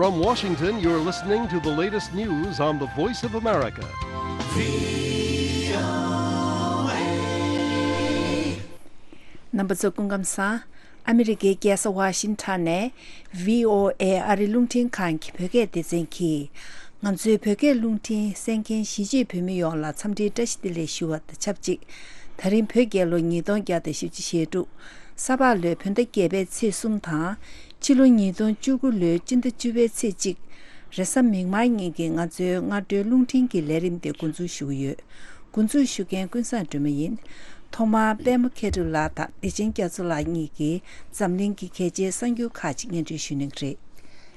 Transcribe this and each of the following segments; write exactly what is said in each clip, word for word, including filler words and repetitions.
From Washington, you're listening to the latest news on the Voice of America. རྣམ་པ་ཚོ་སྐུ་ཁམས་བཟང་། ཨ་མི་རི་ཀའི་རྒྱལ་ས་ཝ་ཤིང་ཊོན་ནས་བྷི་ཨོ་ཨེ་ཨ་རི་རླུང་འཕྲིན་ཁང་གི་བོད་སྐད་སྡེ་ཚན་གྱིས། ང་ཚོའི་བོད་སྐད་རླུང་འཕྲིན་གསན་མཁན་གཞིས་བྱེས་བོད་མི་ཡོངས་ལ་འཚམས་འདྲིའི་བཀྲ་ཤིས་བདེ་ལེགས་ཞུ་བ་དང་ཆབས་ཅིག་ད་རིང་བོད་རྒྱལ་ལོ་ཉིས་སྟོང་བརྒྱ་དང་བཞི་བཅུ་ཞེ་དྲུག་ས་ཕག་ལོའི་བོད་ཟླ་བརྒྱད་པའི་ཚེས་གསུམ་དང་། ཕྱི་ལོ་ཉིས་སྟོང་བཅུ་དགུ་ལོའི་སྤྱི་ཟླ་བཅུ་པའི་ཚེས་གཅིག་རེས་གཟའ་མིག་དམར་ཉིན་གྱི་ང་ཚོའི་སྔ་དྲོའི་རླུང་འཕྲིན་གྱི་ལས་རིམ་དེ་འགོ་འཛུགས་ཞུ་གི་ཡོད། འགོ་འཛུགས་ཞུ་མཁན་ཀུན་བཟང་སྒྲོལ་མ་ཡིན། ཐོག་མར་པད་མ་མཁས་གྲུབ་ལགས་དང་བདེ་ཆེན་རྒྱ་མཚོ་ལགས་གཉིས་ཀྱིས་འཛམ་གླིང་གི་གལ་ཆེའི་གསར་འགྱུར་ཁག་ཅིག་སྙན་སྒྲོན་ཞུ་གནང་གི་རེད།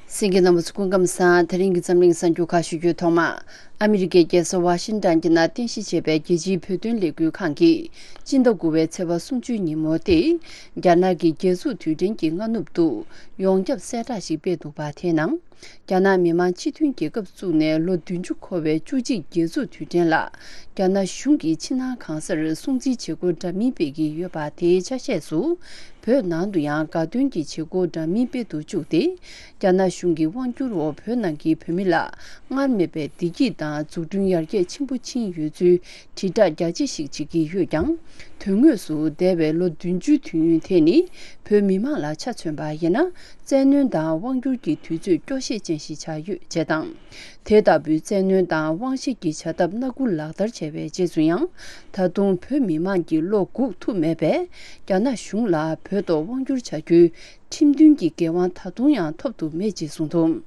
གསན་མཁན་རྣམ་པ་ཚོ་སྐུ་ཁམས་བཟང་། དེ་རིང་གི་འཛམ་གླིང་གསར་འགྱུར་ཁག་ཞུ་རྒྱུའི་ཐོག་མ། ཨ་མི་རི་ཀའི་རྒྱལ་ས་ཝ་ཤིང་ཊོན་གྱི་ནང་རྟེན་གཞི་བྱས་པའི་རྒྱལ་སྤྱིའི་བོད་དོན་ལས་འགུལ་ཁང་གིས་སྤྱི་ཟླ་དགུ་པའི་ཚེས་པ་སུམ་ཅུའི་ཉིན་མོ་སྟེ། རྒྱ་ནག་གི་རྒྱལ་འཛུགས་དུས་དྲན་གྱི་སྔ་ནུབ་ཏུ་ཡོངས་ཁྱབ་གསལ་བསྒྲགས་ཤིག་སྤེལ་འདུག་པ། དེའི་ནང་། རྒྱ་ནག་མི་དམངས་སྤྱི་མཐུན་རྒྱལ་ཁབ་བཙུགས་ནས་ལོ་བདུན་ཅུ་འཁོར་བའི་བཅུ་གཅིག་རྒྱལ་འཛུགས་དུས་དྲན་ལ། རྒྱ་ནག་གཞུང་གིས་ཕྱི་ནང་གང་སར་སྲུང་བརྩིའི་བྱེད་སྒོ་འདྲ་མིན་སྤེལ་གྱི་ཡོད་པ། དེའི་ཆ་ཤས་སུ། བོད་ནང་དུ་ཡང་དགའ་སྟོན་གྱི་བྱེད་སྒོ་འདྲ་མིན་སྤེལ་དུ་བཅུག་སྟེ། རྒྱ་ནག་གཞུང་གི་དབང་བསྒྱུར་འོག་བོད་ནང་གི་བོད་མི་ལ་སྔར་མེད་པའི་བདེ་སྐྱིད་དང་འཛུགས་སྐྲུན་ཡར་རྒྱས་ཆེན་པོ་ཕྱིན་ཡོད་ཚུལ་དྲིལ་བསྒྲགས་རྒྱ་ཆེ་ཞིག་བྱེད་ཀྱི་ཡོད་ཀྱང་། དོན་དངོས་སུ་འདས་པའི་ལོ་བདུན་ཅུའི་དུས་ཡུན་དེ་ནི་བོད་མི་མང་ལ་ཆ་མཚོན་པ་ཡིན་ན། བཙན་གནོན་དང་དབང་བསྒྱུར་གྱི་དུས་ཚོད་སྐྱོ་ཤས་ཅན་ཞིག་ཆགས་ཡོད་ཅེས་དང་། དེ་ལྟ་བུའི་བཙན་གནོན་དང་དབང་ཤེད་ཀྱི་བྱ་ཐབས་སྣ་དགུ་ལག་བསྟར་བྱས་པའི་རྗེས་སུ་ཡང་། ད་དུང་བོད་མི་མང་གི་བློ་འགུག་ཐུབ་མེད་པས། རྒྱ་ནག་གཞུང་ལ་བོད་ཐོག་དབང་བསྒྱུར་བྱ་རྒྱུའི་ཁྲིམས་མཐུན་གྱི་འགན་དབང་ད་དུང་ཡང་ཐོབ་ཐུབ་མེད་ཅེས་གསུངས་འདུག་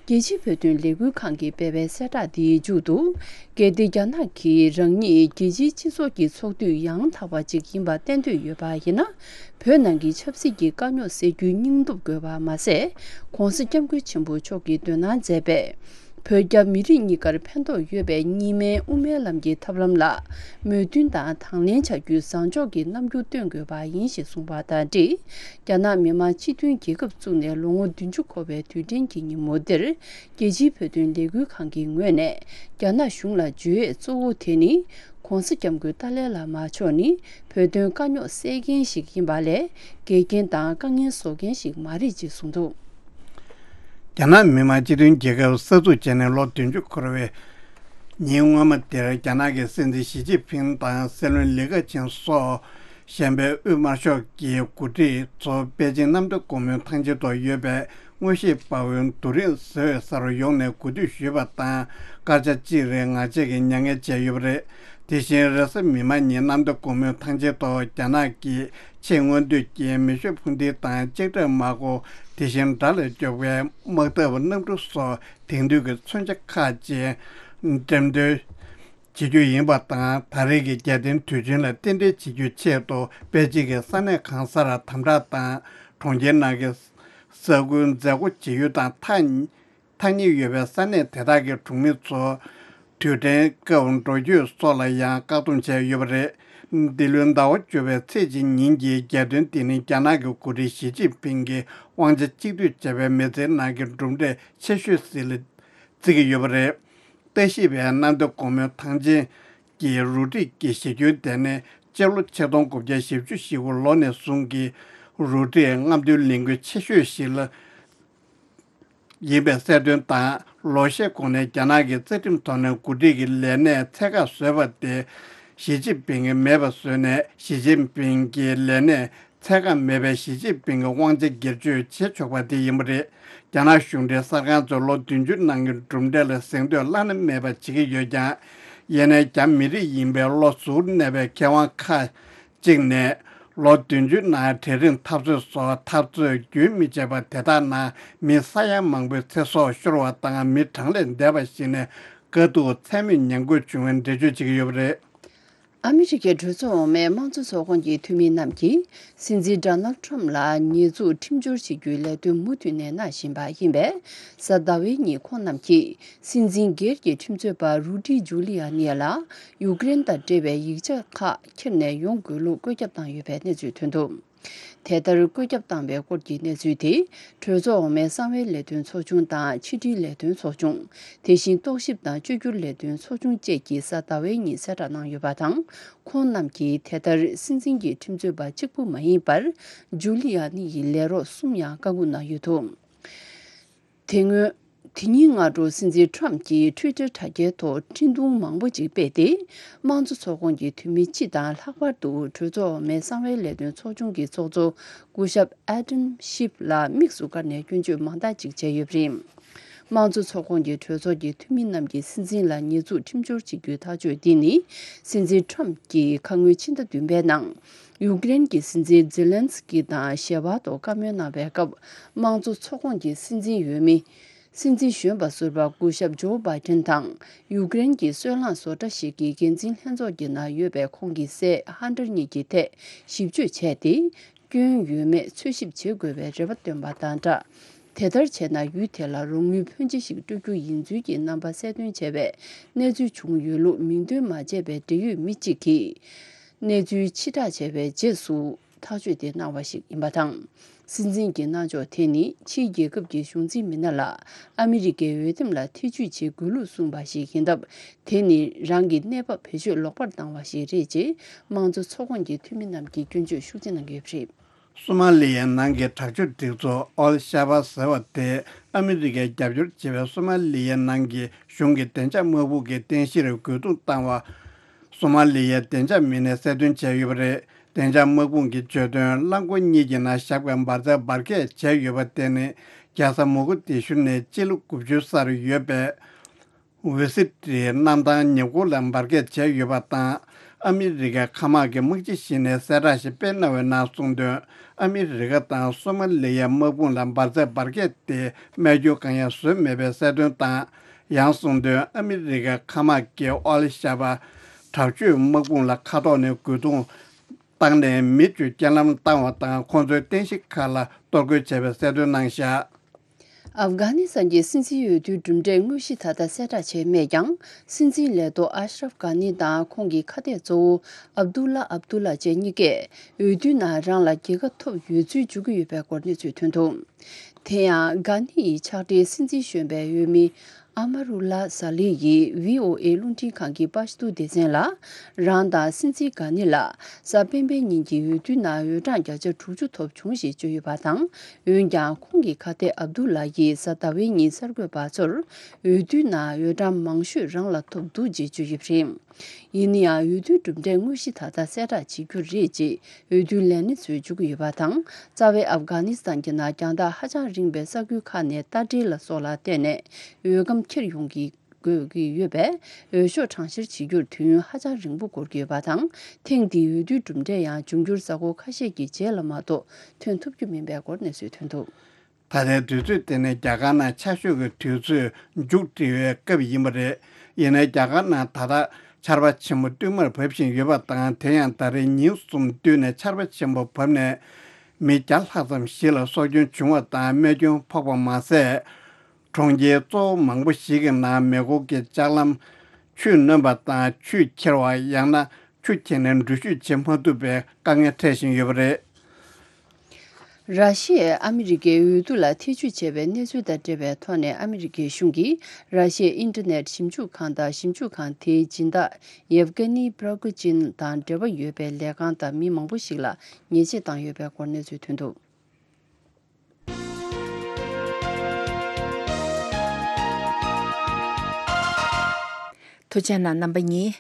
རྒྱལ་སྤྱིའི་བོད་དོན་ལས་འགུལ་ཁང་གིས་སྤེལ་བའི་གསལ་བསྒྲགས་འདིའི་མཇུག་ཏུ། གལ་ཏེ་རྒྱ་ནག་གིས་རང་ཉིད་རྒྱལ་སྤྱིའི་སྤྱི་ཚོགས་ཀྱི་ཚོགས་འདུས་ཡང་དག་པ་ཅིག་ཡིན་པ་བསྟན་འདོད་ཡོད་པ་ཡིན་ན། བོད་ནང་གི་ཆབ་སྲིད་ཀྱི་དཀའ་རྙོག་སེལ་རྒྱུའི་སྙིང་སྟོབས་དགོས་པ་མ་ཟད། ྋགོང་ས་ྋསྐྱབས་མགོན་ཆེན་པོ་མཆོག་གིས་འདོན་གནང་མཛད་པའི། བོད་རྒྱ་མི་རིགས་གཉིས་ཀར་ཕན་ཐོགས་ཡོད་པའི་གཉིས་སྨན་དབུ་མའི་ལམ་གྱི་ཐབས་ལམ་ལ་མོས་མཐུན་དང་དང་ལེན་བྱ་རྒྱུའི་བཟང་ཕྱོགས་ཀྱི་རྣམ་འགྱུར་སྟོན་དགོས་པ་ཡིན་ཞེས་གསུངས་པ་དང་འབྲེལ། རྒྱ་ནག་མི་དམངས་སྤྱི་མཐུན་རྒྱལ་ཁབ་བཙུགས་ནས་ལོ་ངོ་བདུན་ཅུ་འཁོར་བའི་དུས་དྲན་གྱི་ཉིན་མོ་འདིར། རྒྱལ་སྤྱིའི་བོད་དོན་ལས་འགུལ་ཁང་གི་ངོས་ནས་རྒྱ་ནག་གཞུང་ལ་བརྗོད་ཡས་གཙོ་བོ་དེ་ནི། ྋགོང་ས་ྋསྐྱབས་མགོན་ཏཱ་ལའི་བླ་མ་མཆོག་ནི་བོད་དོན་དཀའ་རྙོག་སེལ་མཁན་ཞིག་ཡིན་པ་ལས། འགལ་རྐྱེན་དང་དཀའ་ངལ་བཟོ་མཁན་ཞིག་མ་རེད་ཅེས་གསུངས་འདུག་རྒྱ་ནག་མི་དམངས་སྤྱི་མཐུན་རྒྱལ་ཁབ་གསར་འཛུགས་བྱས་ནས་ལོ་བདུན་ཅུ་འཁོར་བའི་ཉིན་སྔོན་མ་དེར། རྒྱ་ནག་གི་སྲིད་འཛིན་ཞི་ཅིན་ཕིང་དང་སྲིད་བློན་ལི་ཁེ་ཆང་སོགས་གཞན་པའི་དབུས་དམར་ཤོག་གི་འགོ་ཁྲིད་ཚོ་པེ་ཅིང་གནམ་བདེ་སྒོ་མོའི་ཐང་ཆེན་ཐོག་ཡོད་པའི་དངོས་གཞིའི་དཔའ་བོའི་རྡོ་རིང་བཟོ་ས་རུ་ཡོང་ནས་གོ་སྒྲིག་ཞུས་པ་དང་། སྐར་ཆ་གཅིག་རིང་ངར་ཆད་ཀྱིས་མྱ་ངན་བྱས་ཡོད་པ་རེད། དེ་བཞིན་རེས་གཟའ་མིག་དམར་ཉིན་གནམ་བདེ་སྒོ་མོའི་ཐང་ཆེན་ཐོག་རྒྱ་ནག་གི་ཆེས་སྔོན་དུས་ཀྱི་མེ་ཤུགས་འཕུར་མདེལ་དང་ལྕགས་ཁྲབ་དམག་སྒོ། དེ་བཞིན་དགྲ་ལ་སྐྱོབ་པའི་དམག་འཐབ་གནམ་གྲུ་སོགས་དེང་དུས་ཀྱི་མཚོན་ཆ་ཁག་ཅིག་འགྲེམས་སྟོན་བྱེད་རྒྱུ་ཡིན་པ་དང་། ད་རེས་ཀྱི་རྒྱལ་བསྟན་དུས་ཆེན་ལ་རྟེན་འབྲེལ་བྱེད་རྒྱུའི་ཆེད་དུ་པེ་ཅིང་གི་ས་གནས་གང་སར་དམ་དྲག་དང་། གྲོང་ཁྱེར་ནང་གི་ས་ཁུལ་མཛད་སྒོ་བྱེད་ཡུལ་དང་ཐག་ཐག་ཉེ་ཡོད་པའི་ས་གནས་དེ་དག་གི་གྲོང་མི་ཚོ་དུས་དྲན་སྐབས་འགྲོ་སྐྱོད་སོགས་ལ་ཡང་བཀག་སྡོམ་བྱས་ཡོད་པ་རེད། འདི་ལོའི་ཟླ་བ་བཅུ་པའི་ཚེས་གཅིག་ཉིན་གྱི་རྒྱལ་སྟོན་དེ་ནི་རྒྱ་ནག་གི་འགོ་ཁྲིད་ཞི་ཅིན་ཕིང་གིས་དབང་ཆ་གཅིག་སྡུད་བྱས་པའི་མི་ཚེའི་ནང་གི་གྲུབ་འབྲས་ཆེ་ཤོས་ཤིག་ལ་བརྩི་གི་ཡོད་པ་རེད། ལྟ་ཞིབ་པས་གནམ་བདེ་སྒོ་མོའི་ཐང་ཆེན་གྱི་རུ་སྒྲིག་གི་གཞི་ཁྱོན་དེ་ནི་སྤྱི་ལོ་ཆིག་སྟོང་དགུ་བརྒྱ་བཞི་བཅུ་ཞེ་དགུ་ལོ་ནས་བཟུང་གི་རུ་སྒྲིག་རྔམ་སྟོན་ལས་འགུལ་ཆེ་ཤོས་ཤིག་ལ་ཡིན་པའི་གསལ་སྟོན་དང་། ལོ་ཤས་གོང་ནས་རྒྱ་ནག་གི་རྩ་ཁྲིམས་ཐོག་ནས་འགོ་ཁྲིད་ཀྱི་ལས་གནས་ཚད་བཀག་བཟོས་པ་དེ་ཞི་ཅིན་ཕིང་གིས་མེད་པ་བཟོས་ནས། ཞི་ཅིན་ཕིང་གི་ལས་གནས་ཚད་བཀག་མེད་པའི་ཞི་ཅིན་ཕིང་གི་དབང་ཆ་སྒེར་གཅོད་བྱེད་ཆོག་པ་དེ་ཡིན་པ་རེད། རྒྱ་ནག་གཞུང་འབྲེལ་གསར་ཁང་ཚོས་ལོ་བདུན་ཅུ་ནང་གི་གྲུབ་འབྲས་ལ་གཟེངས་བསྟོད་བླ་ན་མེད་པ་བྱེད་ཀྱི་ཡོད་ཀྱང་། ཡིན་ནའི་རྒྱ་མི་རིགས་ཡིན་པའི་བློ་གཟུར་གནས་པའི་མཁས་དབང་ཁག་ཅིག་ནས། ལོ་བདུན་ཅུ་ནང་གྲལ་རིམ་འཐབ་རྩོད་སོགས་འཐབ་རྩོད་རྒྱུན་མི་ཆད་པར། དེ་དག་ནང་མི་ས་ཡ་མང་པོའི་ཚེ་སྲོག་ཤོར་བ་དང་། མི་གྲངས་ལས་འདས་པ་ཞིག་ནས་དཀའ་སྡུག་ཚད་མེད་མྱངས་དགོས་བྱུང་བའི་འགྲེལ་བརྗོད་བྱེད་ཀྱི་ཡོད་པ་རེད། ཨ་མི་རི་ཀའི་གྲོས་ཚོགས་འོག་མའི་དམངས་གཙོ་ཚོགས་ཁོངས་ཀྱི་འཐུས་མི་རྣམས་ཀྱིས། སྲིད་འཛིན་ཌོ་ནལ་ཁྲམ་ལ་ཉེས་འཛུགས་ཁྲིམས་སྦྱོར་བྱེད་རྒྱུའི་ལས་དོན་མུ་མཐུད་ནས་གནང་བཞིན་པ་ཡིན་པས། གཟའ་ཟླ་བའི་ཉིན་ཁོང་རྣམས་ཀྱིས། སྲིད་འཛིན་སྒེར་གྱི་ཁྲིམས་རྩོད་པ་རུ་ཌི་ཇུ་ལི་ཡ་ནི་ལ་ཡུཀ་རེན་དང་འབྲེལ་བའི་ཡིག་ཆ་ཁག་འཁྱེར་ནས་ཡོང་དགོས་ལུགས་བཀོད་ཁྱབ་བཏང་ཡོད་པའི་གནས་ཚུལ་ཐོན་འདུག་དེ་ལྟར་བཀོད་ཁྱབ་བཏང་བའི་སྐོར་གྱི་གནས་ཚུལ་དེ། གྲོས་ཚོགས་འོག་མའི་གསང་བའི་ལས་དོན་ཚོགས་ཆུང་དང་ཕྱི་དྲིལ་ལས་དོན་ཚོགས་ཆུང་། དེ་བཞིན་རྟོག་ཞིབ་དང་བཅོས་བསྒྱུར་ལས་དོན་ཚོགས་ཆུང་བཅས་ཀྱིས་གཟའ་ཟླ་བའི་ཉིན་གསལ་བསྒྲགས་གནང་ཡོད་པ་དང་། ཁོང་རྣམས་ཀྱིས་དེ་ལྟར་སྲིད་འཛིན་གྱི་ཁྲིམས་རྩོད་པ་གཅིག་པུ་མ་ཡིན་པར། ཇུ་ལི་ཡ་ནི་ཡི་ལས་རོགས་གསུམ་ཡང་བཀའ་འགུག་གནང་ཡོད་འདུག་དེ་སྔོན། དེ་ཉིན་སྔ་དྲོ་སྲིད་འཛིན་ཁྲོམ་གྱིས་ཊུའི་ཊར་དྲ་རྒྱའི་ཐོག་འཕྲིན་ཐུང་མང་པོ་ཅིག་སྤེལ་ཏེ། དམངས་གཙོ་ཚོགས་ཁོངས་ཀྱི་འཐུས་མི་སྤྱི་དང་། ལྷག་པར་དུ་གྲོས་ཚོགས་འོག་མའི་གསང་བའི་ལས་དོན་ཚོགས་ཆུང་གི་ཚོགས་གཙོ་སྐུ་ཞབས་ཨེ་ཌམ་ཤིབ་ལ་དམིགས་སུ་བཀར་ནས་སྐྱོན་བརྗོད་མང་དག་ཅིག་བྱས་ཡོད་པ་རེད། དམངས་གཙོ་ཚོགས་ཁོངས་ཀྱི་གྲོས་ཚོགས་ཀྱི་འཐུས་མི་རྣམས་ཀྱིས་སྲིད་འཛིན་ལ་ཉེས་འཛུགས་ཁྲིམས་སྦྱོར་བྱེད་རྒྱུའི་ཐག་གཅོད་འདི་ནི། སྲིད་འཛིན་ཁྲོམ་གྱིས་ཁ་སྔོན་ཕྱི་ཟླ་བདུན་པའི་ནང་། ཡུཀ་རེན་གྱི་སྲིད་འཛིན་ཛེ་ལན་སི་ཀི་དང་ཞལ་པར་ཐོག་བཀའ་མོལ་གནང་བའི་སྐབས། དམངས་གཙོ་ཚོགས་ཁོངས་ཀྱི་སྲིད་འཛིན་འོས་མི། སྲིད་འཛིན་གཞོན་པ་ཟུར་པ་སྐུ་ཞབས་ཇོ་བྷའི་ཌེན་དང་། ཡུཀ་རེན་གྱི་སོལ་རླངས་བཟོ་གྲྭ་ཞིག་གི་འགན་འཛིན་ལྷན་ཚོགས་ཀྱི་ནང་ཡོད་པའི་ཁོང་གི་སྲས་ཧན་ཏར་གཉིས་ཀྱི་ཐད་ཞིབ་དཔྱོད་བྱས་ཏེ། སྐྱོན་ཡོད་མེད་འཚོལ་ཞིབ་བྱེད་དགོས་པའི་རེ་བ་བཏོན་པ་དང་སྦྲགས། དེ་ལྟར་བྱས་ན་ཡུལ་དེ་ལ་རོགས་དངུལ་ཕོན་ཆེ་ཞིག་སྤྲོད་རྒྱུ་ཡིན་ཚུལ་གྱི་རྣམ་པ་གསལ་སྟོན་བྱས་པའི་གནས་ཚུལ་བྱུང་ཡོད་ལུགས་མིང་འདོན་མ་བྱས་པའི་འབྲེལ་ཡོད་མི་གཅིག་གིས། གནས་ཚུལ་ཕྱིར་བསྒྲགས་བྱས་པའི་རྗེས་སུ། ཐག་གཅོད་དེ་གནང་བ་ཞིག་ཡིན་པ་དང་། སྲིད་འཛིན་གྱི་གནང་ཕྱོགས་དེ་ནི་ཕྱིའི་རྒྱལ་ཁབ་ཀྱི་གཞུང་འཛིན་མི་སྣ་ལ་ཨ་མི་རི་ཀའི་འོས་འདེམས་ལ་ཐེ་ཇུས་བྱེད་དགོས་ལུགས་གསུངས་པ་ཞིག་ཡིན་སྟབས། དེ་ནི་རང་གི་གནས་བབ་བེད་སྤྱོད་ལོག་པར་བཏང་བ་ཞིག་རེད་ཅེས་དམངས་གཙོ་ཚོགས་ཁོངས་ཀྱི་འཐུས་མི་རྣམས་ཀྱིས་སྐྱོན་བརྗོད་ཤུགས་ཆེ་གནང་གི་ཡོད་པ་རེད། སོ་མ་ལི་ཡའི་ནང་གི་དྲག་སྤྱོད་སྒྲིག་འཛུགས་ཨོལ་ཤ་བ་ཟེར་བ་དེས་ཨ་མི་རི་ཀས་རྒྱབ་སྐྱོར་བྱེད་པའི་སོ་མ་ལི་ཡའི་ནང་གི་གཞུང་གི་བདེ་འཇགས་དམག་དཔུང་གི་རྟེན་གཞིར་རྒོལ་རྡུང་བཏང་བ། སོ་མ་ལི་ཡའི་བདེ་འཇགས་མི་སྣས་གསལ་སྟོན་བྱས་ཡོད་པ་རེད། བདེ་འཇགས་དམག་དཔུང་གིས་བརྗོད་དོན། རླངས་འཁོར་གཉིས་ཀྱི་ནང་བཞག་པའི་འབར་རྫས་འབར་གས་བྱས་ཡོད་པ་དེ་ནི་རྒྱལ་ས་མོ་གོ་དི་ཤུ་ནས་སྤྱི་ལེ་དགུ་བཅུ་སར་ཡོད་པའི་ཝེ་སི་ཏྲིའི་གནམ་ཐང་ཉེ་འཁོར་ལ་འབར་གས་བྱས་ཡོད་པ་དང་། ཨ་མི་རི་ཀའི་མཁའ་དམག་གི་དམག་སྤྱི་ཞིག་ནས་གསལ་བསྒྲགས་ཤིག་སྤེལ་གནང་བའི་ནང་གསུངས་དོན། ཨ་མི་རི་ཀ་དང་སོ་མ་ལི་ཡའི་དམག་དཔུང་ལ་འབར་རྫས་འབར་གས་དེ་རྨས་སྐྱོན་གང་ཡང་བཟོས་མེད་པའི་གསལ་སྟོན་དང་། ཡང་གསུངས་དོན། ཨ་མི་རི་ཀའི་མཁའ་དམག་གིས་ཨོལ་ཤ་བ་དྲག་སྤྱོད་དམག་དཔུང་ལ་མཁའ་ཐོག་ནས་རྒོལ་རྡུང་བཏང་ནས་མི་བཅུ་རྐྱེན་ལམ་བཏང་བ་དང་། ཁོང་ཚོའི་རྟེན་གཞི་ཁག་ལ་གཏོར་རྒོལ་བྱས་པའི་གསལ་སྟོན་གནང་བཞག་ཨབ་གྷ་ནི་སི་ཐན་གྱི་སྲིད་འཛིན་འོས་བསྡུའི་གྲུབ་འབྲས་དངོས་གཞི་ད་ལྟ་གསལ་བསྒྲགས་བྱས་མེད་ཀྱང་། སྲིད་འཛིན་ལས་ཐོག་ཨ་ཤ་རབ་གྷ་ནི་དང་ཁོང་གི་ཁ་གཏད་གཙོ་བོ་ཨབ་དུ་ལ་ཨབ་དུ་ལ་བཅས་གཉིས་ཀས་འོས་བསྡུའི་ནང་རང་ལ་རྒྱལ་ཁ་ཐོབ་ཡོད་ཚུལ་བརྗོད་ཀྱི་ཡོད་པའི་སྐོར་གནས་ཚུལ་ཐོན་འདུག་དེ་ཡང་། གྷ་ནི་ཡི་ཕྱག་སྦྲེལ་སྲིད་འཛིན་གཞོན་པའི་འོས་མི་ཨ་མ་རུ་ལ་ཟ་ལི་ཡིས་བྷི་ཨོ་ཨེ་རླུང་འཕྲིན་ཁང་གི་པར་སྐྲུན་སྡེ་ཚན་ལ། རང་དང་སྲིད་འཛིན་གྷ་ནི་ལ་གཟའ་སྤེན་པའི་ཉིན་གྱི་འོས་བསྡུའི་ནང་འོས་གྲངས་བརྒྱ་ཆ་དྲུག་ཅུ་ཐོབ་བྱུང་ཞེས་བརྗོད་ཡོད་པ་དང་། འོན་ཀྱང་། ཁོང་གི་ཁ་གཏད་ཨབ་དུ་ལ་ཡིས་གཟའ་ཟླ་བའི་ཉིན་གསར་འགོད་པ་ཚོར། འོས་བསྡུའི་ནང་འོས་གྲངས་མང་ཤོས་རང་ལ་ཐོབ་འདུག་ཅེས་བརྗོད་ཡོད་པ་རེད། ཡིན་ན་ཡང་། འོས་བསྡུའི་གྲུབ་འབྲས་དངོས་གཞི་ད་ལྟ་གསལ་བསྒྲགས་བྱེད་རྒྱུ་རེད་ཅེས་འོས་བསྡུའི་ལས་སྣེ་ཚོས་བརྗོད་ཀྱི་ཡོད་པ་དང་། རྩ་བའི་ཨབ་གྷ་ནི་སི་ཐན་གྱི་ནང་རྒྱང་ཐག་ཧ་ཅང་རིང་བའི་ས་ཁུལ་ཁག་ནས་རྟ་དྲེལ་ལ་སོགས་ལ་བརྟེན་ནས་འོས་སྒམ་འཁྱེར་ཡོང་གི་དགོས་ཀྱི་ཡོད་པས། འོས་ཤོག་གྲངས་བཤེར་བྱེད་རྒྱུར་དུས་ཡུན་ཧ་ཅང་རིང་པོ་འགོར་གྱི་ཡོད་པ་དང་། ཐེངས་འདིའི་འོས་བསྡུའི་གྲུབ་འབྲས་ཡང་འབྱུང་འགྱུར་གཟའ་འཁོར་ཁ་ཤས་ཀྱི་རྗེས་ལ་མ་གཏོགས་ཐོན་ཐུབ་རྒྱུ་མིན་པའི་སྐོར་གནས་ཚུལ་ཐོན་འདུག་ད་ལྟའི་དུས་ཚོད་དེ་ནི་རྒྱ་གར་ནང་ཆར་ཞོད་ཀྱི་དུས་ཚོད་མཇུག་སྒྲིལ་བའི་སྐབས་ཡིན་པ་རེད། ཡིན་ནའི་རྒྱ་གར་ནང་ད་ལྟ་ཆར་པ་ཆེན་པོ་བསྟུད་མར་བབས་བཞིན་ཡོད་པ་དང་། དེ་ཡང་ད་རེས་ཉིན་གསུམ་བསྟུད་ནས་ཆར་པ་ཆེན་པོ་བབས་ནས་མི་བརྒྱ་ལྷག་ཙམ་ཞིག་ལ་སྲོག་སྐྱོན་བྱུང་བ་དང་། རྨས་སྐྱོན་ཕོག་པ་མ་ཟད། གྲོང་ཁྱེར་གཙོ་བོ་མང་པོ་ཞིག་གི་ནང་མེ་འཁོར་གྱི་ལྕགས་ལམ་ཆུས་ནོན་པ་དང་། ཆུས་ཁྱེར་བ། ཡང་ན་ཆུ་ཁྱེར་ནས་འགྲུལ་བཞུད་བྱེད་མ་ཐུབ་པའི་དཀའ་ངལ་འཕྲད་བཞིན་ཡོད་པ་རེད། ར་ཤི་ཡས་ཨ་མི་རི་ཀའི་འོས་བསྡུ་ལ་ཐེ་བྱུས་བྱས་པའི་གནས་ཚུལ་དང་འབྲེལ་བའི་ཐོག་ནས། ཨ་མི་རི་ཀའི་གཞུང་གིས་ར་ཤི་ཡའི་ཨིན་ཊར་ནེཊ་ཞིབ་འཇུག་ཁང་དང་། ཞིབ་འཇུག་ཁང་དེའི་སྦྱིན་བདག་ཡེབ་ཀེ་ནི་པྲོ་གོ་ཅིན་དང་འབྲེལ་བ་ཡོད་པའི་ལས་ཁང་དང་མི་མང་པོ་ཞིག་ལ་ཉེས་ཆད་བཏང་ཡོད་པའི་སྐོར་གནས་ཚུལ་ཐོན་འདུག་ཐུགས་རྗེ་གནང་རྣམ་པ་གཉིས།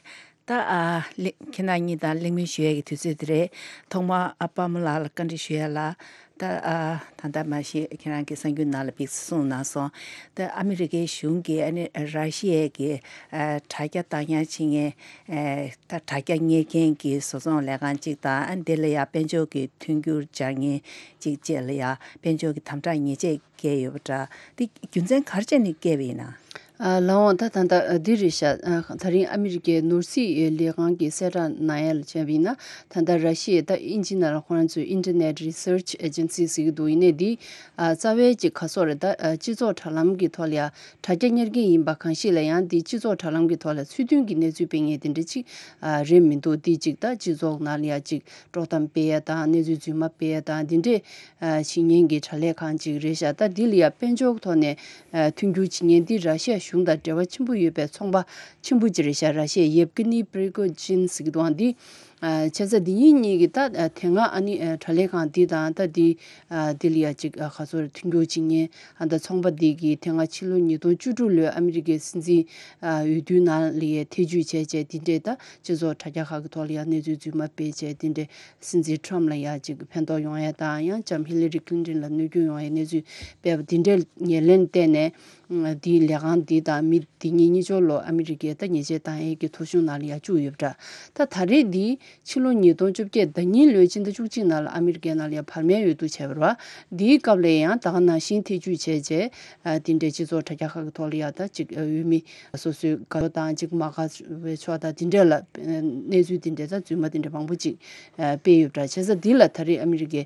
ད་ཨ་ལེ་ཁྱེད་རང་གཉིས་དང་གླེང་མོལ་ཞུ་ཡས་ཀྱི་དུས་ཚོད་དེ་རེད། ཐོག་མར་ཨ་པ་མོ་ལགས་ལ་བཀའ་འདྲི་ཞུ་ཡས་ལ། ད་ཨ་ད་ལྟ་མ་གཞི་ཁྱེད་རང་གི་གསར་འགྱུར་ནང་ལ་ཕེབས་གསུངས་གནང་སོང་། ད་ཨ་མི་རི་ཀའི་གཞུང་གིས་ཨ་ནི་ར་ཤི་ཡའི་གི་ཨ་དྲ་རྒྱ་བཏང་ཡག་བྱེད་མཁན་ཨ་ད་དྲ་རྒྱ་གཉེར་མཁན་གྱི་བཟོ་ཚོང་ལས་ཁང་གཅིག་དང་། ཨ་འདི་ལ་ཡང་དཔལ་འབྱོར་གྱི་མཐུན་འགྱུར་སྦྱར་མཁན་གཅིག་བཅས་ལ་ཡང་དཔལ་འབྱོར་གྱི་དམ་དྲག་ཉེས་ཆད་བཀལ་ཡོད་པ་འདྲ། འདི་རྒྱུ་མཚན་ག་རེ་བྱས་ནས་བཀལ་བ་ཡིན་ན། ཨ་ལགས་འོང་། ད་ད་ལྟ་འདི་རེད་ཤག་ཨ་ད་རིང་ཨ་མི་རི་ཀའི་ནོར་སྲིད་ལས་ཁང་གིས་གསལ་བསྒྲགས་གནང་ཡ་ལ་བྱས་པ་ཡིན་ན། ད་ལྟ་ར་ཤི་ཡའི་ད་དབྱིན་ཇི་ནང་ལ་ཁོ་རང་ཚོས་Internet Research Agency ཟེར་གྱི་འདུག་ཡིན་ནའི་འདི་ཨ་རྩ་བའི་ཅིག་ག་སོགས་རེད། ད་ཨ་སྤྱི་ཚོགས་དྲ་ལམ་གྱི་ཐོག་ལ་ཡ་དྲ་རྒྱ་གཉེར་མཁན་ཡིན་པ་གང་ཞིག་ལ་ཡང་འདི་སྤྱི་ཚོགས་དྲ་ལམ་གྱི་ཐོག་ལ་ཚུལ་མཐུན་གྱི་གནས་ཚུལ་སྤེལ་མཁན་དེ་འདྲ་ཅིག་ཨ་རེད་མི་འདུག་འདི་ཅིག་ད་སྤྱི་ཚོགས་ནང་ལ་ཡ་ཅིག་དཀྲོག་གཏམ་སྤེལ་ཡ་དང་། གནས་ཚུལ་རྫུན་མ་སྤེལ་ཡ་དང་། འདི་འདྲས་ཨ་བྱེད་མཁན་གྱི་དྲ་ལས་ཁང་ཅིག་རེད་ཤག་ད་འདི་ལ་ཡ་དཔལ་འབྱོར་ཐོག་ནས་ཨ་མཐུན་འགྱུར་བྱེད་མཁན་འདི་ར་ཤི་ཡ་གཞུང་དང་འབྲེལ་བ་ཆེན་པོ་ཡོད་པའི་ཚོང་པ་ཆེན་པོ་ཅིག་རེད་ཤག་ར་ཤི་ཡའི་ཡེབ་ཀི་ནི་པྲི་གོ་ཇིན་ཟེར་གྱི་འདུག་འདི་ ཨ་བྱས་ཙང་འདི་གཉིས་གཉིས་ཀྱིས་ད་ཨ་དེ་སྔ་ཨ་ནི་ཨ་དྲ་ལམ་ཁང་འདི་དང་ད་འདི་ཨ་འདི་ལ་ཡ་ཅིག་ཨ་ག་ཚོད་མཐུན་འགྱུར་བྱེད་མཁན་ཨ་ད་ཚོང་པ་འདི་གིས་དེ་སྔ་ཕྱི་ལོ་ཉིས་སྟོང་བཅུ་དྲུག་ལོའི་ཨ་མི་རི་ཀའི་སྲིད་འཛིན་ཨ་འོས་བསྡུའི་ནང་ལ་ཡ་ཐེ་བྱུས་བྱས་བྱས་འདི་འདྲས་ད་སྤྱི་ཚོགས་དྲ་རྒྱ་ཁག་གི་ཐོག་ལ་ཡ་གནས་ཚུལ་རྫུན་མ་སྤེལ་བྱས་འདི་འདྲས་སྲིད་འཛིན་ཊམ་ལ་ཡ་ཅིག་ཕན་ཐོགས་ཡོང་ཡ་དང་ཡང་ལྕམ་ཧི་ལི་རི་ཀླིན་ཊོན་ལ་གནོད་སྐྱོན་ཡོང་ཡ་གནས་ཚུལ་སྤེལ་བ་འདི་འདྲས་ཉེར་ལེན་བལྟས་ནས། འདིའི་ལས་ཁང་འདི་དང་མི་འདི་གཉིས་གཉིས་ཆོར་ལོ་ཨ་མི་རི་ཀའི་ད་ཉེས་ཆད་བཏང་ཡས་ཀྱི་ཐོ་གཞུང་ནང་ལ་ཡ་བཅུག་ཡོད་པ་འདྲ། ད་ད་རེས་འདི་ཕྱི་ལོ་ཉིས་སྟོང་བཅོ་བརྒྱད་ཟླ་གཉིས་ལོའི་ཕྱི་ཟླ་བཅུ་གཅིག་ནང་ལ་ཨ་མི་རི་ཀའི་ནང་ལ་ཡ་བར་མའི་འོས་བསྡུ་བྱས་པ་རེད་བ། འདིའི་སྐབས་ལ་ཡང་ད་ག་ནང་བཞིན་ཐེ་བྱུས་བྱས་རྗེས་ཨ་འདི་འདྲའི་སྤྱི་ཚོགས་དྲ་རྒྱ་ཁག་གི་ཐོག་ལ་ཡ་ད་ཅིག་འོས་མི་སོ་སོའི་དགའ་ཕྱོགས་དང་ཅིག་མ་དགའ་བའི་ཕྱོགས་དང་འདི་འདྲ་ལ་གནས་ཚུལ་འདི་འདྲ་ད་རྫུན་མ་འདི་འདྲ་མང་པོ་ཅིག་སྤེལ་ཡོད་པ་འདྲ། བྱས་ཙང་འདི་ལ་ད་རེས་ཨ་མི་རི་ཀའི་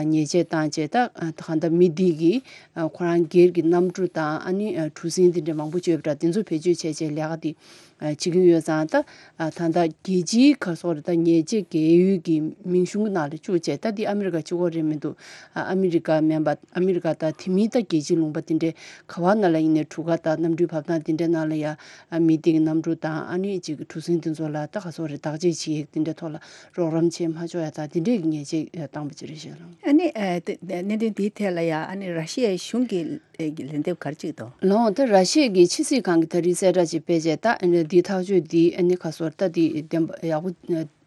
ཉེས་ཆད་བཏང་རྗེས་ད་གང་ལྟར་མི་འདི་གིས་ཁོ་རང་སྒེར་གྱི་གནམ་གྲུ་དང་ཨ་ནི་གྲུ་གཟིངས་འདི་འདྲ་མང་པོ་བཅོས་པ་འདྲ་འདི་ཚོ་བེད་སྤྱོད་བྱས་བྱས་ལས་ཀ་འདི་བྱེད་ཀྱི་ཡོད་ཙང་ད་ད་ལྟ་རྒྱལ་སྤྱིའི་ག་སོགས་རེད་ད་ཉེས་ཆད་འགེལ་ཡུལ་གྱི་མིང་གཞུང་ནང་ལ་བཅུག་བྱས་ད་འདི་ཨ་མི་རི་ཀ་གཅིག་པོ་རེད་མི་འདུག་ཨ་མི་རི་ཀ་མིན་པ་ཨ་མི་རི་ཀ་དང་དེ་མིན་ད་རྒྱལ་སྤྱིའི་ལུང་པ་འདི་འདྲའི་ག་བ་ནང་ལ་ཡིན་ནའི་གྲུ་ཁ་དང་གནམ་གྲུའི་བབ་ཐང་འདི་འདྲའི་ནང་ལ་ཡ་མི་འདི་གི་གནམ་གྲུ་དང་ཨ་ནི་གཅིག་གྲུ་གཟིངས་འདི་ཚོ་ལ་ད་ག་སོགས་རེད་བདག་གཅེས་བྱེད་ཡས་འདི་འདྲའི་ཐོག་ལ། རོགས་རམ་བྱེད་མ་ཆོག་ཡ་དང་དེ་འདྲས་ཀྱི་ཉེས་ཆད་བཏང་པ་ཅིག་རེད་ཤག་ལགས། ཨ་ནི་ཨ་དེ་གནད་དོན་འདིའི་ཐད་ལ་ཡ་ཨ་ནི་ར་ཤི་ཡའི་གཞུང་གི་ཨེ་གི་ལན་འདེབས་ག་རེ་ཅིག་འདུག་ལགས་འོང་ད་ར་ཤི་ཡ་གི་ཕྱི་སྲིད་ཁང་གི་ད་རེས་གསལ་བསྒྲགས་ཅིག་སྤེལ་རྗེས་ད་ཨ་ནི་འདིའི་ཐག་གཅོད་འདི་ཨ་ནི་ག་སོར་ད་འདི་བདེན་པ་ཡག་པོ་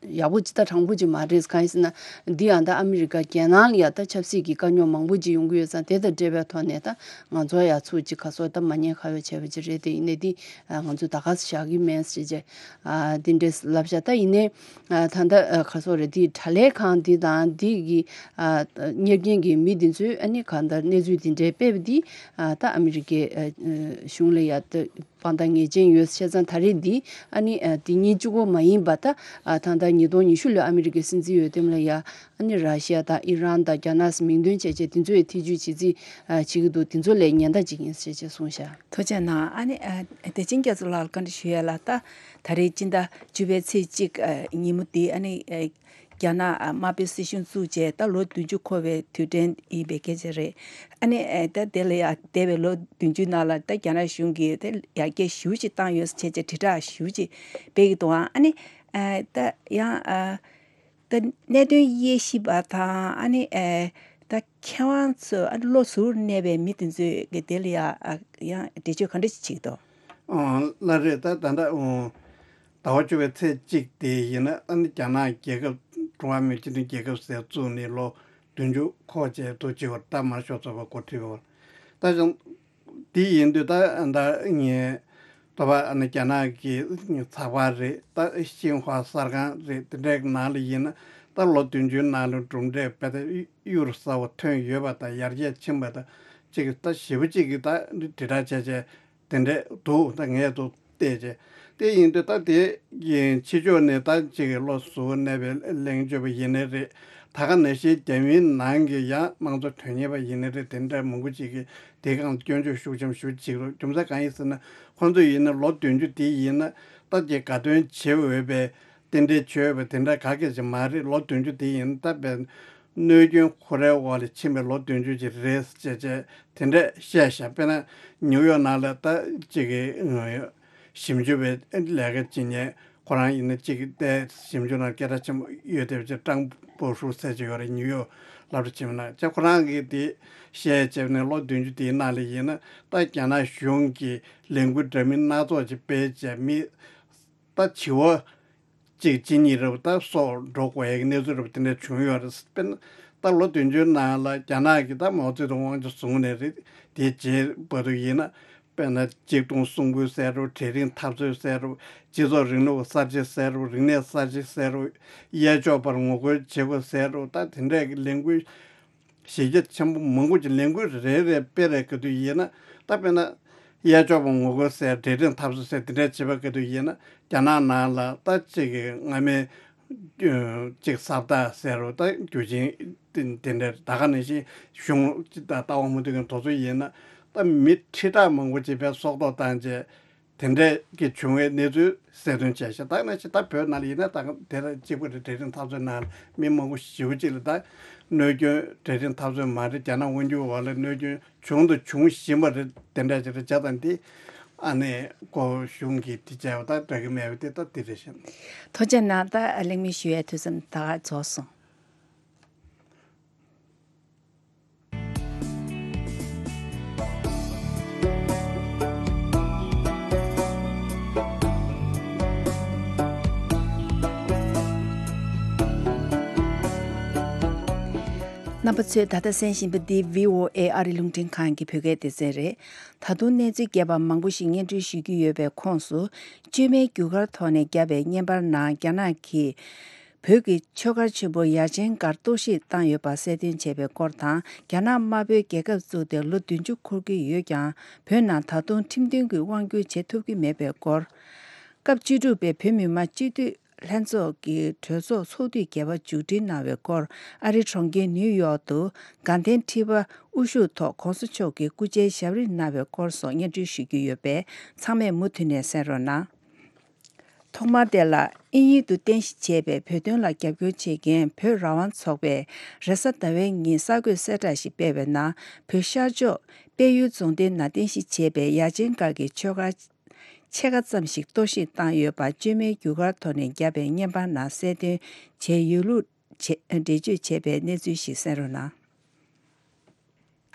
ཡག་པོ་ཅིག་ད་དྲང་པོ་ཅིག་མ་རེད། གང་ཡིན་ཟེར་ན་འདི་ཡང་ད་ཨ་མི་རི་ཀ་རྒྱལ་ནང་ལ་ཡ་ད་ཆབ་སྲིད་ཀྱི་དཀའ་རྙོག་མང་པོ་ཅིག་ཡོང་གི་ཡོད་ཙང་དེ་དང་འབྲེལ་བའི་ཐོག་ནས་ད་ང་ཚོ་ཡ་ཚུར་ཅིག་ག་སོར་ད་མ་ཉེས་ཁ་གཡོག་བྱས་པ་ཅིག་རེད། དེ་ཡིན་ནའི་འདི་ང་ཚོ་ད་ག་ས་བཞག་གི་མེད་ཟེར་བྱས་འདི་འདྲས་ལབ་ཤག་ད་ཡིན་ནའི། ཨ་ད་ལྟ་ཨ་ག་སོགས་རེད་དེའི་དྲ་ལམ་ཁང་འདི་དང་འདི་གི་ཨ་གཉེར་མཁན་གྱི་མི་འདི་ཚོས་ཨ་ནི་གང་ལྟར་གནས་ཚུལ་འདི་འདྲའི་སྤེལ་བ་འདི་ཨ་ད་ཨ་མི་རི་ཀའི་ཨ་གཞུང་ལ་ཡ་ད་དཔང་རྟགས་ངེས་ཅན་ཡོད་བྱས་ཙང་ད་རེས་འདི་ཨ་ནི་ཨ་འདི་གཉིས་གཅིག་པོ་མ་ཡིན་པ་ད་ཨ་ད་ལྟ་ཉིས་སྟོང་ཉི་ཤུ་ལོའི་ཨ་མི་རི་ཀའི་སྲིད་འཛིན་འོས་འདེམས་ལ་ཡ་ཨ་ནི་ར་ཤི་ཡ་དང་ཨི་རན་དང་རྒྱ་ནག་མིང་འདོན་བྱས་བྱས་འདི་ཚོས་ཐེ་བྱུས་བྱེད་རྩིས་ཨ་བྱེད་ཀྱི་འདུག་འདི་ཚོ་ལས་ཉེན་བརྡ་ཅིག་ཡིན་ཟེར་བྱས་གསུངས་ཤག་ཐུགས་རྗེ་གནང་། ཨ་ནི་ཨ་བདེ་ཆེན་རྒྱ་མཚོ་ལགས་ལ་བཀའ་འདྲི་ཞུ་ཡ་ལ་ད་ད་རེས་སྤྱི་ཟླ་བཅུ་པའི་ཚེས་གཅིག་ཨ་ཉིན་མོ་འདི་ཨ་ནི་ཨ་རྒྱ་ནག་ཨ་དམར་པོའི་སྲིད་གཞུང་བཙུགས་རྗེས་ད་ལོ་བདུན་ཅུ་འཁོར་བའི་དུས་དྲན་ཡིན་པའི་སྐད་ཆ་རེད། ཨ་ནི་ཨ་ད་དེ་ལ་ཡ་འདས་པའི་ལོ་བདུན་ཅུའི་ནང་ལ་ད་རྒྱ་ནག་གཞུང་གིས་ད་ཡར་རྒྱས་ཞེ་པོ་ཅིག་བཏང་ཡོད་ཟེར་བྱས་བྱས་དྲིལ་བསྒྲགས་ཞེ་པོ་ཅིག་སྤེལ་གྱི་འདུག་ཨ་ནི་ཨ་ད་ཡང་ཨ་ད་གནད་དོན་དབྱེ་ཞིབ་པ་དང་ཨ་ནི་ཨེ་ད་མཁས་དབང་ཚོས་ཨ་ནི་བློ་གཟུར་གནས་པའི་མི་དེ་ཚོས་གི་དེ་ལ་ཡ་ཨ་ཡང་འགྲེལ་བརྗོད་ག་འདྲ་ཞིག་བྱེད་ཀྱི་འདུག་ཨོ་ལགས་རེད། ད་ད་ལྟ་ཨོ་ཟླ་བ་བཅུ་པའི་ཚེས་གཅིག་དེ་ཡིན་ན་ཨ་ནི་རྒྱ་ནག་རྒྱལ་ཁབ་ཀྲུང་ཧྭ་མི་དམངས་སྤྱི་མཐུན་རྒྱལ་ཁབ་ཟེར་བཙུགས་ནས་ལོ་བདུན་ཅུ་འཁོར་བྱས་འདུག་ཅེས་པར་ད་མར་ཤོག་ཚོགས་པ་འགོ་ཁྲིད་པ་ད་ཅང་། དེ་ཡིན་དུས་ད་ད་ངས་ད་བ་ཨ་ནི་རྒྱ་ནག་གི་ཚགས་པར་རེད། ད་ཤིན་ཧྭ་གསར་ཁང་རེད། དེ་འདྲའི་ནང་ལ་ཡིན་ན་ད་ལོ་བདུན་ཅུའི་ནང་ལ་གྲུབ་འབྲས་དཔེ་ད་གཡུར་ཟ་བ་ཐོན་ཡོད་པ་དང་ཡར་རྒྱས་ཕྱིན་པ་དང་གཅིག་ད་ཞེ་པོ་གཅིག་གིས་ད་དྲིལ་བསྒྲགས་བྱས་བྱས་དེ་འདྲས་འདུག་ད་ངས་ཚོ་བལྟས་བྱས་དེ་ཡིན་དུས་ད་དེ་ཡིན་ཕྱི་ཕྱོགས་ནས་ད་གཅིག་གི་བློ་གཟུ་བོར་གནས་པའི་གླེང་བརྗོད་པ་ཡིན་ནའི་རེད། ད་ག་ནང་བཞིན་རྒྱ་མིའི་ནང་གི་ཡང་དམངས་གཙོ་དོན་གཉེར་བ་ཡིན་ནའི་རེད། དེ་འདྲ་མང་པོ་ཅིག་གིས་དེའི་སྒང་སྐྱོན་བརྗོད་ཤུགས་ཆེན་པོ་ཞེ་པོ་བྱེད་ཀྱི་རེད། རྒྱུ་མཚན་གང་ཡིན་ཟེར་ན་ཁོང་ཚོ་ཡིན་ན་ལོ་བདུན་ཅུ་དེ་ཡིན་ན་ད་ཀྱི་དགའ་སྟོན་བྱེད་འོས་པའི་རྟེན་འབྲེལ་བྱེད་འོས་པའི་དེ་འདྲ་ག་གེ་ཅིག་མ་རེད། ལོ་བདུན་ཅུ་དེ་ཡིན་ན་ད་དཔེ་གནོད་སྐྱོན་ཁོ་རའི་འོག་ལ་ཕྱིན་པའི་ལོ་བདུན་ཅུ་ཅིག་རེད་ཅེས་བྱས་དེ་འདྲ་བཤད་བཞག་དཔེར་ན་ནིའུ་ཡོག་ནང་ལ་ད་ཅིག་གི་ཞིབ་འཇུག་པའི་ལས་ཀ་བྱེད་མཁན་ཁོ་རང་ཡིན་ན་གཅིག་གི་ཞིབ་འཇུག་ནང་སྐད་གྲགས་ཆེན་པོ་ཡོད་བསྡད་པ་ཅིག་ཀྲང་པོ་ཧྲུའུ་ཟེར་གྱི་ཡོད་རེད། ནིའུ་ཡོག་སློབ་གྲྭ་ཆེན་མོ་ནང་བྱས་ཁོ་རང་གིས་དེ་བཤད་བྱས་ནས་ལོ་བདུན་ཅུ་དེའི་ནང་ལ་ཡིན་ན་ད་རྒྱ་ནག་གཞུང་གིས་ལས་འགུལ་འདྲ་མིན་སྣ་ཚོགས་ཅིག་སྤེལ་བྱས་མི་ད་བྱེ་བ་གཅིག་གཅིག་གཉིས་རེ་བ་ད་སོགས་འགྲོ་དགོས་ཡག་གི་གནས་ཚུལ་རེ་བ་དེ་འདྲ་བྱུང་ཡོད་རེད། དཔེར་ན་ད་ལོ་བདུན་ཅུའི་ནང་ལ་རྒྱ་ནག་གིས་ད་མའོ་ཙེ་ཏུང་དབང་ཆ་བཟུང་ནས་རེད། དེའི་རྗེས་བར་དུ་ཡིན་ན་དཔེར་ན་གཅིག་སྟོང་གསུམ་བརྒྱ་ཟེར་རོ། གྲལ་རིམ་འཐབ་རྩོད་ཟེར་རོ། སྤྱི་ཚོགས་རིང་ལུགས་གསར་བརྗེ་ཟེར་རོ། རིག་གནས་གསར་བརྗེ་ཟེར་རོ། གཡས་ཕྱོགས་པར་ངོ་རྒོལ་བྱེད་དགོས་ཟེར་རོ། ད་དེ་འདྲས་ཀྱི་ལས་འགུལ་གཞི་རྒྱ་ཆེན་པོ་མང་པོ་ཅིག་ལས་འགུལ་རེ་རེ་སྤེལ་རེ་ག་དུས་ཡིན་ན་ད་དཔེར་ན་གཡས་ཕྱོགས་པར་ངོ་རྒོལ་ཟེར་གྲལ་རིམ་འཐབ་རྩོད་ཟེར་དེ་འདྲས་བྱེད་པ་ག་དུས་ཡིན་ན་རྒྱ་ནག་ནང་ལ་ད་ཅིག་གི་སྔ་མའི་ཅིག་ས་བདག་ཟེར་རོ། ད་རྒྱུ་ཆེན་དེ་འདྲ་ད་ག་ནང་བཞིན་གཞུང་ད་ལྟ་བ་མུ་མཐུད་ཀྱི་དོ་ཚོ་ཡིན་ན་ད་མི་ཁྲི་ཕྲག་མང་པོ་ཅིག་པའི་སྲོག་ཐོག་བཏང་རྗེས་དེ་འདྲ་གི་བྱུང་བའི་གནས་ཚུལ་གསལ་སྟོན་བྱས་ཤག་ད་ནང་བཞིན་ད་བོད་ནང་ལ་ཡིན་ན་ད་ག་དེ་ལ་གཅིག་པ་རེད། གྲལ་རིམ་འཐབ་རྩོད་ནང་ལ་མི་མང་པོ་ཞེ་པོ་ཅིག་ལ་ད་གནོད་སྐྱོན་གྲལ་རིམ་འཐབ་རྩོད་མ་རེད། རྒྱ་ནག་དབང་སྒྱུར་འོག་ལ་གནོད་སྐྱོན་བྱུང་དང་འབྱུང་བཞིན་པ་རེད། དེ་འདྲ་ཅིག་རེད། བྱས་ཙང་དེ་ ཨ་ནི་ཁོ་གཞུང་གིས་དེ་བྱས་པ་དང་འདྲ་གི་མེད་པ་དེ་ད་དེ་རེད་ཤག། ཐུགས་རྗེ་གནང་། ད་གླེང་མོལ་ཞུ་ཡའི་དུས་ཚོད་ད་ག་རྫོགས་སོང་། རྣམ་པ་ཚོས་ད་ལྟ་གསན་བཞིན་པ་འདི་བྷི་ཨོ་ཨེ་ཨ་རི་རླུང་འཕྲིན་ཁང་གི་བོད་སྐད་སྡེ་ཚན་རེད། ད་དུང་གནས་ཚུལ་རྒྱས་པ་མང་པོ་ཞིག་སྙན་སྒྲོན་ཞུ་རྒྱུ་ཡོད་པའི་ཁོངས་སུ། བཅོས་མའི་རྒྱུ་སྐར་ཐོག་ནས་བརྒྱབ་པའི་བརྙན་པར་ནང་རྒྱ་ནག་གིས། བོད་ཀྱི་ཆོས་སྒར་ཆེན་པོ་ཡ་ཆེན་སྒར་གཏོར་བཤིག་བཏང་ཡོད་པ་གསལ་སྟོན་བྱས་པའི་སྐོར་དང་། རྒྱ་ནག་དམར་པོའི་རྒྱལ་ཁབ་བཙུགས་ཏེ་ལོ་བདུན་ཅུ་འཁོར་གྱི་ཡོད་ཀྱང་། བོད་ནང་ད་དུང་ཁྲིམས་མཐུན་གྱི་དབང་སྒྱུར་བྱེད་ཐུབ་ཀྱི་མེད་པའི་སྐོར། སྐབས་བཅུ་དྲུག་པའི་བོད་མི་མང་སྤྱི་འཐུས་ལྷན་ཚོགས་ཀྱི་གྲོས་ཚོགས་ཚོགས་དུས་བརྒྱད་པ་མཇུག་སྒྲིལ་གནང་བའི་སྐོར། ཨ་རིའི་གྲོང་ཁྱེར་ནིའུ་ཡོག་ཏུ་དགའ་ལྡན་ཁྲི་པ་དབུ་བཞུགས་ཐོག་གོང་ས་མཆོག་གི་སྐུ་ཕྱྭའི་ཞབས་རིམ་གནང་བའི་སྐོར་སོགས་སྙན་སྒྲོན་ཞུ་རྒྱུ་ཡོད་པས། ཚང་མས་མུ་མཐུད་ནས་གསན་རོགས་གནང་། ཐོག་མར་དེ་ལ། དབྱིན་ཡུལ་དུ་རྟེན་གཞི་བྱས་པའི་བོད་དོན་ལ་རྒྱབ་སྐྱོར་བྱེད་མཁན་བོད་རང་དབང་ཚོགས་པས། རེས་གཟའ་ཟླ་བའི་ཉིན་གསར་འགོད་གསལ་བསྒྲགས་ཤིག་སྤེལ་བའི་ནང་། བོད་ཤར་ཕྱོགས་དཔལ་ཡུལ་རྫོང་སྡེ་ནང་རྟེན་གཞི་བྱས་པའི་ཡ་ཆེན་སྒར་གྱི་ཆོས་སྒར་ཕྱེད་ཀ་ཙམ་ཞིག་གཏོར་བཤིག་བཏང་ཡོད་པ། བཅོས་མའི་རྒྱུ་སྐར་ཐོག་ནས་བརྒྱབ་པའི་བརྙན་པར་ནང་གསལ་སྟོན་བྱས་ཡོད་ལུགས་བྱས། འགྲེལ་བརྗོད་བྱས་པའི་གནས་ཚུལ་ཞིག་གསན་རོགས་གནང་།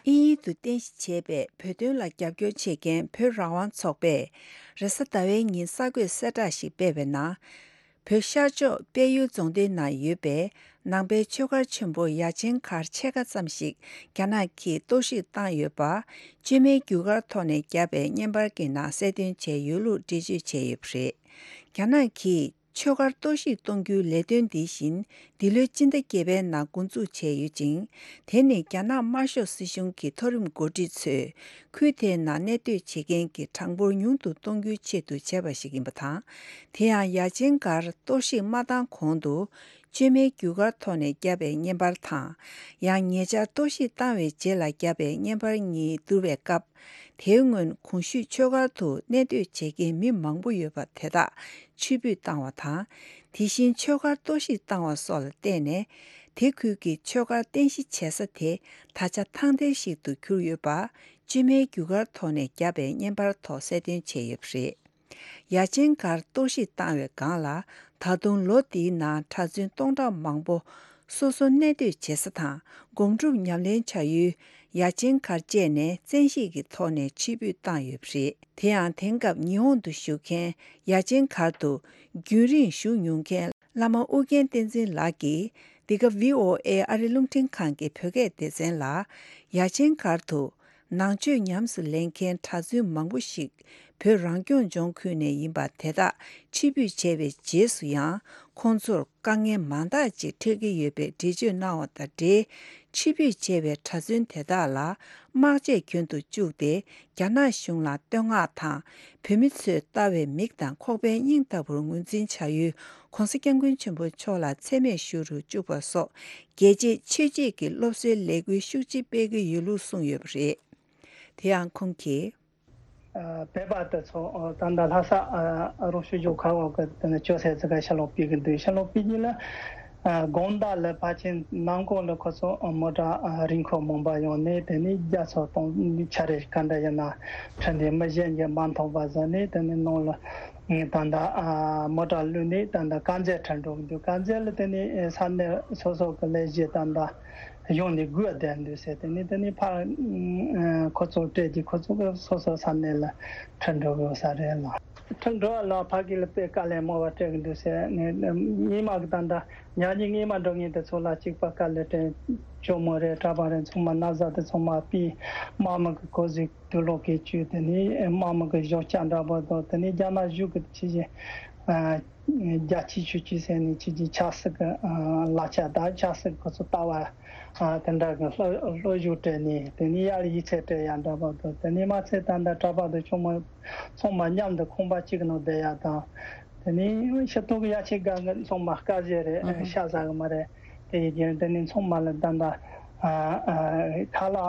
དབྱིན་ཡུལ་དུ་རྟེན་གཞི་བྱས་པའི་བོད་དོན་ལ་རྒྱབ་སྐྱོར་བྱེད་མཁན་བོད་རང་དབང་ཚོགས་པས། རེས་གཟའ་ཟླ་བའི་ཉིན་གསར་འགོད་གསལ་བསྒྲགས་ཤིག་སྤེལ་བའི་ནང་། བོད་ཤར་ཕྱོགས་དཔལ་ཡུལ་རྫོང་སྡེ་ནང་ཡོད་པའི་ནང་པའི་ཆོས་སྒར་ཆེན་པོ་ཡ་ཆེན་སྒར་ཕྱེད་ཀ་ཙམ་ཞིག་རྒྱ་ནག་གིས་གཏོར་བཤིག་བཏང་ཡོད་པ། བཅོས་མའི་རྒྱུ་སྐར་ཐོག་ནས་བརྒྱབ་པའི་བརྙན་པར་གྱི་ནང་གསལ་སྟོན་བྱས་ཡོད་ལུགས་འགྲེལ་བརྗོད་བྱས་ཡོད་པ་རེད། རྒྱ་ནག་གིས། ཆོས་སྒར་གཏོར་བཤིག་གཏོང་རྒྱུའི་ལས་དོན་འདི་བཞིན་འདི་ལོའི་སྤྱི་ཟླ་བརྒྱད་པའི་ནང་འགོ་འཛུགས་བྱས་ཡོད་ཅིང་། དེ་ནི་རྒྱ་ནག་དམར་ཤོག་སྲིད་གཞུང་གི་མཐོ་རིམ་འགོ་ཁྲིད་ཚོས་ཁུལ་དེའི་ནང་གནས་སྡོད་བྱེད་མཁན་གྱི་གྲངས་འབོར་ཉུང་དུ་གཏོང་རྒྱུའི་ཆེད་དུ་བྱས་པ་ཞིག་ཡིན་པ་དང་། དེ་ཡང་ཡ་ཆེན་སྒར་གཏོར་བཤིག་མ་བཏང་གོང་དུ། བཅོས་མའི་རྒྱུ་སྐར་ཐོག་ནས་བརྒྱབ་པའི་བརྙན་པར་དང་། ཡང་ཉེ་ཆར་གཏོར་བཤིག་བཏང་བའི་རྗེས་ལ་བརྒྱབ་པའི་བརྙན་པར་གཉིས་བསྡུར་བའི་སྐབས། དེའི་སྔོན་གོང་ཞུས་ཆོས་སྒར་དུ་གནས་སྡོད་བྱེད་མཁན་མི་མང་པོ་ཡོད་པ་དེ་དག་ཕྱིར་འབུད་བཏང་བ་དང་། དེ་བཞིན་ཆོས་སྒར་གཏོར་བཤིག་བཏང་བ་སོགས་ལ་བརྟེན་ནས། དེ་ཁུལ་གྱི་ཆོས་སྒར་རྟེན་གཞི་བྱེད་ས་དེ་ད་ཆ་ཐང་སྟེང་ཞིག་ཏུ་གྱུར་ཡོད་པ། བཅོས་མའི་རྒྱུ་སྐར་ཐོག་ནས་བརྒྱབ་པའི་བརྙན་པར་ཐོག་གསལ་སྟོན་བྱས་ཡོད་པ་རེད། ཡ་ཆེན་སྒར་གཏོར་བཤིག་བཏང་བའི་སྒང་ལ། ད་དུང་ལོ་འདིའི་ནང་གྲྭ་བཙུན་སྟོང་ཕྲག་མང་པོ་སོ་སོ་གནས་སྡོད་བྱེད་ས་དང་སྒོམ་སྒྲུབ་ཉམས་ལེན་བྱ་ཡུལ་ཡ་ཆེན་སྒར་བཅས་ནས་བཙན་ཤེད་ཀྱི་ཐོག་ནས་ཕྱིར་འབུད་བཏང་ཡོད་པ་རེད། དེ་ཡང་དེང་སྐབས་ཉི་ཧོང་དུ་བཞུགས་མཁན་ཡ་ཆེན་སྒར་དུ་རྒྱུན་རིང་བཞུགས་མྱོང་མཁན་བླ་མ་ཨུ་རྒྱན་བསྟན་འཛིན་ལགས་ཀྱིས། འདི་ག་བྷི་ཨོ་ཨེ་ཨ་རི་རླུང་འཕྲིན་ཁང་གི་བོད་སྐད་སྡེ་ཚན་ལ། ཡ་ཆེན་སྒར་དུ། ནང་ཆོས་ཉམས་སུ་ལེན་མཁན་གྲྭ་བཙུན་མང་པོ་ཞིག་བོད་རང་སྐྱོང་ལྗོངས་ཁུལ་ནས་ཡིན་པ་དེ་དག་ཕྱིར་འབུད་བྱས་པའི་རྗེས་སུ་ཡང་ཁོང་ཚོར་དཀའ་ངལ་མང་དག་ཅིག་འཕྲད་ཀྱི་ཡོད་པའི་འགྲེལ་བརྗོད་གནང་བ་དང་འབྲེལ། ཕྱིར་འབུད་བྱས་པའི་གྲྭ་བཙུན་དེ་དག་ལ་དམག་ཆས་གྱོན་དུ་བཅུག་སྟེ་རྒྱ་ནག་གཞུང་ལ་བསྟོད་བསྔགས་དང་། བོད་མི་ཚོས་ལྟ་བའི་མིག་དང་ཁོག་པའི་སྙིང་ལྟ་བུར་ངོས་འཛིན་བྱ་ཡུལ་༧གོང་ས་༧སྐྱབས་མགོན་ཆེན་པོ་མཆོག་ལ་མཚན་སྨད་ཞུ་རུ་བཅུག་པ་སོགས། རྒྱལ་གཅེས་ཆོས་གཅེས་ཀྱི་སློབ་གསོའི་ལས་འགུལ་ཤུགས་ཆེ་སྤེལ་གྱི་ཡོད་ལུགས་གསུངས་ཡོད་པ་རེད། དེ་ཡང་ཁོང་གིས། ཨ། བོད་པ་དེ་ཚོ་ད་ལྟ་ལྷ་ས་ཨ་རོགས་ཞུ་རྒྱུ་ཁག་འོག་གི་དེ་ནས་ཅོག་ཙེ་ཙི་ག་ཤ་ལོག་སྤེལ་གི་འདུག་ཤ་ལོག་སྤེལ་གྱི་ལ། ཨ། དགོང་དག་ལ་ཕལ་ཆེར་ནང་ཁོག་ལ་ཁོ་ཚོ་མོ་ཊ་ཨ་རིན་ཁོ་མོན་པ་ཡོང་ནས་དེ་ནས་རྒྱ་མཚོ་གཏོང་ཆ་རེ་ག་འདྲ་ཡིན་ན་ཁྲིད་འདི་མི་གཞན་གྱིས་མ་མཐོང་བ་བཟོ་ནས་དེ་ནས་ནང་ལ་ད་ལྟ་ཨ་མོ་ཊ་བླུགས་ནས་ད་ལྟ་དཀར་མཛེས་ཁྲིད་འགྲོ་གི་འདུག་དཀར་མཛེས་ལ་དེ་ནས་ས་གནས་སོ་སོ་གི་ལས་གཞི་ད་ལྟ། གཞུང་ནས་དགོས་བསྡད་འདུག་ཟེར། དེ་ནས་དེ་ནས་ཕར་ཁོ་ཚོ་སྤྲད་ཀྱི་ཁོ་ཚོ་གི་སོ་སོ་ས་གནས་ལ་ཁྲིད་འགྲོ་དགོས་ས་རེད་ལ། ཁྲིད་འགྲོ་བ་ལ་ཕ་གི་ལ་དཔེ་དཀའ་ལས་མང་བ་སྤྲད་ཀྱི་འདུག་ཟེར་ནས། སྔས་མ་གི་ད་ལྟ་ཉག་ཉིག་སྔས་མ་འགྲོ་མཁན་དེ་ཚོ་ལ་གཅིག་པ་དཀའ་ལས་སྤྲད། ཇོ་མོ་རེད། གྲྭ་པ་རེད། ཚང་མ་ན་བཟའ་དེ་ཚང་མ་ཕུད། དམག་མི་གི་གོ་ཟིག་དུག་ལོག་གིས་བཅུས། དེ་ནས་དམག་མི་གི་གཞོགས་ལྕགས་འདྲ་པོ་དང་། དེ་ནས་རྒྱ་ནག་གཞུང་གི་ཕྱི་རྒྱལ། རྒྱ་ཆེ་ཆོས་ཆེ་ཟེར་ནས་ཁྱེད་ཀྱི་ཆབ་སྲིད་ཀྱི་ལག་ཆ་དང་ཆབ་སྲིད་ཁོ་ཚོ་ལྟ་བ་དེ་འདྲ་གི་བློ་བློ་ཞུགས་སྤྲད་ནས། དེ་ནས་ཡར་ཡིག་ཚད་སྤྲད་ཡ་འདྲ་པོ་དང་། དེ་ནས་མ་ཚད་ད་ལྟ་གྲྭ་པ་དང་ཆུང་མ་ཚང་མ་མཉམ་དུ་ཁང་པ་གཅིག་ནང་བསྡད་ཡ་དང་། དེ་ནས་ཤི་ཐོག་གི་ཡ་ཆེ་ག་གི་ཚང་མ་དཀར་ཟས་རེད། ཤ་ཟ་གི་མ་རེད། དེ་ཡི་རྒྱུན་དེ་ནས་ཚང་མ་ལ་ད་ལྟ་ཁ་ལག་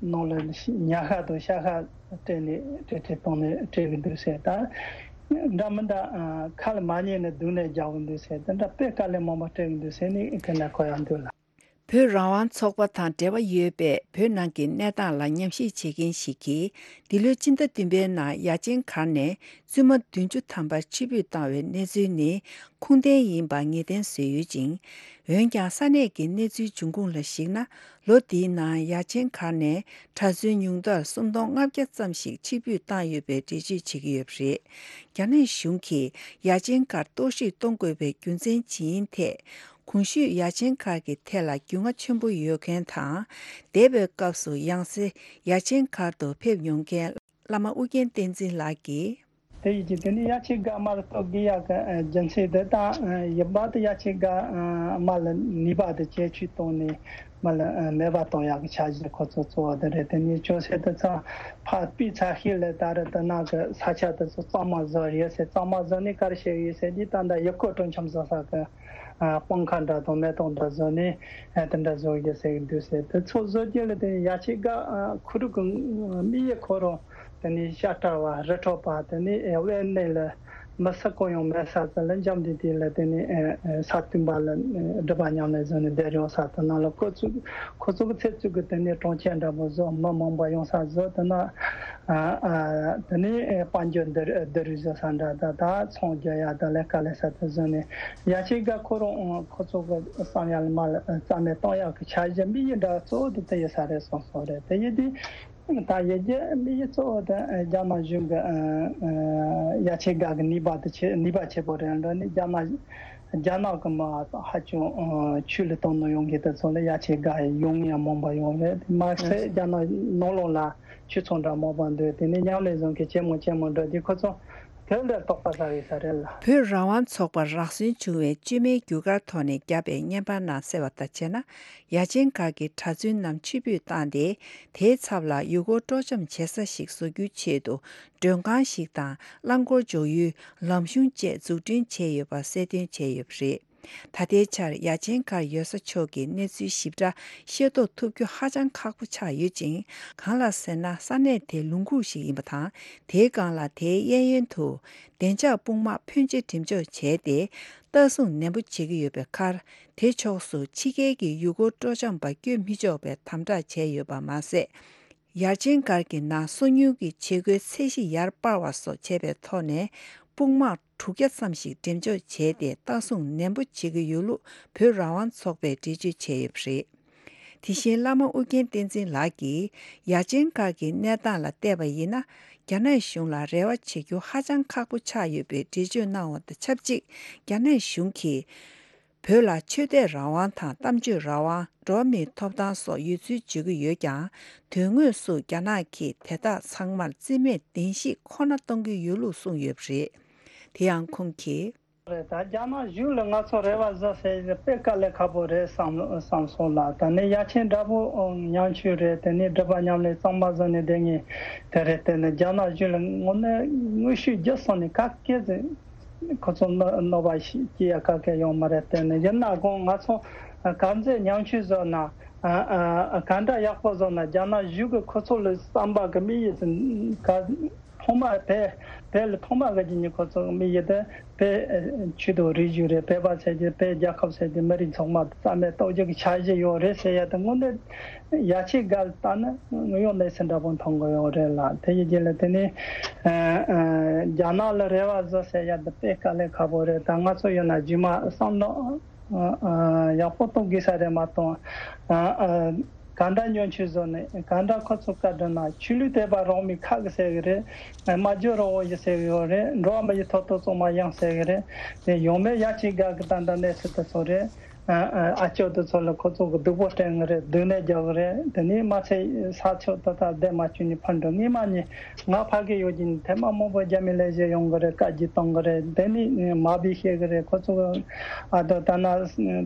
ནང་ལ་ཉ་ཤ་དང་ཤ་ཤ་སྤྲད་ནས་སྤྲད་སྤྲད་བཏང་ནས་སྤྲད་གི་འདུག་ཟེར། ད་འདྲ་མི་འདྲ་ཁ་ལ་མ་ཉན་ནས་སྡུག་ནས་རྒྱག་གི་འདུག་ཟེར། དེ་འདྲ་དཔེ་དཀའ་ལས་མང་པོ་སྤྲད་གི་འདུག་ཟེར་ནས་དེ་ནས་གོ་ཡག་འདུག་ལ། བོད་རང་དབང་ཚོགས་པ་དང་འབྲེལ་བ་ཡོད་པའི་བོད་ནང་གི་གནས་སྟངས་ལ་ཉམས་ཞིབ་བྱེད་མཁན་ཞིག་གིས། འདི་ལོའི་སྤྱི་ཟླ་བདུན་པའི་ནང་ཡ་ཆེན་སྒར་ནས་བཙུན་མ་བདུན་ཅུ་ཐམ་པ་ཕྱིར་འབུད་བཏང་བའི་གནས་ཚུལ་ནི་ཁུངས་ལྡན་ཡིན་པ་ངེས་གཏན་བཟོས་ཡོད་ཅིང་། འོན་ཀྱང་ས་གནས་ཀྱི་གནས་ཚུལ་འབྱུང་ཁུངས་ལ་གཞིགས་ན། ལོ་འདིའི་ནང་ཡ་ཆེན་སྒར་ནས་གྲྭ་བཙུན་ཉུང་མཐར་སུམ་སྟོང་ལྔ་བརྒྱ་ཙམ་ཞིག་ཕྱིར་འབུད་བཏང་ཡོད་པའི་འགྲེལ་བརྗོད་བྱེད་ཀྱི་ཡོད་པ་རེད། རྒྱ་ནག་གཞུང་གིས་ཡ་ཆེན་སྒར་གཏོར་བཤིག་གཏོང་དགོས་པའི་རྒྱུ་མཚན་ཇི་ཡིན་ཐད། གོང་ཞུས་ཡ་ཆེན་སྒར་གྱི་ཐད་ལ་རྒྱུས་མངའ་ཆེན་པོ་ཡོད་མཁན་དང་། འདས་པའི་སྐབས་སུ་ཡང་སེ་ཡ་ཆེན་སྒར་དུ་ཕེབས་མྱོང་མཁན་བླ་མ་ཨུ་རྒྱན་བསྟན་འཛིན་ལགས་ཀྱིས། དེ་ཡིན་གྱི་དེ་ནི་ཡ་ཆེན་སྒར་མར་གཏོར་དགོས་ཡག་གི་རྒྱུ་མཚན་དེ་དང་ཡིན་པ་དེ་ཡ་ཆེན་སྒར་མར་ལ་ནུས་པ་དེ་ཇེ་ཆུང་བཏང་ནས་མར་ལ་མེད་པ་གཏོང་ཡག་གི་འཆར་གཞི་ཁོ་ཚོ་གཙོ་བོ་དེ་རེད། དེ་ནི་ཅོག་ཙེ་དེ་ཚང་ཕར་སྤུས་ཚད་ཤེས་ལས་ད་རེད། དེ་ནང་གི་ས་ཆ་དེ་ཚོ་གཙང་མ་བཟོ་ཡོད་ཟེར། གཙང་མ་བཟོ་ནས་ག་རེ་བྱེད་ཡོད་ཟེར་དུས་ད་ལྟ་ཡུལ་སྐོར་སྤྲོ་འཆམ་བཟོ་ས་གི་སྤང་ཁ་འདྲ་དང་མེ་ཏོག་འདྲ་བཟོས་ནས་དེ་འདྲ་བཟོ་རྒྱུ་ཟེར་གི་འདུག་ཟེར། དེ་ཚོ་བཟོ་རྒྱུ་ལ་དེ་ཡ་ཆེན་སྒར་ཁུ་རུ་གི་དམིགས་ཡུལ་ཁོ་རང་དེ་ནི་ཤ་སྟག་པ་རི་ཁྲོད་པ་དེ་ནི་དབེན་གནས་ལ་མི་སུ་གང་ཡང་མེད་ས་དེ་ལ་འཇམ་དེ་དེ་ལ་དེ་ནི་ས་བཏུམ་པ་ལ་སྒྲུབ་པ་ཉམས་ལེན་བཟོས་ནས་བསྡད་ཡོང་ས་དེ་ནང་ལ་ཁོ་ཚོ་ཁོ་ཚོ་གི་ཚེ་བཙུགས་གི་དེ་ནི་གྲོང་ཁྱེར་འདྲ་པོ་བཟོ། མི་མང་པོ་ཡོང་ས་བཟོ། དེ་ན། ཨ་ཨ་དེ་ནས་དཔལ་འབྱོར་འདི་འདི་རུ་བཟོ་ས་འདྲ་ད་ད་ཚོང་རྒྱག་ཡ་ད་ལས་ཀ་ལས་ས་དེ་བཟོས་ནས་ཡ་ཆེན་སྒར་ཁོ་རང་ཁོ་ཚོ་གི་བསམ་ཡ་ལ་མ་ལ་རྩ་མེད་གཏོང་ཡག་གི་འཆར་གཞི་དམིགས་ཡུལ་འདྲ་གཙོ་བོ་དེ་དེ་ཡོད་ས་རེད་གསུངས་སོང་རེད། དེ་ཡིན་དུས་ད་ཡི་གེ་དམིགས་ཡུལ་གཙོ་བོ་དེ་རྒྱ་ནག་གཞུང་གི་ཡ་ཆེན་སྒར་གི་ནུས་པ་དེ་ཆེ་ནུས་པ་ཆེ་པོ་རེད་འགྲོ་ནས་རྒྱ་ནག་རྒྱ་ནག་གི་མི་ཧ་ཅང་ཆོས་ལུགས་དང་ནི་ཡོང་གི་དེ་ཚོ་ལ་ཡ་ཆེན་སྒར་ཡོང་ཡ་མང་པོ་ཡོང་རེད། མ་ཟད་རྒྱ་ནག་ནང་ལོགས་ལ། ཆོས་ཚོགས་འདྲ་མང་པོ་འདུག་དེ་ནས་མཉམ་ལས་བཟོ་མཁན་ཆེན་མོ་ཆེན་མོ་འགྲོ་དུས་ཁོ་ཚོ་དེ་འདྲ་དོགས་པ་ཟ་གི་ས་རེད་ལ། བོད་རང་དབང་ཚོགས་པ་རག་སོན་བྱུང་བའི་བཅོས་མའི་རྒྱུ་སྐར་ཐོག་ནས་བརྒྱབ་པའི་བརྙན་པར་ནང་གསལ་བ་ལྟར་བྱས་ན། ཡ་ཆེན་སྒར་གྱི་གྲྭ་བཙུན་རྣམས་ཕྱིར་འབུད་བཏང་སྟེ། དེའི་ཚབ་ལ་ཡུལ་སྐོར་སྤྲོ་འཆམ་བྱེད་ས་ཞིག་བཟོ་རྒྱུའི་ཆེད་དུ། མགྲོན་ཁང་ཞིག་དང་རླངས་འཁོར་འཇོག་ཡུལ། ལམ་གཞུང་བཅས་འཛུགས་སྐྲུན་བྱས་ཡོད་པ་གསལ་སྟོན་བྱས་ཡོད་པ་རེད། ད་ལྟའི་ཆར་ཡ་ཆེན་སྒར་ཡོད་ས་ཕྱོགས་ཀྱི་གནས་ཚུལ་ཞིབ་ཕྲ་ཤེས་རྟོགས་ཐུབ་རྒྱུ་ཧ་ཅང་ཁག་པོ་ཆགས་ཡོད་ཅིང་། གང་ལགས་ཟེར་ན། ས་གནས་དེ་ལུང་ཁུག་ཞིག་ཡིན་པ་དང་། དེའི་སྒང་ལ་དེའི་གཡས་གཡོན་དུ་བདེ་འཇགས་དཔུང་དམག་ཕོན་ཆེ་འགྲེམས་འཇོག་བྱས་ཏེ། ལྟ་སྲུང་ནན་པོ་བྱེད་ཀྱི་ཡོད་པའི་ཁར། དེ་ཕྱོགས་སུ་ཕྱི་རྒྱལ་གྱི་ཡུལ་སྐོར་སྤྲོ་འཆམ་པ་བསྐྱོད་མི་ཆོག་པའི་དམ་དྲག་བྱས་ཡོད་པ་མ་ཟད། ཡ་ཆེན་སྒར་གྱི་ནང་སོ་ཉུལ་གྱི་བྱེད་སྒོའི་ཚད་གཞི་ཡར་སྤར་བ་སོགས་བྱས་པའི་ཐོག་ནས། དཔུང་དམག་དྲུག་བརྒྱ་ཙམ་ཞིག་འགྲེམས་འཇོག་བྱས་ཏེ། ལྟ་སྲུང་ནན་པོ་བྱེད་ཀྱི་ཡོད་ལུགས་བོད་རང་དབང་ཚོགས་པས་འགྲེལ་བརྗོད་བྱས་ཡོད་པ་རེད། དེ་བཞིན་བླ་མ་ཨོ་རྒྱན་བསྟན་འཛིན་ལགས་ཀྱིས། ཡ་ཆེན་སྒར་གྱི་གནས་སྟངས་ལ་བལྟས་པ་ཡིན་ན། རྒྱ་ནག་གཞུང་ལ་རེ་བ་བྱེད་རྒྱུ་ཧ་ཅང་ཁག་པོ་ཆགས་ཡོད་པའི་འགྲེལ་བརྗོད་གནང་བ་དང་ཆབས་ཅིག་རྒྱ་ནག་གཞུང་གིས། བོད་ལ་ཆོས་དད་རང་དབང་དང་གཏམ་བརྗོད་རང་དབང་། འགྲོ་བ་མིའི་ཐོབ་ཐང་སོགས་ཡོད་ཚུལ་བརྗོད་ཀྱི་ཡོད་ཀྱང་། དོན་དངོས་སུ་རྒྱ་ནག་གིས་དེ་དག་ཚང་མར་རྩིས་མེད་བདེན་བཞི་ཁོ་ན་གཏོང་གི་ཡོད་ལུགས་གསུངས་ཡོད་པ་རེད། དེ་ཡང་ཁོང་གིས། རེད། ད་རྒྱ་ནག་གཞུང་ལ་ང་ཚོ་རེ་བ་བཟོ་ཟེར་དཔེ་དཀའ་ལས་ཁག་པོ་རེད་བསམ་བསམ་སོང་ལ། ད་ནི་ཡ་ཆེན་འདྲ་པོ་ཉམ་ཆུང་རེད། དེ་ནི་སྒྲུབ་པ་ཉམས་ལེན་གཙང་མ་བཟོ་ནས་བསྡད་ངེས་དེ་རེད། དེ་ནི་རྒྱ་ནག་གཞུང་ལ་དངོས་གནས་དངོས་ཤུགས་བརྒྱུད་སོང་ནས་ག་སྐད་ཟེར། ཁོ་ཚོ་གནོད་གནོད་པ་ཞིག་སྐྱེལ་ཡ་ག་གེ་ཡོང་མ་རེད། དེ་ནི་ཡིན་ན་དགོང་ང་ཚོ་ག་ཚོད་ཉམ་ཆུང་བཟོ་ན། ཨ་ཨ་ག་འདྲ་ཡག་པོ་བཟོ་ན། རྒྱ་ནག་གཞུང་གི་ཁོ་ཚོ་ལ་བསམ་པ་གི་དམིགས་ཡུལ་དེ་ག་ཐོག་མ་དེ་དེ་ལ་ཐོག་མ་གི་ཉིན་ཁོ་ཚོ་གི་དམིགས་ཡུལ་དེ་བོད་ཆོས་དང་རིག་གཞུང་རེད། བོད་པ་ཟེར་གྱི་བོད་རྒྱལ་ཁབ་ཟེར་གྱི་མི་རིགས་ཚང་མ་རྩ་མེད་གཏོང་རྒྱུ་གི་འཆར་གཞི་ཡོད་རེད་ཟེར་ཡ་དེ་དངོས་གནས། ཡ་ཆེན་སྒར་ལྟ་ན་ངོ་ཡོང་གནས་ཚུལ་འདྲ་པོ་མཐོང་གི་ཡོད་རེད་ལ། དེ་ཡི་རྗེས་ལ་དེ་ནི་ཨ་ཨ་རྒྱ་ནག་ལ་རེ་བ་བཟོ་ཟེར་ཡ་འདི་དཔེ་དཀའ་ལས་ཁག་པོ་རེད། ད་ང་ཚོ་ཡོད་ན་རྗེས་མ་བསམ་བློ་ཨ་ཨ་ཡག་པོ་གཏོང་དགོས་ས་རེད་མ་གཏོགས། ཨ་ཨ་ག་འདྲ་ཉམ་ཆུང་བཟོ་ནས་ག་འདྲ་ཁོ་ཚོ་བཀའ་དྲིན་ན་ཆོས་ལུགས་དད་པ་རང་མོས་ཁག་གི་ཟེར་གི་རེད། སྨྲ་བརྗོད་རང་དབང་ཡོད་ཟེར་གི་ཡོད་རེད། འགྲོ་བ་མི་ཡི་ཐོབ་ཐང་གཙང་མ་ཡིན་ཟེར་གི་རེད། དེ་ཡང་མེད་ཡ་ཆེན་སྒར་གི་ད་ལྟ་གནས་ཚུལ་དེ་ཚོ་རེད། ཨ་ཨ་ཨ་ཅོ་དེ་ཚོ་ལ་ཁོ་ཚོ་གི་སྡུག་པོ་སྤྲད་ངེས་རེད། སྡུག་བསྔལ་རྒྱག་གི་རེད། དེ་ནས་མ་ཚད་ས་ཕྱོགས་དེ་དག་བསྡད་མ་བཅུག་ནས་ཕར་འགྲོ། སྔས་མ་ནས་ང་ཕ་གི་ཡོད་ཀྱིན་ཐེངས་མ་མང་པོ་རྒྱ་མི་ལས་བྱེད་ཡོང་གི་རེད། བཀའ་བརྒྱུད་གཏོང་གི་རེད། དེ་ནས་མ་བི་བཤད་གི་རེད། ཁོ་ཚོ་ཨ་དོ་ད་ན་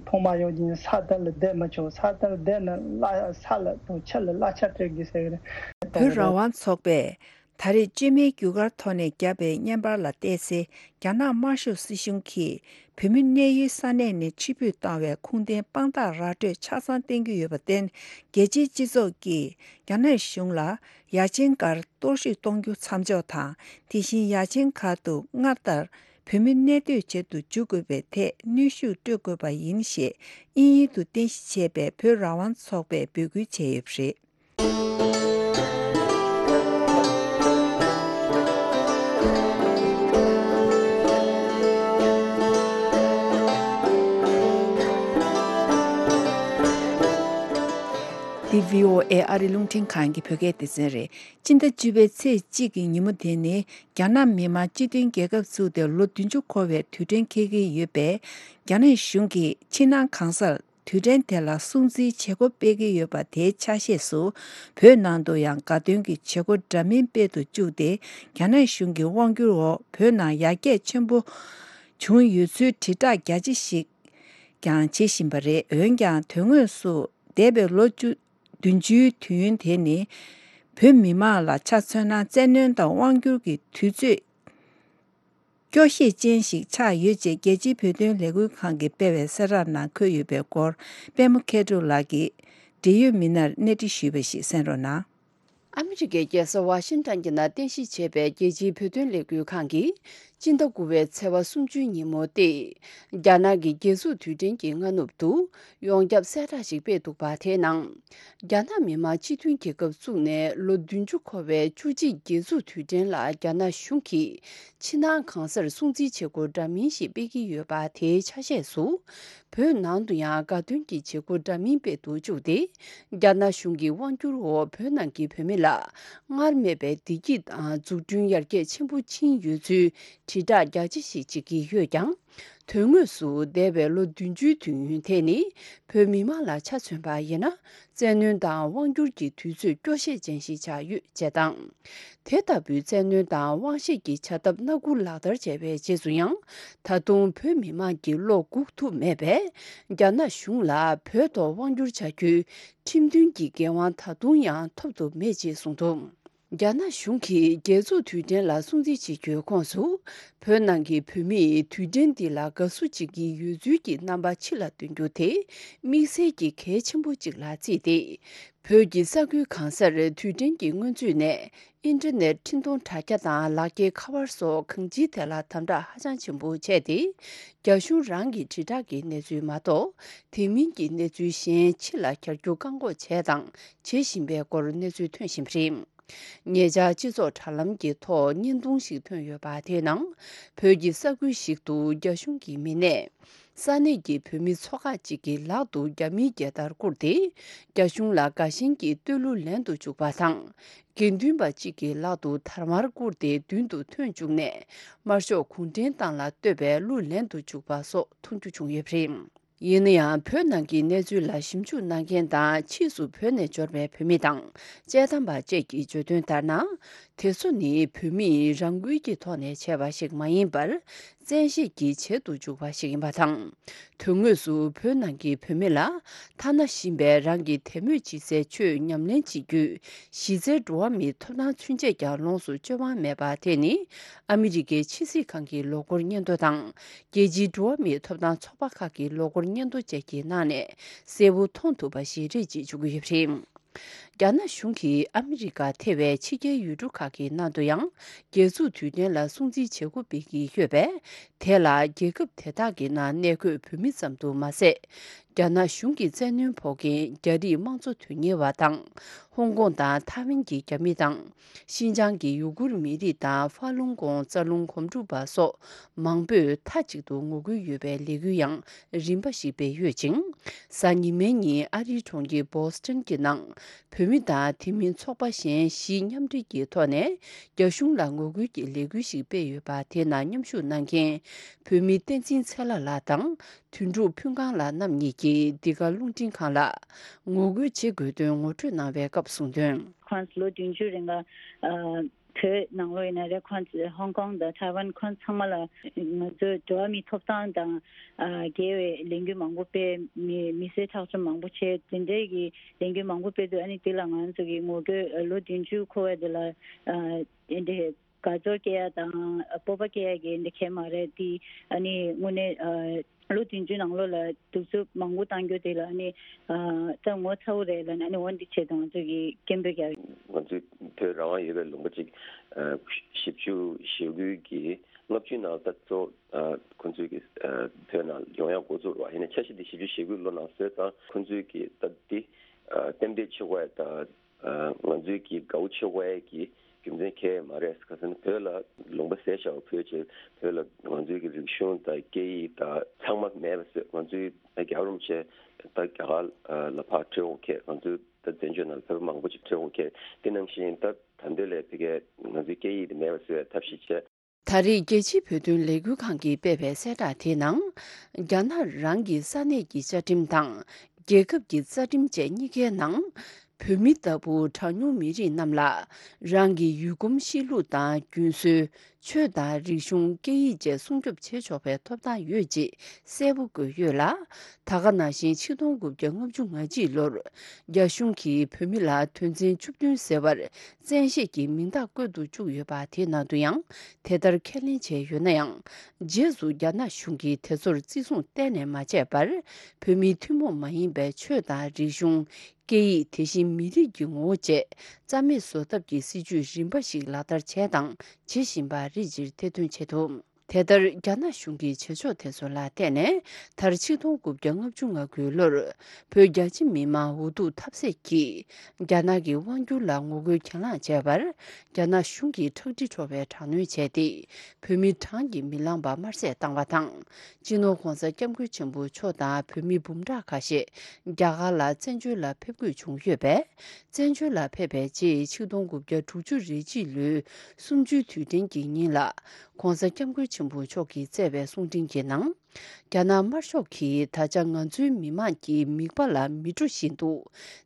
ཐོག་མ་ཡོད་ཀྱིན་ས་དེ་ལ་བསྡད་མི་ཆོག་ས་དེ་ལ་བསྡད་ན་གླ་ས་ལ་དང་ཆུ་ལ་གླ་ཆ་སྤྲད་དགོས་ཟེར་གི་རེད། བོད་རང་དབང་ཚོགས་པས། ད་རེས་བཅོས་མའི་རྒྱུ་སྐར་ཐོག་ནས་བརྒྱབ་པའི་བརྙན་པར་ལ་བལྟས་ཚེ། རྒྱ་ནག་དམར་ཤོག་སྲིད་གཞུང་གིས་བོད་མི་གནས་ཡུལ་ས་གནས་ནས་ཕྱིར་འབུད་བཏང་བའི་ཁུངས་ལྡན་དཔང་རྟགས་ར་སྤྲོད་ཆ་ཚང་བསྟན་གྱི་ཡོད་པར་བརྟེན། རྒྱལ་སྤྱིའི་སྤྱི་ཚོགས་ཀྱིས་རྒྱ་ནག་གཞུང་ལ་ཡ་ཆེན་སྒར་གཏོར་བཤིག་གཏོང་རྒྱུ་མཚམས་འཇོག་དང་། དེ་བཞིན་ཡ་ཆེན་སྒར་དུ་སྔར་ལྟར་ བོད་མི་གནས་སྡོད་བྱེད་དུ་འཇུག་དགོས་པའི་ཐད་གནོན་ཤུགས་སྤྲོད་དགོས་པ་ཡིན་ཞེས་དབྱིན་ཡུལ་དུ་རྟེན་གཞི་བྱས་པའི་བོད་རང་དབང་ཚོགས་པས་འབོད་སྐུལ་བྱས་ཡོད་པ་རེད། འདི་བྷི་ཨོ་ཨེ་ཨ་རི་རླུང་འཕྲིན་ཁང་གི་བོད་སྐད་སྡེ་ཚན་རེད། སྤྱི་ཟླ་བཅུ་པའི་ཚེས་གཅིག་གི་ཉིན་མོ་དེ་ནི་རྒྱ་ནག་མི་དམངས་སྤྱི་མཐུན་རྒྱལ་ཁབ་བཙུགས་ཏེ་ལོ་བདུན་ཅུ་འཁོར་བའི་དུས་དྲན་འཁེལ་གྱི་ཡོད་པས། རྒྱ་ནག་གཞུང་གིས་ཕྱི་ནང་གང་སར་དུས་དྲན་དེ་ལ་སྲུང་བརྩིའི་བྱེད་སྒོ་སྤེལ་གྱི་ཡོད་པ་དེའི་ཆ་ཤས་སུ། བོད་ནང་དུ་ཡང་དགའ་སྟོན་གྱི་བྱེད་སྒོ་འདྲ་མིན་སྤེལ་དུ་བཅུག་སྟེ། རྒྱ་ནག་གཞུང་གི་དབང་སྒྱུར་འོག་བོད་ནང་ཡར་རྒྱས་ཆེན་པོ་བྱུང་ཡོད་ཚུལ་དྲིལ་བསྒྲགས་རྒྱ་ཆེ་ཞིག་ཀྱང་བྱེད་བཞིན་པ་རེད། འོན་ཀྱང་དོན་དངོས་སུ་འདས་པའི་ལོ་བཅུ་བདུན་ཅུའི་དུས་ཡུན་དེ་ནི་བོད་མི་མང་ལ་ཆ་མཚོན་ན། བཙན་གནོན་དང་དབང་སྒྱུར་གྱི་དུས་ཚོད་སྐྱོ་ཤས་ཅན་ཞིག་ཆགས་ཡོད་ཅེས་རྒྱལ་སྤྱིའི་བོད་དོན་ལས་འགུལ་ཁང་གིས་སྤེལ་བའི་གསལ་བསྒྲགས་ནང་འཁོད་ཡོད་པའི་སྐོར། པད་མ་མཁས་གྲུབ་ལགས་ཀྱིས་འབྲེལ་ཡོད་མི་སྣར་གནས་འདྲི་ཞུས་པ་ཞིག་གསན་རོགས་གནང་། ཨ་མི་རི་ཀའི་རྒྱལ་ས་ཝ་ཤིང་ཊོན་གྱི་ནང་རྟེན་གཞི་བྱས་པའི་རྒྱལ་སྤྱིའི་བོད་དོན་ལས་འགུལ་ཁང་གིས་སྤྱི་ཟླ་དགུ་པའི་ཚེས་པ་སུམ་ཅུའི་ཉིན་མོ་སྟེ། རྒྱ་ནག་གི་རྒྱལ་འཛུགས་དུས་དྲན་གྱི་སྔ་ནུབ་ཏུ། ཡོངས་ཁྱབ་གསལ་བསྒྲགས་ཤིག་སྤེལ་འདུག་པ། དེའི་ནང་། རྒྱ་ནག་མི་དམངས་སྤྱི་མཐུན་རྒྱལ་ཁབ་བཙུགས་ནས་ལོ་བདུན་ཅུ་འཁོར་བའི་བཅུ་གཅིག་རྒྱལ་འཛུགས་དུས་དྲན་ལ། རྒྱ་ནག་གཞུང་གིས་ཕྱི་ནང་གང་སར་སྲུང་བརྩིའི་བྱེད་སྒོ་འདྲ་མིན་ཞིག་སྤེལ་གྱི་ཡོད་པ། དེའི་ཆ་ཤས་སུ། བོད་ནང་དུ་ཡང་དགའ་སྟོན་གྱི་བྱེད་སྒོ་འདྲ་མིན་སྤེལ་དུ་བཅུག་སྟེ། རྒྱ་ནག་གཞུང་གི་དབང་སྒྱུར་འོག་བོད་ནང་གི་བོད་མི་ལ་སྔར་མེད་པའི་བདེ་སྐྱིད་དང་འཛུགས་སྐྲུན་ཡར་རྒྱས་ཆེན་པོ་ཕྱིན་ཡོད་ཚུལ་དྲིལ་བསྒྲགས་རྒྱ་ཆེ་ཞིག་བྱེད་ཀྱི་ཡོད་ཀྱང་། དོན་དངོས་སུ་འདས་པའི་ལོ་བདུན་ཅུའི་དུས་ཡུན་དེ་ནི། བོད་མི་མང་ལ་ཆ་མཚོན་པ་ཡིན་ན། བཙན་གནོན་དང་དབང་སྒྱུར་གྱི་དུས་ཚོད་སྐྱོ་ཤས་ཅན་ཞིག་ཆགས་ཡོད་ཅེས་དང་། དེ་ལྟ་བུའི་བཙན་གནོན་དང་དབང་ཤེད་ཀྱི་བྱ་ཐབས་སྣ་དགུ་ལག་བསྟར་བྱས་པའི་རྗེས་སུ་ཡང་། ད་དུང་བོད་མི་མང་གི་བློ་འགུག་ཐུབ་མེད་པས། རྒྱ་ནག་གཞུང་ལ་བོད་ཐོག་དབང་སྒྱུར་བྱ་རྒྱུའི་ཁྲིམས་མཐུན་གྱི་འགན་དབང་ད་དུང་ཡང་ཐོབ་ཐུབ་མེད་ཅེས་གསུངས་འདུག། རྒྱ་ནག་གཞུང་གིས་རྒྱལ་འཛུགས་དུས་དྲན་ལ་སྲུང་བརྩི་བྱེད་རྒྱུའི་ཁོངས་སུ། བོད་ནང་གི་བོད་མིས་དུས་དྲན་འདི་ལ་དགའ་བསུ་བྱེད་ཀྱི་ཡོད་ཚུལ་གྱི་རྣམ་པ་ཕྱི་ལ་སྟོན་རྒྱུ་དེ། དམིགས་བསལ་གྱི་གལ་ཆེན་པོ་ཅིག་ལ་བརྩིས་ཏེ། བོད་ཀྱི་ས་ཁུལ་གང་སར་དུས་དྲན་གྱི་སྔོན་ཚུད་ནས། ཨིན་ཊར་ནེཊ་འཕྲིན་གཏོང་དྲ་རྒྱ་དང་ལག་འཁྱེར་ཁ་པར་སོགས་གང་ཅིའི་ཐད་ལ་དམ་དྲག་ཧ་ཅང་ཆེན་པོ་བྱས་ཏེ། རྒྱ་གཞུང་རང་གི་དྲིལ་བསྒྲགས་ཀྱི་གནས་ཚུལ་མ་གཏོགས། དེ་མིན་གྱི་གནས་ཚུལ་གཞན་ཕྱི་ལ་གྱར་རྒྱུ་བཀག་འགོག་བྱས་དང་བྱེད་བཞིན་པའི་སྐོར་གནས་ཚུལ་ཐོན་བཞིན་པ་རེད། ཉེ་ཆར་སྤྱི་ཚོགས་དྲ་ལམ་གྱི་ཐོག་བརྙན་ཐུང་ཞིག་ཐོན་ཡོད་པ། དེའི་ནང་བོད་ཀྱི་ས་ཁུལ་ཞིག་ཏུ་རྒྱ་གཞུང་གི་མི་སྣས། ས་གནས་ཀྱི་བོད་མི་ཚོ་ཁག་ཅིག་གི་ལག་ཏུ་རྒྱ་མིའི་རྒྱལ་དར་བསྐུར་ཏེ། རྒྱ་གཞུང་ལ་དགའ་ཞེན་གྱིས་བསྟོད་གླུ་ལེན་དུ་བཅུག་པ་དང་། དགེ་འདུན་པ་གཅིག་གི་ལག་ཏུ་དར་དམར་བསྐུར་ཏེ་མདུན་དུ་ཐོན་བཅུག་ནས། དམར་ཤོག་གུང་ཁྲན་ཏང་ལ་བསྟོད་པའི་གླུ་ལེན་དུ་བཅུག་པ་སོགས་མཐོང་རྒྱུ་བྱུང་ཡོད་པ་རེད། ཡིན་ན་ཡང་། བོད་ནང་གི་གནས་ཚུལ་ལ་ཞིབ་འཇུག་གནང་མཁན་དང་། ཕྱིས་སུ་བོད་ནས་འབྱོར་བའི་བོད་མི་དང་། དཔྱད་གཏམ་པ་བཅས་ཀྱིས་བརྗོད་དོན་ལྟར་ན། དེ་ཚོ་ནི་བོད་མིས་རང་འགུལ་གྱི་ཐོག་ནས་བྱས་པ་ཞིག་མ་ཡིན་པར། བཙན་ཤེད་ཀྱིས་བྱེད་དུ་འཇུག་པ་ཞིག་ཡིན་པ་དང་། དོན་དངོས་སུ་བོད་ནང་གི་བོད་མི་ལ། ཐ་ན་གཞན་པའི་རང་གི་དད་མོས་བྱེད་སའི་ཆོས་ཉམས་ལེན་བྱེད་རྒྱུའི་གཞི་རྩའི་འགྲོ་བ་མིའི་ཐོབ་ཐང་ཚུན་ཆད་ཀྱང་ལོངས་སུ་སྤྱོད་དབང་མེད་པ་དེ་ནི། ཨ་མི་རི་ཀའི་ཕྱི་སྲིད་ཁང་གི་ལོ་འཁོར་སྙན་ཐོ་དང་། རྒྱལ་སྤྱིའི་འགྲོ་བ་མིའི་ཐོབ་ཐང་ཚོགས་པ་ཁག་གི་ལོ་འཁོར་སྙན་ཐོ་བཅས་ཀྱི་ནང་ནས་གསལ་པོ་མཐོང་ཐུབ་པ་ཞིག་རེད་ཅེས་བརྗོད་ཀྱི་ཡོད་པ་རེད། རྒྱ་ནག་གཞུང་གིས་ཨ་མི་རི་ཀ་ཐེ་བའི་ཕྱི་རྒྱལ་ཡུལ་གྲུ་ཁག་གི་ནང་དུ་ཡང་རྒྱལ་འཛུགས་དུས་དྲན་ལ་སྲུང་བརྩིའི་བྱེད་སྒོ་སྤེལ་གྱི་ཡོད་པས། དེ་ལ་རྒྱལ་ཁབ་དེ་དག་གི་ནང་གནས་འཁོད་བོད་མི་ཙམ་དུ་མ་ཟད། རྒྱ་ནག་གཞུང་གི་བཙན་གནོན་ཕོག་མཁན་རྒྱ་རིགས་དམངས་གཙོ་དོན་གཉེར་བ་དང་། ཧོང་ཀོང་དང་ཐའེ་ཝན་གྱི་རྒྱ་མི་དང་། ཤིན་ཅང་གི་ཡུ་གུར་མི་རིགས་དང་། ཧྥ་ལུང་ཀོང་རྩ་རླུང་གོམ་སྒྲུབ་པ་སོགས་མང་པོས་མཐའ་གཅིག་ཏུ་ངོ་རྒོལ་ཡོད་པའི་ལས་འགུལ་ཡང་རིམ་པ་ཞིག་སྤེལ་ཡོད་ཅིང་། གཟའ་ཉི་མའི་ཉིན་ཨ་རིའི་གྲོང་ཁྱེར་བོ་སི་ཊོན་གྱི་ནང་། བོད་མི་དང་དེ་མིན་ཚོགས་པ་གཞན་བཞི་མཉམ་འབྲེལ་གྱི་ཐོག་ནས། རྒྱ་གཞུང་ལ་ངོ་རྒོལ་གྱི་ལས་འགུལ་ཞིག་སྤེལ་ཡོད་པ། དེ་ནང་མཉམ་ཞུགས་གནང་མཁན་བོད་མི་བསྟན་འཛིན་ཚེ་ལྷ་ལགས་དང་། དོན་གྲུབ་ཕུན་ཁང་ལགས་རྣམ་གཉིས་ཀྱིས་འདི་ག་རླུང་འཕྲིན་ཁང་ལ་ངོ་རྒོལ་བྱེད་དགོས་དོན་ངོ་སྤྲོད་གནང་བའི་སྐབས་གསུངས་དོན། ཁོང་ཚོ་ལོ་བདུན་ཅུ་རིང་ལ་ཨ་བོད་ནང་ལོགས་ཡིན་ན་རེད། ཁོང་ཚོ་ཧོང་ཀོང་དང་ཐའེ་ཝན་ཁོང་ཚང་མ་ལ་ང་ཚོས་འགྲོ་བ་མིའི་ཐོབ་ཐང་དང་ཨ་འགལ་བའི་ལས་འགུལ་མང་པོ་སྤེལ། མི་མི་སེར་ཁྲག་སྦྱོར་མང་པོ་བྱས། དེ་འདྲའི་གི་ལས་འགུལ་མང་པོ་སྤེལ་དུས། ཨ་ནི་དེ་ལ་ང་ཚོ་གི་ངོ་རྒོལ་ལོ་བདུན་ཅུ་འཁོར་བ་དེ་ལ་ཨ་དེ་འདྲའི། དགའ་ཚོར་སྐྱེ་ཡ་དང་སྤོབས་པ་སྐྱེ་ཡ་གི་འདི་གས་མ་རེད། དེ་ཨ་ནི་དངོས་གནས་ལོ་བདུན་ཅུ་ནང་ལོགས་ལ་གདུག་རྩུབ་མང་པོ་བཏང་རྒྱུ་དེ་ལ་ཨ་ནི་ད་ངོ་ཚ་བོ་རེད་ལབ་ནས་ཨ་ནི་འོ་འདི་ཆེད་དུ་ང་ཚོ་གི་སྐད་འབོད་རྒྱག་ང་ཚོའི་བོད་རང་དབང་ཡོད་པའི་ལུང་པ་ཅིག་བཞི་བཅུ་ཞེ་དགུ་གི་ལྔ་བཅུ་ནང་ད་གཙོ་ཁོང་ཚོའི་གི་བོད་ནང་ཡོང་ཡ་འགོ་བཙུགས་རོགས། ཡིན་ན་འཆར་གཞི་འདི་བཞི་བཅུ་ཞེ་དགུ་ལོ་ནང་བཟོས་ཙང་ཁོང་ཚོའི་གི་ད་འདི་རྟེན་འབྲེལ་ཆོག་པ་ད། ང་ཚོའི་གི་དགའ་བོ་ཆེ་བའི་གི་རྒྱུ་མཚན་གང་ཡང་མ་རེད། ག་ཟེར་ན་བོད་ལ་ལུང་པ་ཟད་བཞག་པ་ཕུད་ཅེས་བོད་ལ་ང་ཚོའི་གི་རིག་གཞུང་དང་སྐད་ཡིག་དང་ཚང་མ་མེད་པ་བཟོས། ང་ཚོའི་རྒྱལ་བ་རིན་པོ་ཆེ་ད་རྒྱ་གར་ལ་ཕར་ཁྲིད་འོང་མཁན། ང་ཚོའི་ད་བཙན་བྱོལ་ནང་བོད་པ་མང་པོ་ཅིག་ཁྲིད་འོང་མཁན། དེ་ནང་བཞིན་ད་ད་འདོད་ལས་ཕ་གིའི་ང་ཚོའི་སྐད་ཡིག་དེ་མེད་པ་བཟོས་ཐབས་ཤེས་བྱས། ད་རེས་རྒྱལ་སྤྱིའི་བོད་དོན་ལས་འགུལ་ཁང་གིས་སྤེལ་བའི་གསལ་བསྒྲགས་དེའི་ནང་། རྒྱ་ནག་རང་གི་ས་གནས་ཀྱི་བཅའ་ཁྲིམས་དང་རྒྱལ་ཁབ་ཀྱི་རྩ་ཁྲིམས་བཅས་གཉིས་ཀའི་ནང་། བོད་མི་ལྟ་བུ་གྲངས་ཉུང་མི་རིགས་རྣམས་ལ་རང་གི་ཡུལ་གོམས་གཤིས་ལུགས་དང་རྒྱུན་སྲོལ། ཆོས་དང་རིག་གཞུང་། སྐད་ཡིག་བཅས་སྲུང་སྐྱོབ་བྱེད་ཆོག་པའི་ཐོབ་ཐང་ཡོད་ཅེས་གསལ་པོ་བཀོད་ཡོད་ལ། ད་ག་ནང་བཞིན་ཆིག་སྟོང་དགུ་བརྒྱ་ལྔ་བཅུ་ང་གཅིག་ལོར་རྒྱ་གཞུང་གིས་བོད་མི་ལ་དོན་ཚན་བཅུ་བདུན་ཟེར་བར་བཙན་ཤེད་ཀྱིས་མིང་རྟགས་བཀོད་དུ་བཅུག་ཡོད་པ་དེ་ནང་དུ་ཡང་དེ་ལྟར་ཁས་ལེན་བྱས་ཡོད་ན་ཡང་། རྗེས་སུ་རྒྱ་ནག་གཞུང་གིས་དེ་ཚོར་བརྩི་སྲུང་གཏན་ནས་མ་བྱས་པར། བོད་མིའི་ཐུན་མོང་མ་ཡིན་པའི་ཆོས་དང་རིག་གཞུང་། སྐད་ཡིག་དེ་བཞིན་མི་རིགས་ཀྱི་ངོ་བོ་བཅས་རྩ་མེད་བཟོ་ཐབས་ཀྱི་སྲིད་ཇུས་རིམ་པ་ཞིག་ལག་བསྟར་བྱས་དང་བྱེད་བཞིན་པ་རེད་ཅེས་ཐེར་འདོན་བྱས་འདུག་དེ་ལྟར་རྒྱ་ནག་གཞུང་གི་བྱེད་ཕྱོགས་དེ་ཚོ་ལ་བརྟེན་ནས། མཐར་ཆིག་སྟོང་དགུ་བརྒྱ་ལྔ་བཅུ་ང་དགུ་ལོར་བོད་རྒྱ་ཆེ་མི་མང་འུ་ཐུག་ཐབས་ཟད་ཀྱིས་རྒྱ་ནག་གི་དབང་སྒྱུར་ལ་ངོ་རྒོལ་གྱེན་ལངས་བྱས་པར། རྒྱ་ནག་གཞུང་གིས་ཁྲག་དྲི་བྲོ་བའི་དྲག་གནོན་བྱས་ཏེ། བོད་མི་གྲངས་ཀྱིས་མི་ལངས་པ་དམར་བསད་བཏང་བ་དང་། སྤྱི་ནོར་༧གོང་ས་༧སྐྱབས་མགོན་ཆེན་པོ་མཆོག་དང་བོད་མི་འབུམ་ཕྲག་ཁ་ཤས་རྒྱ་གར་ལ་བཙན་བྱོལ་ལ་ཕེབས་དགོས་བྱུང་ཡོད་པས། བཙན་བྱོལ་ལ་ཕེབས་པའི་རྗེས་ཆིག་སྟོང་དགུ་བརྒྱ་དྲུག་ཅུ་རེ་གཅིག་ལོའི་གསུམ་བཅུའི་དུས་དྲན་གྱི་ཉིན་ལ། ༧གོང་ས་༧སྐྱབས་མགོན་ཆེན་པོ་མཆོག་གིས་བསྩལ་བའི་གསུང་འཕྲིན་གྱི་ནང་། རྒྱ་ནག་དམར་ཤོག་གིས་ད་ཆ་ང་ཚོའི་མི་དམངས་ཀྱི་མིད་པ་ལ་མི་འགྲོ་བཞིན་དུ་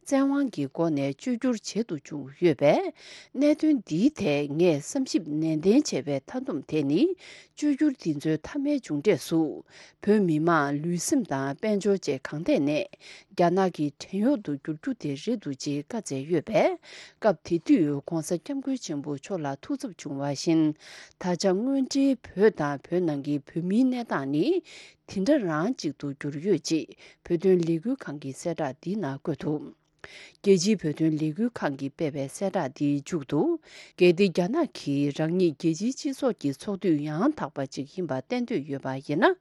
བཙན་དབང་གི་སྒོ་ནས་བཅོས་བསྒྱུར་བྱེད་དུ་བཅུག་ཡོད་པས། གནད་དོན་འདིའི་ཐད་ངས་བསམ་ཞིབ་ནན་ཏན་བྱས་པའི་མཐའ་སྡོམ་དེ་ནི། བཅོས་བསྒྱུར་འདི་ཚོའི་མཐའ་མའི་མཇུག་འབྲས་སུ། བོད་མི་མང་ལུས་སེམས་དང་དཔལ་འབྱོར་བཅས་གང་ཐད་ནས་རྒྱ་ནག་གི་བྲན་གཡོག་ཏུ་འགྱུར་རྒྱུ་དེ་རེད་འདུག་ཅེས་བཀའ་སྩལ་ཡོད་པས། སྐབས་དེ་དུས་༧གོང་ས་༧སྐྱབས་མགོན་ཆེན་པོ་མཆོག་ལ་ཐུགས་འཚབ་བྱུང་བ་བཞིན། ད་ཆ་དངོས་འབྲེལ་བོད་དང་བོད་ནང་གི་བོད་མིའི་གནས་སྟངས་ནི་དེ་འདྲ་རང་ཅིག་ཏུ་གྱུར་ཡོད་ཅེས་བོད་དོན་ལས་འགུལ་ཁང་གི་གསལ་བསྒྲགས་འདིའི་ནང་བཀོད་འདུག་རྒྱལ་སྤྱིའི་བོད་དོན་ལས་འགུལ་ཁང་གིས་སྤེལ་བའི་གསལ་བསྒྲགས་འདིའི་མཇུག་ཏུ། གལ་ཏེ་རྒྱ་ནག་གིས་རང་ཉིད་རྒྱལ་སྤྱིའི་སྤྱི་ཚོགས་ཀྱི་ཚོགས་འཐུས་ཡང་དག་པ་ཅིག་ཡིན་པ་གཏན་འཁེལ་ཡོད་པ་ཡིན་ན།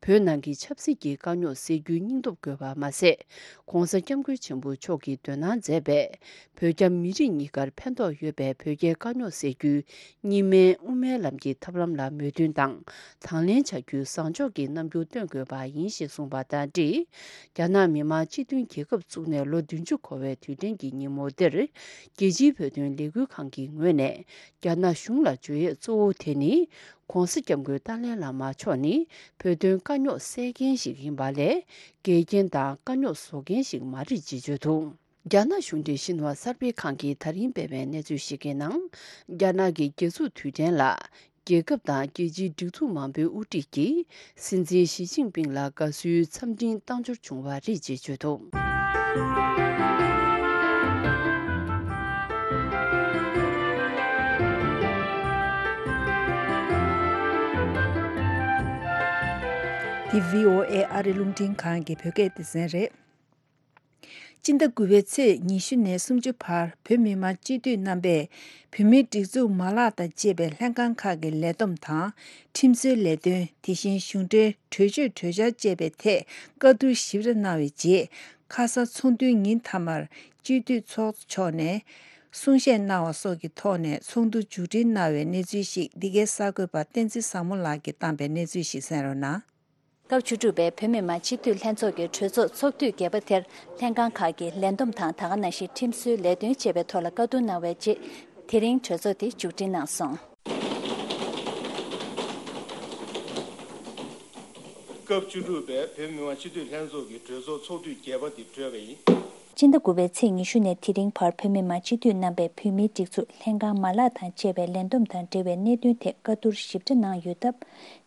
བོད་ནང་གི་ཆབ་སྲིད་ཀྱི་དཀའ་རྙོག་སེལ་རྒྱུའི་སྙིང་སྟོབས་དགོས་པ་མ་ཟད། ྋགོང་ས་ྋསྐྱབས་མགོན་ཆེན་པོ་མཆོག་གིས་འདོད་སྣང་མཛད་པའི་བོད་རྒྱ་མི་རིགས་གཉིས་ཀར་ཕན་ཐོགས་ཡོད་པའི་བོད་རྒྱའི་དཀའ་རྙོག་སེལ་རྒྱུའི་གཉིས་སྨན་དབུ་མའི་ལམ་གྱི་ཐབས་ལམ་ལ་མོས་མཐུན་དང་དང་ལེན་བྱ་རྒྱུའི་བཟང་ཕྱོགས་ཀྱི་རྣམ་འགྱུར་སྟོན་དགོས་པ་ཡིན་ཞེས་གསུངས་པ་དང་འབྲེལ། རྒྱ་ནག་མི་དམངས་སྤྱི་མཐུན་རྒྱལ་ཁབ་བཙུགས་ནས་ལོ་བདུན་ཅུ་འཁོར་བའི་དུས་དྲན་གྱི་ཉིན་མོ་འདིར། རྒྱལ་སྤྱིའི་བོད་དོན་ལས་འགུལ་ཁང་གི་ངོས་ནས་རྒྱ་ནག་གཞུང་ལ་བརྗོད་ཡས་གཙོ་བོ་དེ་ནི། ྋགོང་ས་ྋསྐྱབས་མགོན་ཏཱ་ལའི་བླ་མ་མཆོག་ནི་བོད་དོན་དཀའ་རྙོག་སེལ་མཁན་ཞིག་ཡིན་པ་ལས། འགལ་རྐྱེན་དང་དཀའ་རྙོག་བཟོ་མཁན་ཞིག་མ་རེད་ཅེས་བརྗོད་འདུག་རྒྱ་ནག་གཞུང་འབྲེལ་ཤིན་ཧྭ་གསར་སྤེལ་ཁང་གིས་ད་རིང་སྤེལ་བའི་གནས་ཚུལ་ཞིག་གི་ནང་། རྒྱ་ནག་གི་རྒྱལ་འཛུགས་དུས་དྲན་ལ། རྒྱལ་ཁབ་དང་རྒྱལ་སྤྱིའི་སྒྲིག་འཛུགས་མང་པོའི་དབུ་ཁྲིད་ཀྱིས་སྲིད་འཛིན་ཞི་ཅིན་ཕིང་ལ་དགའ་བསུའི་འཚམས་འཕྲིན་བཏང་འབྱོར་བྱུང་བ་རེད་ཅེས་བརྗོད་འདུག་འདི་བྷི་ཨོ་ཨེ་ཨ་རི་རླུང་འཕྲིན་ཁང་གི་བོད་སྐད་སྡེ་ཚན་རེད། སྤྱི་ཟླ་དགུ་པའི་ཚེས་ཉི་ཤུ་ནས་སུམ་ཅུ་བར་བོད་མི་མང་སྤྱི་འཐུས་རྣམ་པས་བོད་མིའི་སྒྲིག་འཛུགས་མ་ལག་དང་བཅས་པའི་ལྷན་ཁང་ཁག་གི་ལས་བསྡོམས་དང་། ཁྲིམས་བཟོའི་ལས་དོན། དེ་བཞིན་གཞུང་འབྲེལ་གྲོས་ཆོད་གྲོས་འཆར་བཅས་པའི་ཐད་བཀའ་བསྡུར་ཞིབ་ཕྲ་གནང་བའི་རྗེས། ཁ་ས་ཚོགས་འདུའི་ཉིན་མཐའ་མར་སྤྱི་འཐུས་ཚོགས་གཙོ་མཆོག་ནས་གསུང་བཤད་གནང་བ་སོགས་ཀྱི་ཐོག་ནས་ཚོགས་འདུ་མཇུག་སྒྲིལ་གནང་བའི་གནས་ཚུལ་ཞིག་འདི་གའི་གསར་འགོད་པ་བསྟན་འཛིན་བཟང་མོ་ལགས་ཀྱིས་བཏང་པའི་གནས་ཚུལ་ཞིག་གསན་རོགས་གནང་། སྐབས་བཅུ་དྲུག་པའི་བོད་མི་མང་སྤྱི་འཐུས་ལྷན་ཚོགས་ཀྱི་གྲོས་ཚོགས་ཚོགས་དུས་བརྒྱད་པ་དེར་ལྷན་ཁང་ཁག་གི་ལས་བསྡོམས་དང་། ད་ག་ནང་བཞིན་ཁྲིམས་བཟོའི་ལས་དོན་བཅས་པའི་ཐོག་ལ་བཀའ་བསྡུར་གནང་བའི་རྗེས། དེ་རིང་གྲོས་ཚོགས་དེ་མཇུག་སྒྲིལ་གནང་སོང་། སྐབས་བཅུ་དྲུག་པའི་བོད་མི་མང་སྤྱི་འཐུས་ལྷན་ཚོགས་ཀྱི་གྲོས་ཚོགས་ཚོགས་དུས་བརྒྱད་པ་དེ་གྲོལ་བ་ཡིན། སྤྱི་ཟླ་དགུ་པའི་ཚེས་ཉི་ཤུ་ནས་དེ་རིང་བར་བོད་མི་མང་སྤྱི་འཐུས་རྣམ་པས་བོད་མིའི་སྒྲིག་འཛུགས་ལྷན་ཁང་མ་ལག་དང་བཅས་པའི་ལས་བསྡོམས་དང་འབྲེལ་བའི་གནད་དོན་ཐད་བཀའ་བསྡུར་ཞིབ་ཕྲ་གནང་ཡོད་སྟབས།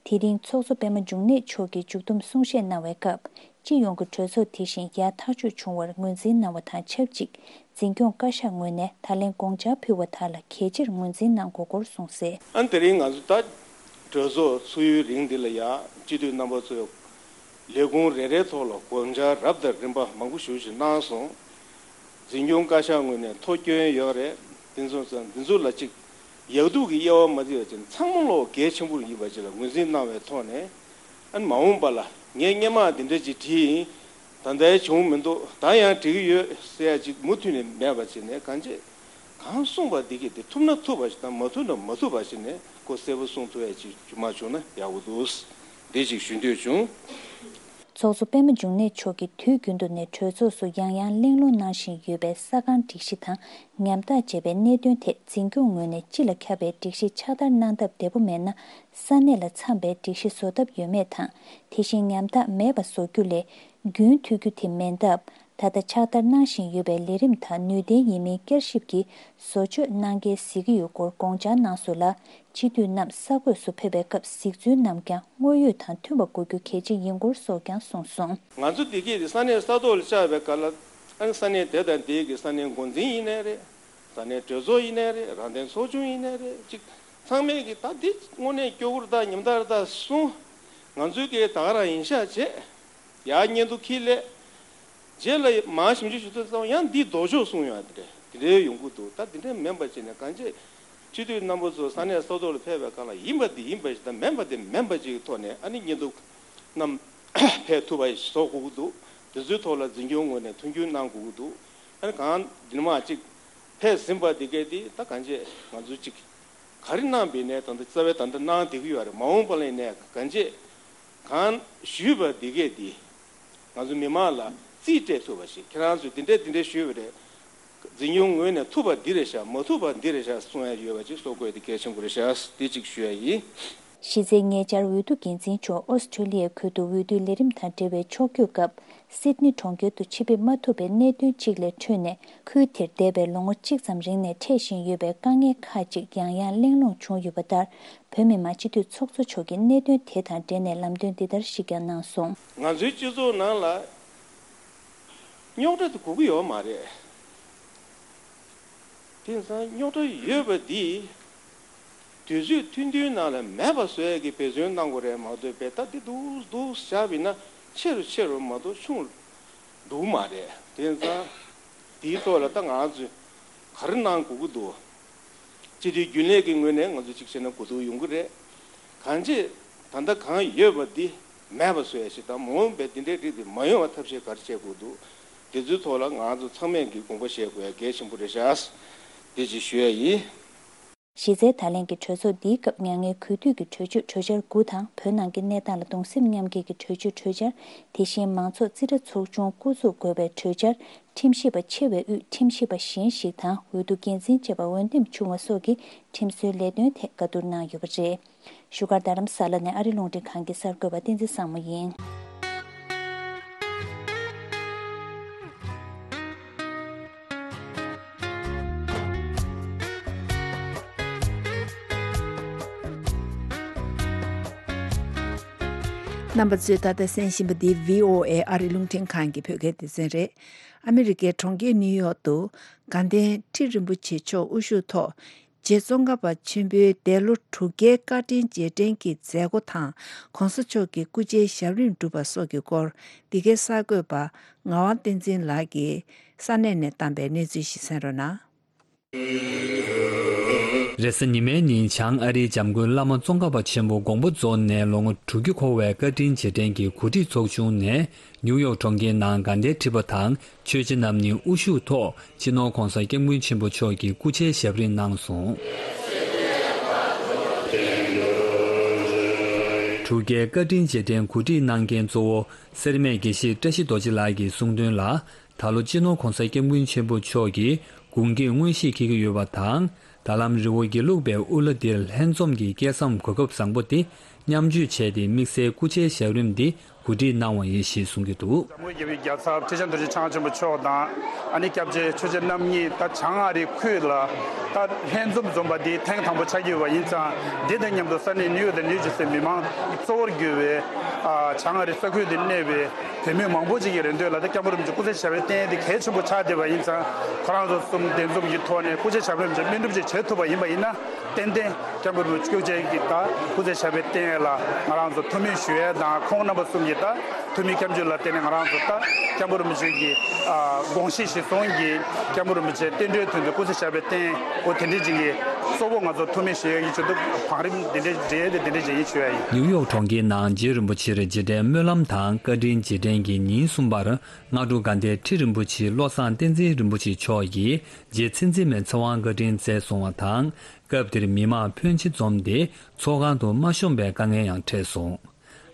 དེ་རིང་ཚོགས་གཙོ་པདྨ་འབྱུང་གནས་མཆོག་གིས་མཇུག་བསྡོམས་གསུང་བཤད་གནང་བའི་སྐབས། སྤྱི་ཡོངས་ཀྱི་གྲོས་ཚོགས་དེ་བཞིན་ཡར་ཐག་གཅོད་བྱུང་བར་ངོས་འཛིན་གནང་བ་དང་ཆབས་ཅིག་འཛིན་སྐྱོང་བཀའ་ཤག་ངོས་ནས་ད་ལན་དགོངས་འཆར་ཕུལ་བ་དག་ལ་གལ་ཆེར་ངོས་འཛིན་གནང་དགོས་སྐོར་གསུངས་གསལ། ཨ་ནི་དེ་རིང་ང་ཚོ་ད་གྲོས་ཚོགས་ཚུགས་ཡུན་རིང་འདི་ལ་ཡ་སྤྱི་འཐུས་རྣམ་པ་ཚོས་ལས་ཁུངས་རེ་རེའི་ཐོག་ལ་དགོངས་འཆར་རབ་དང་རིམ་པ་མང་པོ་ཞེ་པོ་ཅིག་གནང་སོང་། འཛིན་སྐྱོང་བཀའ་ཤག་ངོས་ནས་ཐོ་སྐྱོན་ཡོད་རེད། འདི་ཚོ་ཚོ་འདི་ཚོ་ལ་ཅིག་ཡག་སྡུག་གི་དབྱེ་བ་མ་བརྩི་བ་ཅིག་ཚང་མ་ལོག་གལ་ཆེན་པོ་ཡིན་པ་ཅིག་ལ་ངོས་འཛིན་གནང་བའི་ཐོག་ནས། ཨ་ནི་མ་འོངས་པ་ལ་ངས་སྔོན་མ་འདི་འདྲ་ཅིག་བྲིས་ཡིན། ད་ལྟའི་བྱུང་མི་འདུག་ད་ཡང་འབྲི་གི་ཡོད་ཟེར་ཡ་ཅིག་མུ་མཐུད་ནས་མེད་པ་བྱས་ནས་གང་བྱེད། གང་གསུངས་པ་འདི་གས་དེ་ཐུབ་ན་ཐུབ་པ་ཞིག་དང་མ་ཐུབ་ན་མ་ཐུབ་པ་ཞིག་ནས་ཁོ་གསལ་པོ་གསུངས་ཐུབ་ཡ་ཅིག་མ་བྱུང་ན་ཡག་པོ་འདུག་འདི་ཅིག་ཞུ་འདོད་བྱུང་། ཚོགས་གཙོ་པདྨ་འབྱུང་གནས་མཆོག་གིས་དུས་རྒྱུན་དུ་ནས་གྲོས་ཚོགས་སུ་ཡང་ཡང་གླེང་སློང་གནང་བཞིན་ཡོད་པའི་ས་ཁང་སྒྲིག་གཞི་དང་ཉམ་ཐག་བཅས་པའི་གནད་དོན་ཐད་འཛིན་སྐྱོང་ངོས་ནས་སྤྱི་ལ་ཁྱབ་པའི་སྒྲིག་གཞི་ཕྱག་བསྟར་གནང་སྟབས་བདེ་པོ་མེད་ན། ས་གནས་ལ་འཚམ་པའི་སྒྲིག་གཞི་བཟོ་ཐབས་ཡོད་མེད་དང་། དེ་བཞིན་ཉམ་ཐག་མེད་པ་བཟོ་རྒྱུ་ལས་རྒྱུན་མཐུད་རྒྱུ་དེ་མིན་སྟབས། ད་ལྟ་ཕྱག་བསྟར་གནང་བཞིན་ཡོད་པའི་ལས་རིམ་དག་ནུས་ལྡན་ཡིན་མིན་བསྐྱར་ཞིབ་ཀྱིས་བཟོ་བཅོས་གནང་གལ་གཟིགས་ཀྱི་ཡོད་སྐོར་དགོངས་འཆར་གནང་སོང་ལ། སྤྱི་འཐུས་རྣམས་ས་གོས་སུ་ཕེབས་པའི་སྐབས་གཟིགས་ཚུལ་རྣམས་ཀྱང་དངོས་ཡོད་དང་མཐུན་པ་དགོས་རྒྱུ་གལ་ཆེ་ཡིན་སྐོར་སོགས་ཀྱང་གསུངས་སོང་། ང་ཚོ་འདི་གས་དེ་ས་གནས་ས་ཐོག་ལ་བཅར་བའི་སྐབས་ལ་ཨ་ནི་ས་གནས་དེ་དང་དེའི་གི་ས་གནས་འགོ་འཛིན་ཡིན་ནའི་རེད། ས་གནས་གྲོས་ཚོགས་ཡིན་ནའི་རེད། རང་བདེན་ཚོགས་ཆུང་ཡིན་ནའི་རེད། ཅིག་ཚང་མས་གི་ད་འདི་དངོས་གནས་སྐྱོ་པོ་རེད་ད་ཉམ་ཐག་རེད་ད་གསུངས། ང་ཚོའི་གི་ད་ག་རང་ཡིན་ཤག་བྱས། ཡར་སྙན་ཐོ་འཁྱེར་སླེབས། རྗེས་ལ་མར་ཞིབ་འཇུག་ཞུ་དུས་ཙམ་ཡང་འདི་ལྡོག་ཕྱོགས་གསུངས་ཡོང་དེ་འདྲ་དེ་འདྲའི་ཡོང་གི་འདུག་ད་དེ་འདྲ་མིན་པ་བྱས་ནས་གང་ཅི། སྤྱི་འཐུས་རྣམ་པ་ཚོ་ས་གནས་ས་ཐོག་ལ་ཕེབས་པའི་སྒང་ལ་ཡིན་པ་འདི་ཡིན་པ་ཞིག་དང་མིན་པ་འདི་མིན་པ་ཅིག་གི་ཐོག་ནས་ཨ་ནི་སྙན་ཐོ་རྣམས་ཕེབས་ཐུབ་པ་ཞིག་བཟོ་དགོས་ཀྱི་འདུག་དེ་ཚོའི་ཐོག་ལ་འཛིན་སྐྱོང་ངོས་ནས་མཐུན་འགྱུར་གནང་དགོས་ཀྱི་འདུག་ཨ་ནི་གང་འདི་ནས་མར་ཅིག་ཕེབས་ཟིན་པ་འདི་གས་འདི་ད་གང་ཅི་ང་ཚོ་ཅིག་ག་རེ་གནང་པའི་ནས་ད་ལྟ་རྩ་བའི་ད་ལྟ་གནང་བསྡད་ཀྱི་ཡོད་རེད། མ་འོངས་པ་ལ་ཡིན་ནའི་གང་ཅི་གང་ཞུས་པ་འདི་གས་འདི་ང་ཚོ་མི་མང་ལ་རྩིས་སྤྲད་ཐུབ་པ་ཞིག་ཁྱེད་རང་ཚོས་འདི་འདྲས་འདི་འདྲས་ཞུས་པ་རེད། འཛིན་སྐྱོང་ངོས་ནས་ཐུབ་པ་འདི་རེད་ཤག་མ་ཐུབ་པ་འདི་རེད་ཤག་གསུང་ཡ་ཡོད་པ་ཅིག་གསུང་དགོས་ཡ་འདི་གལ་ཆེན་པོ་རེད་ཤག་འདི་ཅིག་ཞུ་ཡ་ཡིན། གཞི་རྩའི་ཉེ་ཆར་འོས་བསྡུ་འགན་འཛིན་མཆོག་ཨོ་སི་ཁྲུ་ལི་ཡའི་ཁུལ་དུ་འོས་བསྡུའི་ལས་རིམ་དང་འབྲེལ་བའི་ཕྱོགས་བསྐྱོད་སྐབས། སིད་ནི་གྲོང་ཁྱེར་དུ་ཆེད་ཕེབས་མ་ཐུབ་པའི་གནད་དོན་གཅིག་ལས་འཕྲོས་ནས། ཁུལ་དེར་འདས་པའི་ལོ་ངོ་གཅིག་ཙམ་རིང་ནས་འཕྲད་བཞིན་ཡོད་པའི་དཀའ་ངལ་ཁག་ཅིག་ཡང་ཡང་གླེང་སློང་བྱུང་ཡོད་པ་ལྟར། བོད་མི་མང་སྤྱི་འཐུས་ཚོགས་གཙོ་མཆོག་གིས་གནད་དོན་དེ་དང་འབྲེལ་ནས་ལམ་སྟོན་འདི་ལྟར་ཞིག་ཀྱང་གནང་སོང་། ང་ཚོའི་སྤྱི་ཚོགས་ནང་ལ་རྙོག་དྲ་དེ་དགོས་ཀྱི་ཡོད་མ་རེད། དེང་སང་རྙོག་དྲ་ཡོད་པ་འདི་དུས་ཚོད་ཐུང་ཐུང་ནང་ལ་མེད་པ་བཟོ་ཡས་ཀྱི་འབད་བརྩོན་གནང་དགོས་རེད་མ་གཏོགས་བེ་ད་འདི་འདུག་འདུག་བཞག་པ་ཡིན་ན་ཆེ་རུ་ཆེ་རུ་མ་གཏོགས་ཆུང་རུ་འདུག་མ་རེད། དེང་སང་དེའི་ཐོག་ལ་ད་ང་ཚོས་ག་རེ་གནང་དགོས་ཀྱི་འདུག་སྤྱི་འཐུས་རྒྱུན་ལས་ཀྱི་ངོས་ནས་ང་ཚོ་གཅིག་བྱས་ན་གོ་བསྡུར་ཡོང་གི་རེད། གང་ཅི་ད་ལྟ་གང་ཡོད་པ་འདི་མེད་པ་བཟོ་ཡ་ཞིག་དང་མ་འོངས་པའི་འདི་འདྲའི་རིགས་འདི་མ་ཡོང་བ་ཐབས་ཤེས་ག་རེ་བྱེད་དགོས་འདུག་དེ་ཚོའི་ཐོག་ལ་ང་ཚོ་ཚང་མས་ཀྱི་དགོངས་པ་བཞེས་དགོས་ཡ་གལ་ཆེན་པོ་རེད་ཤག་འདི་ཅིག་ཞུ་ཡ་ཡིན། གཞི་རྩའི་ད་ལན་གྱི་གྲོས་ཚོགས་འདིའི་སྐབས་མྱ་ངན་གུས་འདུད་ཀྱི་གྲོས་ཆོད་གྲོས་འཆར་དགུ་དང་། བོད་ནང་གི་གནས་སྟངས་ལ་གདུང་སེམས་མཉམ་སྐྱེད་ཀྱི་གྲོས་ཆོད་གྲོས་འཆར། དེ་བཞིན་མང་ཚོགས་རྩིས་ཁྲ་ཚོགས་ཆུང་བསྐོ་འཛུགས་དགོས་པའི་གྲོས་འཆར། ཁྲིམས་ཞིབ་པ་ཆེ་བའི་དབུས་ཁྲིམས་ཞིབ་པ་གཞན་ཞིག་དང་། འོས་བསྡུ་འགན་འཛིན་བཅས་པ་འོས་འདེམས་བྱུང་བ་སོགས་ཀྱི་ཁྲིམས་སྲོལ་ལས་དོན་ཐད་བཀའ་བསྡུར་གནང་ཡོད་པ་རེད། བཞུགས་སྒར་རྡ་རམ་ས་ལ་ནས་ཨ་རི་རླུང་འཕྲིན་ཁང་གི་གསར་འགོད་པ་བསྟན་འཛིན་བཟང་མོ་ཡིན། རྣམ་པ་ཚོས་ད་ལྟ་གསན་བཞིན་པ་འདི་བྷི་ཨོ་ཨེ་ཨ་རི་རླུང་འཕྲིན་ཁང་གི་བོད་སྐད་སྡེ་ཚན་རེད། ཨ་མི་རི་ཀའི་གྲོང་ཁྱེར་ནིའུ་ཡོག་ཏུ་དགའ་ལྡན་ཁྲི་རིན་པོ་ཆེ་མཆོག་དབུ་བཞུགས་ཐོག་རྗེ་ཙོང་ཁ་པ་ཆེན་པོའི་འདས་ལོ་དྲུག་བརྒྱའི་བཀའ་དྲིན་རྗེས་དྲན་གྱི་མཛད་སྒོ་དང་། ྋགོང་ས་མཆོག་གི་སྐུ་ཕྱྭའི་ཞབས་རིམ་བསྒྲུབས་པ་སོགས་ཀྱི་སྐོར། འདི་གའི་གསར་འགོད་པ་ངག་དབང་བསྟན་འཛིན་ལགས་ཀྱིས་ས་གནས་ནས་བཏང་པའི་གནས་ཚུལ་ཞིག་གསན་རོགས་གནང་། རེས་གཟའ་ཉི་མའི་ཉིན་བྱང་ཨ་རིའི་འཇམ་མགོན་བླ་མ་ཙོང་ཁ་པ་ཆེན་པོ་དགོངས་པ་རྫོགས་ནས་ལོ་ངོ་དྲུག་ཅུ་འཁོར་བའི་བཀའ་དྲིན་རྗེས་དྲན་གྱི་གོ་སྒྲིག་ཚོགས་ཆུང་ནས། ནིའུ་ཡོག་གྲོང་ཁྱེར་ནང་དགའ་ལྡན་ཁྲི་པ་དང་ཆོས་རྗེ་རྣམ་གཉིས་དབུ་བཞུགས་ཐོག་སྤྱི་ནོར་༧གོང་ས་༧སྐྱབས་མགོན་ཆེན་པོ་མཆོག་གི་སྐུ་ཕྱྭའི་ཞབས་རིམ་གནང་སོང་། དྲུག་བརྒྱའི་བཀའ་དྲིན་རྗེས་དྲན་གོ་སྒྲིག་གནང་མཁན་གཙོ་བོ་སེར་སྨད་དགེ་བཤེས་བཀྲ་ཤིས་རྡོ་རྗེ་ལགས་ཀྱིས་གསུངས་དོན་ལ། ད་ལོ་སྤྱི་ནོར་༧གོང་ས་༧སྐྱབས་མགོན་ཆེན་པོ་མཆོག་གིས་དགུང་སྐེག་མངོན་ཤེས་འཁེལ་གྱི་ཡོད་པ་དང་། ད་ལམ་རི་བོ་དགེ་ལུགས་པའི་དབུ་བླ་འདིར་ལྷན་འཛོམས་ཀྱི་སྐལ་བཟང་གོ་སྐབས་བཟང་པོ་དེ་ མཉམ་སྤྱོད་བྱས་ཏེ་དམིགས་བསལ་སྐུ་ཕྱྭའི་ཞབས་རིམ་འདི་གོ་སྒྲིག་གནང་བ་ཡིན་ཞེས་གསུང་གི་འདུག། འཇམ་མགོན་རྒྱལ་བའི་རྒྱལ་ཚབ་ཁྲི་བྱང་རྡོ་རྗེ་འཆང་ཆེན་པོ་མཆོག་དང་། ཨ་ནི་སྐྱབས་རྗེ་ཆོས་རྗེ་རྣམ་གཉིས་ད་བྱང་ཨ་རིའི་ཁུལ་ལ་ད་ལྷན་འཛོམས་འཛོམས་པ་འདི་ཐེངས་དང་པོ་ཆགས་ཀྱི་ཡོད་པ་ཡིན་ཙང་། འདི་དང་མཉམ་དུ་ས་གནས་ནིའུ་ཡོག་དང་ནིའུ་ཇར་སི་མི་མང་གཙོ་བོར་གྱུར་བའི་ཨ་བྱང་ཨ་རི་ས་ཁུལ་དུ་གནས་པའི་བོད་མི་མང་པོ་ཅིག་གི་རེ་འདོད་ལ་ད་སྐྱབས་མགོན་རིན་པོ་ཆེ་སྐུ་ཚེ་ཞབས་པད་བརྟན་འདི་གལ་ཆེན་པོ་ཆགས་བསྡད་པ་ཡིན་ཙང་། ཁོ་རང་ཚོ་གསུམ་གདན་འཛོམས་ཀྱི་ཐོག་ནས་སྐུ་ཚེ་ཞབས་པད་བརྟན་པའི་སྨོན་གྲུབ་ཅིག་བྱེད་ཐུབ་པ་ཡིན་པ་ཡིན་ན། ཏན་ཏན་སྐྱབས་མགོན་རིན་པོ་ཆེ་སྐུ་ཚེ་ཞབས་པད་བརྟན་ལ་ང་རང་ཚོ་ཐུགས་སྨོན་ཞུ་ཡས་དང་། ཁོང་རྣམ་པ་གསུམ་གྱི་ད་ཐུགས་སྨོན་སྐྱབས་འཇུག་ལ་བརྟེན་ནས་ང་རང་ཚོ་ད་སྐྱབས་མགོན་རིན་པོ་ཆེ་གི་ཨ་དགོངས་གཞི་གཞིར་བཟུང་གིས་སྐྱབས་མགོན་རིན་པོ་ཆེ་བསྟན་འགྲོའི་དོན་དུ་སྐུ་ཚེ་ཞབས་པད་བརྟན། འོ་དེ་འདྲའི་ཅིག་གི་གཙོ་བོ་ང་ཚོ་ཐུགས་སྨོན་ཞུ་ཡས་ཀྱི་ཆེད་དུ་བང་རིམ་འདི་འདྲའི་འབྲེལ་ཡས་དེ་འདི་འདྲའི་ཅིག་ཡིན་ཞུ་ཡ་ཡིན། ནིའུ་ཡོག་གྲོང་ཁྱེར་ནང་རྗེ་རིན་པོ་ཆེར་རྗེས་དྲན་སྨོན་ལམ་དང་བཀའ་དྲིན་རྗེས་དྲན་གྱི་ཉིན་གསུམ་པར་སྔ་དྲོ་དགའ་ལྡན་ཁྲི་རིན་པོ་ཆེ་བློ་བཟང་བསྟན་འཛིན་རིན་པོ་ཆེ་མཆོག་གིས་རྗེ་ཚེ་བརྟན་མའི་ཚེ་དབང་བཀའ་དྲིན་སྩལ་སོང་བ་དང་། སྐབས་དེར་མི་མང་ཕོན་ཆེ་འཛོམས་ཏེ་ཚོགས་ཁང་དུ་མ་ཤོང་པའི་དཀའ་ངལ་ཡང་འཕྲད་སོང་།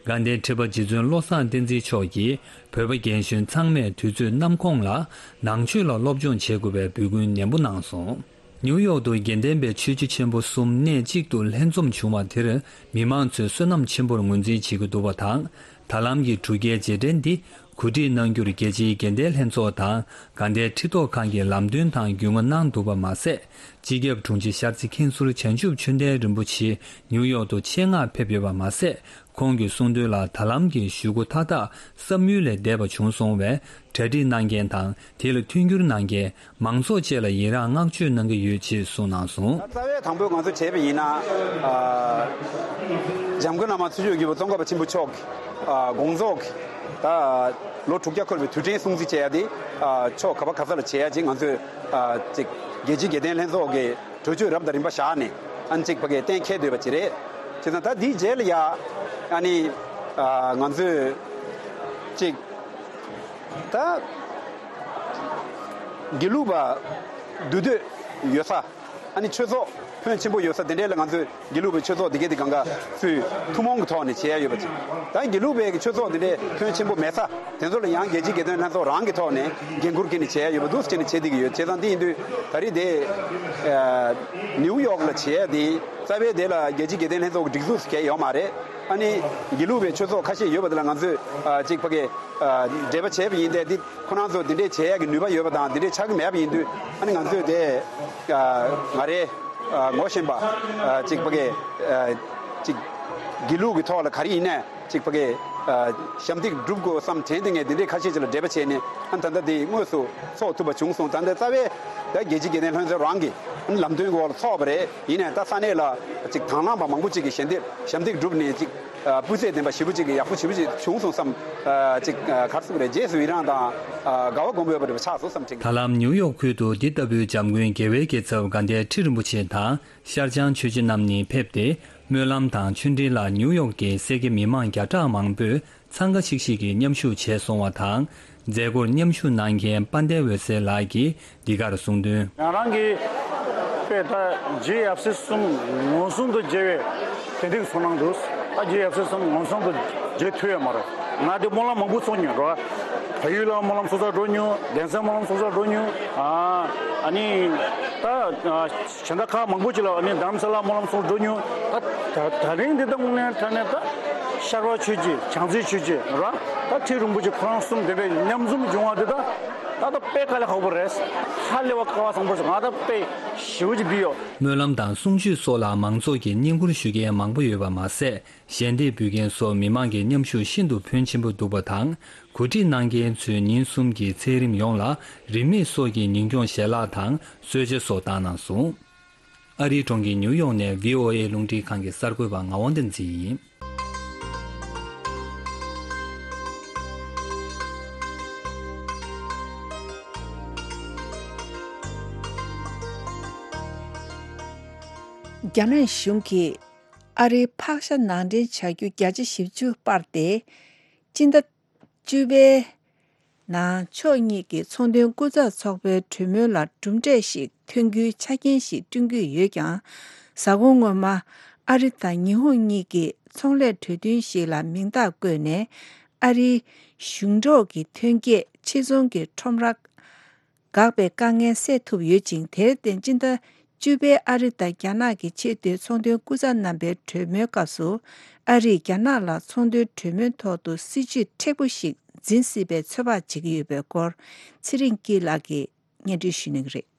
དགའ་ལྡན་ཁྲི་པ་རྗེ་བཙུན་བློ་བཟང་བསྟན་འཛིན་མཆོག་གིས་བོད་པ་རྒན་གཞོན་ཚང་མས་དུས་ཚོད་ནམ་ཁོང་ལ་ནང་ཆོས་ལ་སློབ་སྦྱོང་བྱེད་དགོས་པའི་འབོད་སྐུལ་ནན་པོ་གནང་སོང་། ནིའུ་ཡོག་ཏུ་དགེ་ལྡན་པའི་ཆོས་བརྒྱུད་ཆེན་པོ་གསུམ་གནས་གཅིག་ཏུ་ལྷན་འཛོམས་བྱུང་བ་དེར་མི་མང་ཚོས་བསོད་ནམས་ཆེན་པོར་ངོས་འཛིན་བྱེད་ཀྱི་འདུག་པ་དང་། ད་ལམ་གྱི་འབྲུག་རྒྱལ་རྗེས་དྲན་འདི་གོ་སྒྲིག་གནང་རྒྱུར་རྒྱལ་སྤྱིའི་དགེ་ལྡན་ལྷན་ཚོགས་དང་དགའ་ལྡན་ཁྲི་ཐོག་ཁང་གིས་ལམ་སྟོན་དང་རྒྱུས་མངའ་གནང་འདུག་པ་མ་ཟད། སྤྱི་ཁྱབ་དྲུང་ཆེ་ཤར་རྩེ་མཁན་ཟུར་བྱང་ཆུབ་ཆོས་ལྡན་རིན་པོ་ཆེ་ནིའུ་ཡོག་ཏུ་ཆེད་མངགས་ཕེབས་ཡོད་པ་མ་ཟད། ཁོང་གིས་གསུངས་དོན་ལ་ད་ལམ་གྱི་ཞུ་སྒོ་མཐའ་དག་བསམ་ཡུལ་ལས་འདས་པ་བྱུང་སོང་བས། གྲ་སྒྲིག་གནང་མཁན་དང་དེ་ལ་མཐུན་འགྱུར་གནང་མཁན་མང་ཚོགས་བཅས་ལ་ཡི་རངས་བསྔགས་བརྗོད་གནང་གི་ཡོད་ཅེས་གསུངས་གནང་སོང་། རྩ་བའི་དང་པོ་ང་ཚོས་བྱས་པ་ཡིན་ན། ཨ། འཇམ་མགོན་བླ་མ་ཚུལ་ཁྲིམས་ཀྱི་བུ་ཙོང་ཁ་པ་ཆེན་པོ་མཆོག་གི་ཨ་དགོངས་རྫོགས་ཀྱི་ད་ལོ་དྲུག་བརྒྱ་འཁོར་བའི་དུས་དྲན་སྲུང་བརྩི་བྱེད་ཡ་དེ། ཨ། ཕྱོགས་ག་པ་ག་ས་ལ་བྱེད་ཡ་ཅིག་ང་ཚོས་ཨ་ཅིག་རྒྱལ་སྤྱིའི་དགེ་ལྡན་ལྷན་ཚོགས་ཀྱི་གྲོས་ཆོད་རབ་དང་རིམ་པ་བཞག་ནས་ཨ་ནི་ཅིག་ཕ་གིར་གཏན་འཁེལ་སྡོད་པ་ཅིག་རེད། བྱས་ཙང་ད་འདིའི་རྗེས་ལ་ཡ་ཨ་ནི་ཨ་ང་ཚོས་ཅིག་ད་དགེ་ལུགས་པ་འདུས་སྡོད་ཡོད་ས། ཨ་ནི་ཆོས་ཚོགས་ཕོན་ཆེན་པོ་ཡོད་ས་དེ་འདྲས་ལ་ང་ཚོས་དགེ་ལུགས་པའི་ཆོས་ཚོགས་འདི་གའི་དེ་གང་ག་ཚུལ་ཐུན་མོང་གི་ཐོག་ནས་བྱེད་ཡ་ཡོད་པ་ཅིག་ད་དགེ་ལུགས་པའི་གི་ཆོས་ཚོགས་འདི་འདྲས་ཕོན་ཆེན་པོ་མེད་ས་དེ་ཚོ་ལ་ཡང་རྒྱལ་སྤྱིའི་དགེ་ལྡན་ལྷན་ཚོགས་རང་གི་ཐོག་ནས་འགན་འཁུར་འཁྱེར་ནས་བྱེད་ཡ་ཡོད་པ་འདུག་ཟེར་ནས་བྱེད་བསྡད་ཀྱི་ཡོད། བྱས་ཙང་འདི་ཡིན་དུས་ད་རེས་དེ་ཨ་ནིའུ་ཡོག་ལ་བྱེད་ཡ་དེ་རྩ་བའི་དེ་ལ་རྒྱལ་སྤྱིའི་དགེ་ལྡན་ལྷན་ཚོགས་ཀྱི་སྒྲིག་འཛུགས་སུ་གལ་ཡོད་མ་རེད། ཨ་ནི་དགེ་ལུགས་པའི་ཆོས་ཚོགས་ཁ་ཤས་ཡོད་པ་དེ་ལ་ང་ཚོས་ཨ་ཅིག་ཕ་གི་ཨ་འབྲེལ་བ་བྱས་པ་ཡིན་ཏེ་འདི། ཁོ་རང་ཚོ་འདི་འདྲས་བྱེད་ཡག་གི་ནུས་པ་ཡོད་པ་དང་འདི་འདྲས་ཆགས་ཀྱི་མེད་པ་ཡིན་དུས་ཨ་ནི་ང་ཚོས་དེ་ཨ་ང་རེ་ཨ་ངོ་ཤེས་པ་ཨ་ཅིག་ཕ་གི་ཨ་ཅིག་དགེ་ལུགས་ཀྱི་ཐོག་ལ་ག་རེ་ཡིན་ནས་ཅིག་ཕ་གི་ཨ་ཞབས་འདེགས་སྒྲུབ་དགོས་བསམ་དྲན་དེ་ངས་འདི་འདྲས་ཁ་ཤས་ཅིག་ལ་འབྲེལ་བ་བྱས་ནས་ཨ་ནི་ད་ལྟ་འདི་དངོས་སུ་ཚོགས་ཐུབ་པ་བྱུང་སོང་། ད་ལྟ་རྩ་བའི་ད་རྒྱལ་སྤྱིའི་དགེ་ལྡན་ལྷན་ཚོགས་རང་གི་ཨ་ནི་ལམ་སྟོན་གྱི་འོག་ལ་ཚོགས་པ་རེད། ཡིན་ནས་ད་ས་གནས་ལ་ཅིག་དང་བླངས་པ་མང་པོ་ཅིག་གིས་ཞལ་འདེབས་ཞབས་འདེགས་བསྒྲུབས་ནས་ཅིག་ཨ་སྤུས་ཚད་ལྡན་པ་ཞེ་པོ་ཅིག་ཡག་པོ་ཞེ་པོ་ཅིག་བྱུང་སོང་བསམ། ཨ་ཅིག་ཨ་ག་རེ་ཟེར་དགོས་རེད། རྗེས་སུ་ཡི་རངས་དང་ཨ་དགའ་བ་སྒོམ་འོས་པ་རེ་བ་ཆགས་སོང་བསམ་དྲན་གྱི། ད་ལམ་ནིའུ་ཡོག་ཁུལ་དུ་འདི་ལྟ་བུའི་འཇམ་མགོན་རྒྱལ་བའི་རྒྱལ་ཚབ་དགའ་ལྡན་ཁྲི་རིན་པོ་ཆེ་དང་ཤར་བྱང་ཆོས་རྗེ་རྣམ་གཉིས་ཕེབས་ཏེ་སྨོན་ལམ་དང་ཆོས་འབྲེལ་ལ་ནིའུ་ཡོག་གི་སེར་སྐྱ་མི་མང་བརྒྱ་ཕྲག་མང་པོས་འཚང་ཁ་ཤིག་ཤིག་གིས་མཉམ་ཞུགས་བྱས་སོང་བ་དང་། མཛད་སྒོར་མཉམ་ཞུགས་གནང་མཁན་དཔལ་ལྡན་འོད་ཟེར་ལགས་ཀྱིས་འདི་གར་གསུངས་དོན། ང་རང་གིས་དཔེ་ད་རྗེ་ཡབ་སྲས་གསུམ་ངོས་ཟུང་དུ་མཇལ་བའི་དོན་དེ་ཚོར་སྣང་འདུག། ད་རྗེ་ཡབ་སྲས་གསུམ་ངོས་ཟུང་དུ་མཇལ་ཐུབ་ཡོད་མ་རེད། ང་དེ་སྨོན་ལམ་མང་པོ་ཚོགས་མྱོང་རོ། བལ་ཡུལ་ལ་སྨོན་ལམ་ཚོགས་ས་འགྲོ་མྱོང་། གདན་སའི་སྨོན་ལམ་ཚོགས་ས་འགྲོ་མྱོང་། ཨ་ཨ་ནི་ད་གཞན་དག་ཁག་མང་པོ་ཅིག་ལ་ཨ་ནི་དྷ་རམ་ས་ལ་སྨོན་ལམ་ཚོགས་འགྲོ་མྱོང་། ད་ད་ད་རིང་འདི་ལྟ་དངོས་གནས་དྲང་གནས་ད་ཤར་བ་ཆོས་རྗེ་བྱང་རྩེ་ཆོས་རྗེ་ར་ད་ཁྲི་རིན་པོ་ཆེ་ཁོ་རང་གསུམ་དེ་འདྲ་མཉམ་འཛོམས་བྱུང་བ་འདི་ད་ད་ད་དཔེ་དཀའ་ལས་ཁག་པོ་རེད། ཧ་ལས་པ་དཀའ་བ་བཟང་པོ་ཞིག་ང་ད་དཔེ་ཞེ་པོ་ཅིག་འདི་ཡོད། སྨོན་ལམ་དང་གསུང་ཆོས་སོགས་ལ་མང་ཚོགས་ཀྱིས་བསྙེན་བཀུར་ཞུ་མཁན་མང་པོ་ཡོད་པ་མ་ཟད། ཞལ་འདེབས་འབུལ་མཁན་སོགས་མི་མང་གི་མཉམ་ཞུགས་ཤིན་ཏུ་ཕོན་ཆེན་པོ་འདུག་པ་དང་། གོ་སྒྲིག་གནང་མཁན་ཚོས་ཉིན་གསུམ་གྱི་ཚད་རིམ་ཡོངས་ལ་རིན་མེད་སོགས་ཀྱི་ཉིན་སྐྱོང་ཞལ་ལག་དང་གསོལ་ཇ་སོགས་བཏང་གནང་སོང་། ཨ་རིའི་གྲོང་ཁྱེར་ཉིའུ་ཡོག་ནས་བྷི་ཨོ་ཨེ་རླུང་འཕྲིན་ཁང་གི་གསར་འགོད་པ་ངག་དབང་བསྟན་འཛིན་ཡིན། རྒྱ་ནག་གཞུང་གིས་ཨ་རིའི་ཕག་ཤ་ནང་འདྲེན་བྱ་རྒྱུ་བརྒྱ་ཆ་བཞི་བཅུ་སྤར་ཏེ། སྤྱི་ཟླ་བཅུ་པའི་ནང་ཕྱོགས་གཉིས་ཀྱི་ཚོང་དོན་སྐུ་ཚབ་ཚོགས་པའི་གྲོས་མོལ་ལ་གྲུབ་འབྲས་ཤིག་ཐོན་རྒྱུའི་ཆ་རྐྱེན་ཞིག་བསྐྲུན་གྱི་ཡོད་ཀྱང་། གཟའ་འཁོར་སྔོན་མ་ཨ་རི་དང་ཉི་ཧོང་གཉིས་ཀྱི་ཚོང་ལས་གྲོས་མཐུན་ཞིག་ལ་མིང་རྟགས་བཀོད་ནས། ཨ་རིའི་གཞུང་འབྲེལ་གྱི་ཐོན་སྐྱེད་ཕྱིར་ཚོང་གི་ཁྲོམ་ར་འགག་པའི་དཀའ་ངལ་སེལ་ཐུབ་ཡོད་ཅིང་། དེར་བརྟེན་སྤྱི་ཟླ་ བཅུ་པའི་ཨ་རི་དང་རྒྱ་ནག་གི་ཆེས་མཐོའི་ཚོང་དོན་སྐུ་ཚབ་རྣམ་པའི་གྲོས་མོལ་སྐབས་སུ། ཨ་རིས་རྒྱ་ནག་ལ་ཚོང་དོན་གྲོས་མོལ་ཐོག་ཏུ་སྲིད་ཇུས་མཁྲེགས་པོ་ཞིག་འཛིན་སྲིད་པའི་ཚོད་དཔག་བྱེད་ཀྱི་ཡོད་པའི་སྐོར། ཚེ་རིང་སྐྱིད་ལགས་ཀྱིས་སྙན་སྒྲོན་ཞུ་གནང་གི་རེད།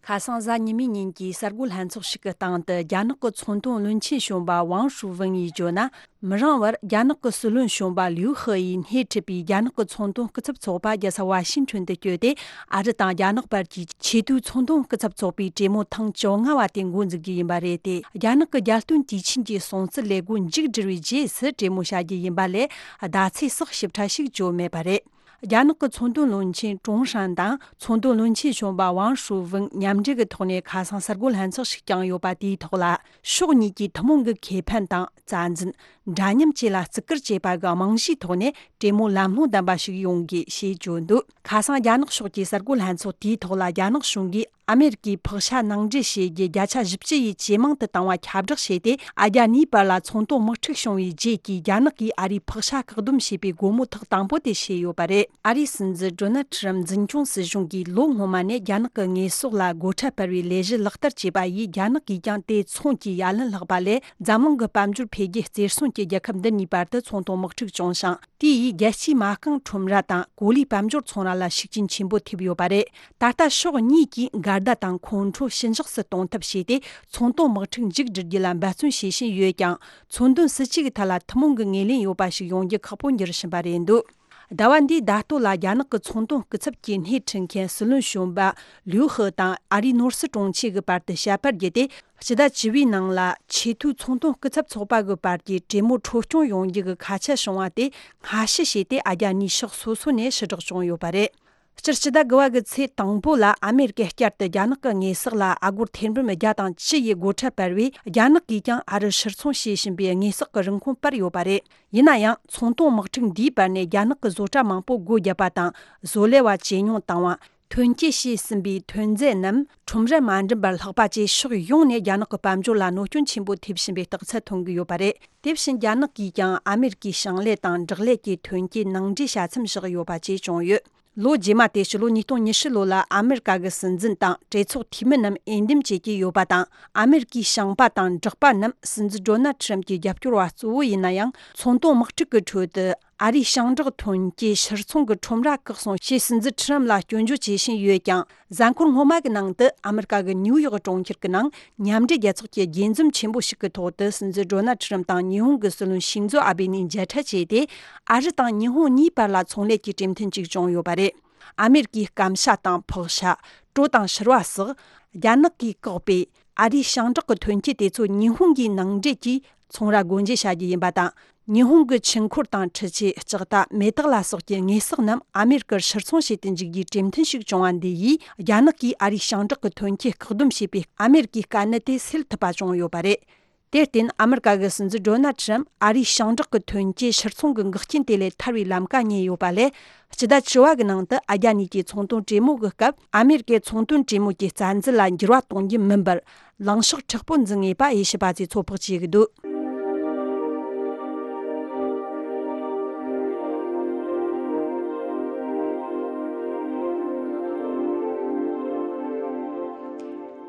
ཁ་སང་གཟའ་ཉི་མའི་ཉིན་གྱི་གསར་འགོད་ལྷན་ཚོགས་ཤིག་གི་སྟེང་དུ། རྒྱ་ནག་གི་ཚོང་དོན་བློན་ཆེན་གཞོན་པ་ཝང་ཧྲུའུ་ཝུན་ཡིས་བརྗོད་ན། མི་རིང་བར་རྒྱ་ནག་གི་སྲིད་བློན་གཞོན་པ་ལིའུ་ཧེ་ཡིས་སྣེ་ཁྲིད་པའི་རྒྱ་ནག་གི་ཚོང་དོན་སྐུ་ཚབ་ཚོགས་པ་རྒྱལ་ས་ཝ་ཤིང་ཊོན་དུ་བསྐྱོད་དེ། ཨ་རི་དང་རྒྱ་ནག་བར་གྱི་ཆེས་མཐོའི་ཚོང་དོན་སྐུ་ཚབ་ཚོགས་པའི་གྲོས་མོལ་ཐེངས་བཅོ་ལྔ་བ་དེ་འགོ་འཛུགས་རྒྱུ་ཡིན་པ་རེད་དེ། རྒྱ་ནག་གི་རྒྱལ་དོན་དུས་ཆེན་གྱི་སྲུང་བརྩི་ལས་འགུལ་མཇུག་བསྒྲིལ་བའི་རྗེས་སུ་གྲོས་མོལ་བྱ་རྒྱུ་ཡིན་པ་ལས། ཟླ་ཚེས་སོགས་ཞིབ་ཕྲ་ཞིག་བརྗོད་མེད་པ་རེད། རྒྱ་ནག་གི་ཚོང་དོན་བློན་ཆེན་ཀྲུང་ཧྲན་དང་ཚོང་དོན་བློན་ཆེན་གཞོན་པ་ཝང་ཧྲུའུ་ཝུན་མཉམ་འབྲེལ་གྱི་ཐོག་ནས་ཁ་སང་གསར་འགོད་ལྷན་ཚོགས་ཤིག་བསྐྱངས་ཡོད་པ། དེའི་ཐོག་ལ། ཕྱོགས་གཉིས་ཀྱི་ཐུན་མོང་གི་ཁེ་ཕན་དང་རྩ་འཛིན། འདྲ་མཉམ་བཅས་ལ་བརྩི་བཀུར་བྱེད་པ་གི་རྨང་གཞིའི་ཐོག་ནས་གྲོས་མོལ་ལམ་ལྷོང་ལྡན་པ་ཞིག་ཡོང་དགོས་ཞེས་བརྗོད་འདུག་ཁ་སང་རྒྱ་ནག་ཕྱོགས་ཀྱི་གསར་འགོད་ལྷན་ཚོགས་དེའི་ཐོག་ལ། རྒྱ་ནག་གཞུང་གིས་ཨ་མེ་རི་ཀའི་ཕག་ཤ་ནང་འདྲེན་བྱེད་རྒྱུ་བརྒྱ་ཆ་བཞི་བཅུ་ཡིས་ཇེ་མང་དུ་བཏང་བ་ཁྱབ་བསྒྲགས་བྱས་ཏེ། ཨ་རྒྱ་གཉིས་བར་ལ་ཚོང་དོན་དམག་འཁྲུག་བྱུང་བའི་རྗེས་ཀྱི་རྒྱ་ནག་གིས་ཨ་རིའི་ཕག་ཤ་བཀག་སྡོམ་བྱས་པའི་སྒོ་མོ་ཐག་དང་པོ་དེ་བྱས་ཡོད་པ་རེད། ཨ་རིའི་སྲིད་འཛིན་ཌོ་ནལ་ཁྲི་རམ་འཛིན་སྐྱོང་སྲིད་གཞུང་གིས་ལོ་སྔོན་མ་ནས་རྒྱ་ནག་གི་དངོས་ཟོག་ལ་སྒོ་ཁྲལ་སྤར་བའི་ལས་གཞི་ལག་བསྟར་བྱས་པ་ཡིས། རྒྱ་ནག་གིས་ཀྱང་དེ་ཚོང་གི་ཡ་ལན་ལྷག་པ་ལས། འཛམ་གླིང་གི་དཔལ་འབྱོར་འཕེལ་རྒྱས་རྩེར་སོན་གྱི་རྒྱལ་ཁབ་འདི་གཉིས་བར་དུ་ཚོང་དོན་དམག་འཁྲུག་བྱུང་ཞིང་། དེ་ཡིས་རྒྱལ་སྤྱིའི་མ་རྐང་ཁྲོམ་ར་དང་གོ་ལའི་དཔལ་འབྱོར་ཚོང་ར་ལ་ཤུགས་རྐྱེན་ཆེན་པོ་ཐེབས་ཡོད་པ་རེད། ད་ལྟ་ཕྱོགས་གཉིས་ཀྱིས་འགལ་ཟླ་དང་ཁོང་ཁྲོ་ཞི་འཇགས་སུ་གཏོང་ཐབས་བྱས་ཏེ། ཚོང་དོན་དམག་འཁྲུག་མཇུག་སྒྲིལ་རྒྱུ་ལ་འབད་བརྩོན་བྱེད་བཞིན་ཡོད་ཀྱང་། མཚོན་དོན་སྲིད་ཇུས་ཀྱི་ཐད་ལ་ཐུན་མོང་གི་ངོས་ལེན་ཡོད་པ་ཞིག་ཡོང་རྒྱུ་ཁག་པོ་འགྱུར་བཞིན་པ་རེད་འདུག་ཟླ་བ་འདིའི་ཟླ་སྟོད་ལ་རྒྱ་ནག་གི་ཚོང་དོན་སྐུ་ཚབ་ཀྱི་སྣེ་ཁྲིད་མཁན་སྲིད་བློན་གཞོན་པ་ལིའུ་ཧེ་དང་ཨ་རིའི་ནོར་སྲིད་དྲུང་ཆེ་གི་བར་དུ་བྱ་བར་བརྒྱུད་དེ། སྤྱི་ཟླ་བཅུ་པའི་ནང་ལ་ཆེས་མཐོའི་ཚོང་དོན་སྐུ་ཚབ་ཚོགས་པ་གི་བར་གྱི་གྲོས་མོལ་འཕྲོ་སྐྱོང་ཡོང་རྒྱུ་གི་ཁ་ཆད་བྱུང་བ་དེ་སྔ་ཕྱི་བྱས་ཏེ། ཨ་རྒྱ་གཉིས་ཕྱོགས་སོ་སོ་ནས་ཕྱིར་བསྒྲགས་བྱུང་ཡོད་པ་རེད། སྤྱིར་སྤྱི་ཟླ་དགུ་པ་གི་ཚེས་དང་པོ་ལ་ཨ་མེ་རི་ཀས་བསྐྱར་དུ་རྒྱ་ནག་གི་དངོས་ཟོག་ལ་ཨ་སྒོར་ཐེར་འབུམ་བརྒྱ་དང་བཅུ་ཡི་སྒོ་ཁྲལ་སྤར་བས། རྒྱ་ནག་གིས་ཀྱང་ཨ་རིར་ཕྱིར་ཚོང་བྱེད་བཞིན་པའི་དངོས་ཟོག་གི་རིན་གོང་སྤར་ཡོད་པ་རེད། ཡིན་ན་ཡང་། ཚོང་དོན་དམག་འཁྲུག་འདིའི་བར་ནས་རྒྱ་ནག་གི་བཟོ་གྲྭ་མང་པོ་སྒོ་བརྒྱབ་པ་དང་། བཟོ་ལས་པ་ཇེ་ཉུང་བཏང་བ། ཐོན་སྐྱེད་བྱས་ཟིན་པའི་ཐོན་རྫས་རྣམས་ཁྲོམ་རར་མ་འགྲིམ་པར་ལྷག་པ་བཅས། ཕྱོགས་ཡོངས་ནས་རྒྱ་ནག་གི་དཔལ་འབྱོར་ལ་གནོད་སྐྱོན་ཆེན་པོ་ཐེབས་བཞིན་པའི་རྟགས་མཚན་ཐོན་གྱི་ཡོད་པ་རེད། དེ་བཞིན་རྒྱ་ནག་གིས་ཀྱང་ཨ་མེ་རི་ཀའི་ཞིང་ལས་དང་འབྲོག་ལས་ཀྱི་ཐོན་སྐྱེད་ནང་འདྲེན་བྱ་མཚམས་བཞག་ཡོད་པ་བཅས་བྱུང་ཡོད། ལོ་རྗེས་མ་དེ་ཕྱི་ལོ་ཉིས་སྟོང་ཉི་ཤུ་ལོ་ལ་ཨ་མེ་རི་ཀ་གི་སྲིད་འཛིན་དང་གྲོས་ཚོགས་འཐུས་མི་རྣམས་འོས་འདེམས་བྱེད་ཀྱི་ཡོད་པ་དང་། ཨ་མེ་རི་ཀའི་ཞིང་པ་དང་འབྲོག་པ་རྣམས་སྲིད་འཛིན་ཌོ་ནལ་ཁྲི་རམ་གྱི་རྒྱབ་སྐྱོར་བ་གཙོ་བོ་ཡིན་ན་ཡང་། ཚོང་དོན་དམག་འཁྲུག་གི་ཁྲོད་དུ། ཨ་རིའི་ཞིང་འབྲོག་ཐོན་སྐྱེད་ཕྱིར་ཚོང་གི་ཁྲོམ་ར་བཀག་སོང་ཞེས་སྲིད་འཛིན་ཁྲི་རམ་ལ་སྐྱོན་བརྗོད་བྱེད་བཞིན་ཡོད་ཀྱང་། གཟའ་འཁོར་སྔོན་མ་གི་ནང་དུ་ཨ་མེ་རི་ཀ་གི་ནིའུ་ཡོག་གྲོང་ཁྱེར་གྱི་ནང་མཉམ་འབྲེལ་རྒྱལ་ཚོགས་ཀྱི་དགྱེས་འཛོམས་ཆེན་པོ་ཞིག་གི་ཐོག་ཏུ། སྲིད་འཛིན་ཌོ་ནལ་ཁྲི་རམ་དང་ཉི་ཧོང་གི་སྲིད་བློན་ཤིང་ཛོ་ཨ་བེ་གཉིས་མཇལ་འཕྲད་བྱས་ཏེ། ཨ་རི་དང་ཉི་ཧོང་གཉིས་བར་ལ་ཚོང་ལས་ཀྱི་གྲོས་མཐུན་ཞིག་བྱུང་ཡོད་པ་རེད། ཨ་མེ་རི་ཀའི་སྐམ་ཤ་དང་ཕག་ཤ། གྲོ་དང་ཕྱུར་བ་སོགས་རྒྱ་ནག་གིས་བཀག་པའི་ཨ་རིའི་ཞིང་འབྲོག་གི་ཐོན་སྐྱེད་དེ་ཚོ་ཉི་ཧོང་གི་ནང་འདྲེན་གྱིས་ཚོང་ར་སྒོ་འབྱེད་བྱ་རྒྱུ་ཡིན་པ་དང་། ཉི་ཧོང་གི་ཆུ་འཁོར་དང་འཕྲུལ་ཆས། ལྕགས་རྟ། མེ་སྟག་ལ་སོགས་ཀྱི་དངོས་ཟོག་རྣམས་ཨ་མེ་རི་ཀར་ཕྱིར་ཚོང་བྱེད་དུ་འཇུག་རྒྱུའི་གྲོས་མཐུན་ཞིག་བྱུང་བ་འདི་ཡིས། རྒྱ་ནག་གིས་ཨ་རིའི་ཞིང་འབྲོག་གི་ཐོན་སྐྱེད་བཀག་སྡོམ་བྱས་པའི་ཨ་མེ་རི་ཀའི་དཀའ་གནད་དེ་སེལ་ཐུབ་པ་བྱུང་ཡོད་པ་རེད། དེར་བརྟེན། ཨ་མེ་རི་ཀ་གི་སྲིད་འཛིན་ཌོ་ནལ་ཁྲི་རམ་ཨ་རིའི་ཞིང་འབྲོག་གི་ཐོན་སྐྱེད་ཕྱིར་ཚོང་གི་འགག་རྐྱེན་དེ་ལས་ཐར་བའི་ལམ་ཁ་རྙེད་ཡོད་པ་ལས། སྤྱི་ཟླ་བཅུ་པ་གི་ནང་དུ་ཨ་རྒྱ་གཉིས་ཀྱི་ཚོང་དོན་གྲོས་མོལ་གྱི་སྐབས། ཨ་མེ་རི་ཀའི་ཚོང་དོན་གྲོས་མོལ་གྱི་རྩ་འཛིན་ལ་འགྱུར་བ་གཏོང་རྒྱུ་མིན་པར། ལངས་ཕྱོགས་མཁྲེགས་པོ་འཛིན་ངེས་པ་དབྱེ་ཞིབ་པ་ཚོས་ཚོད་དཔག་བྱེད་ཀྱི་འདུག་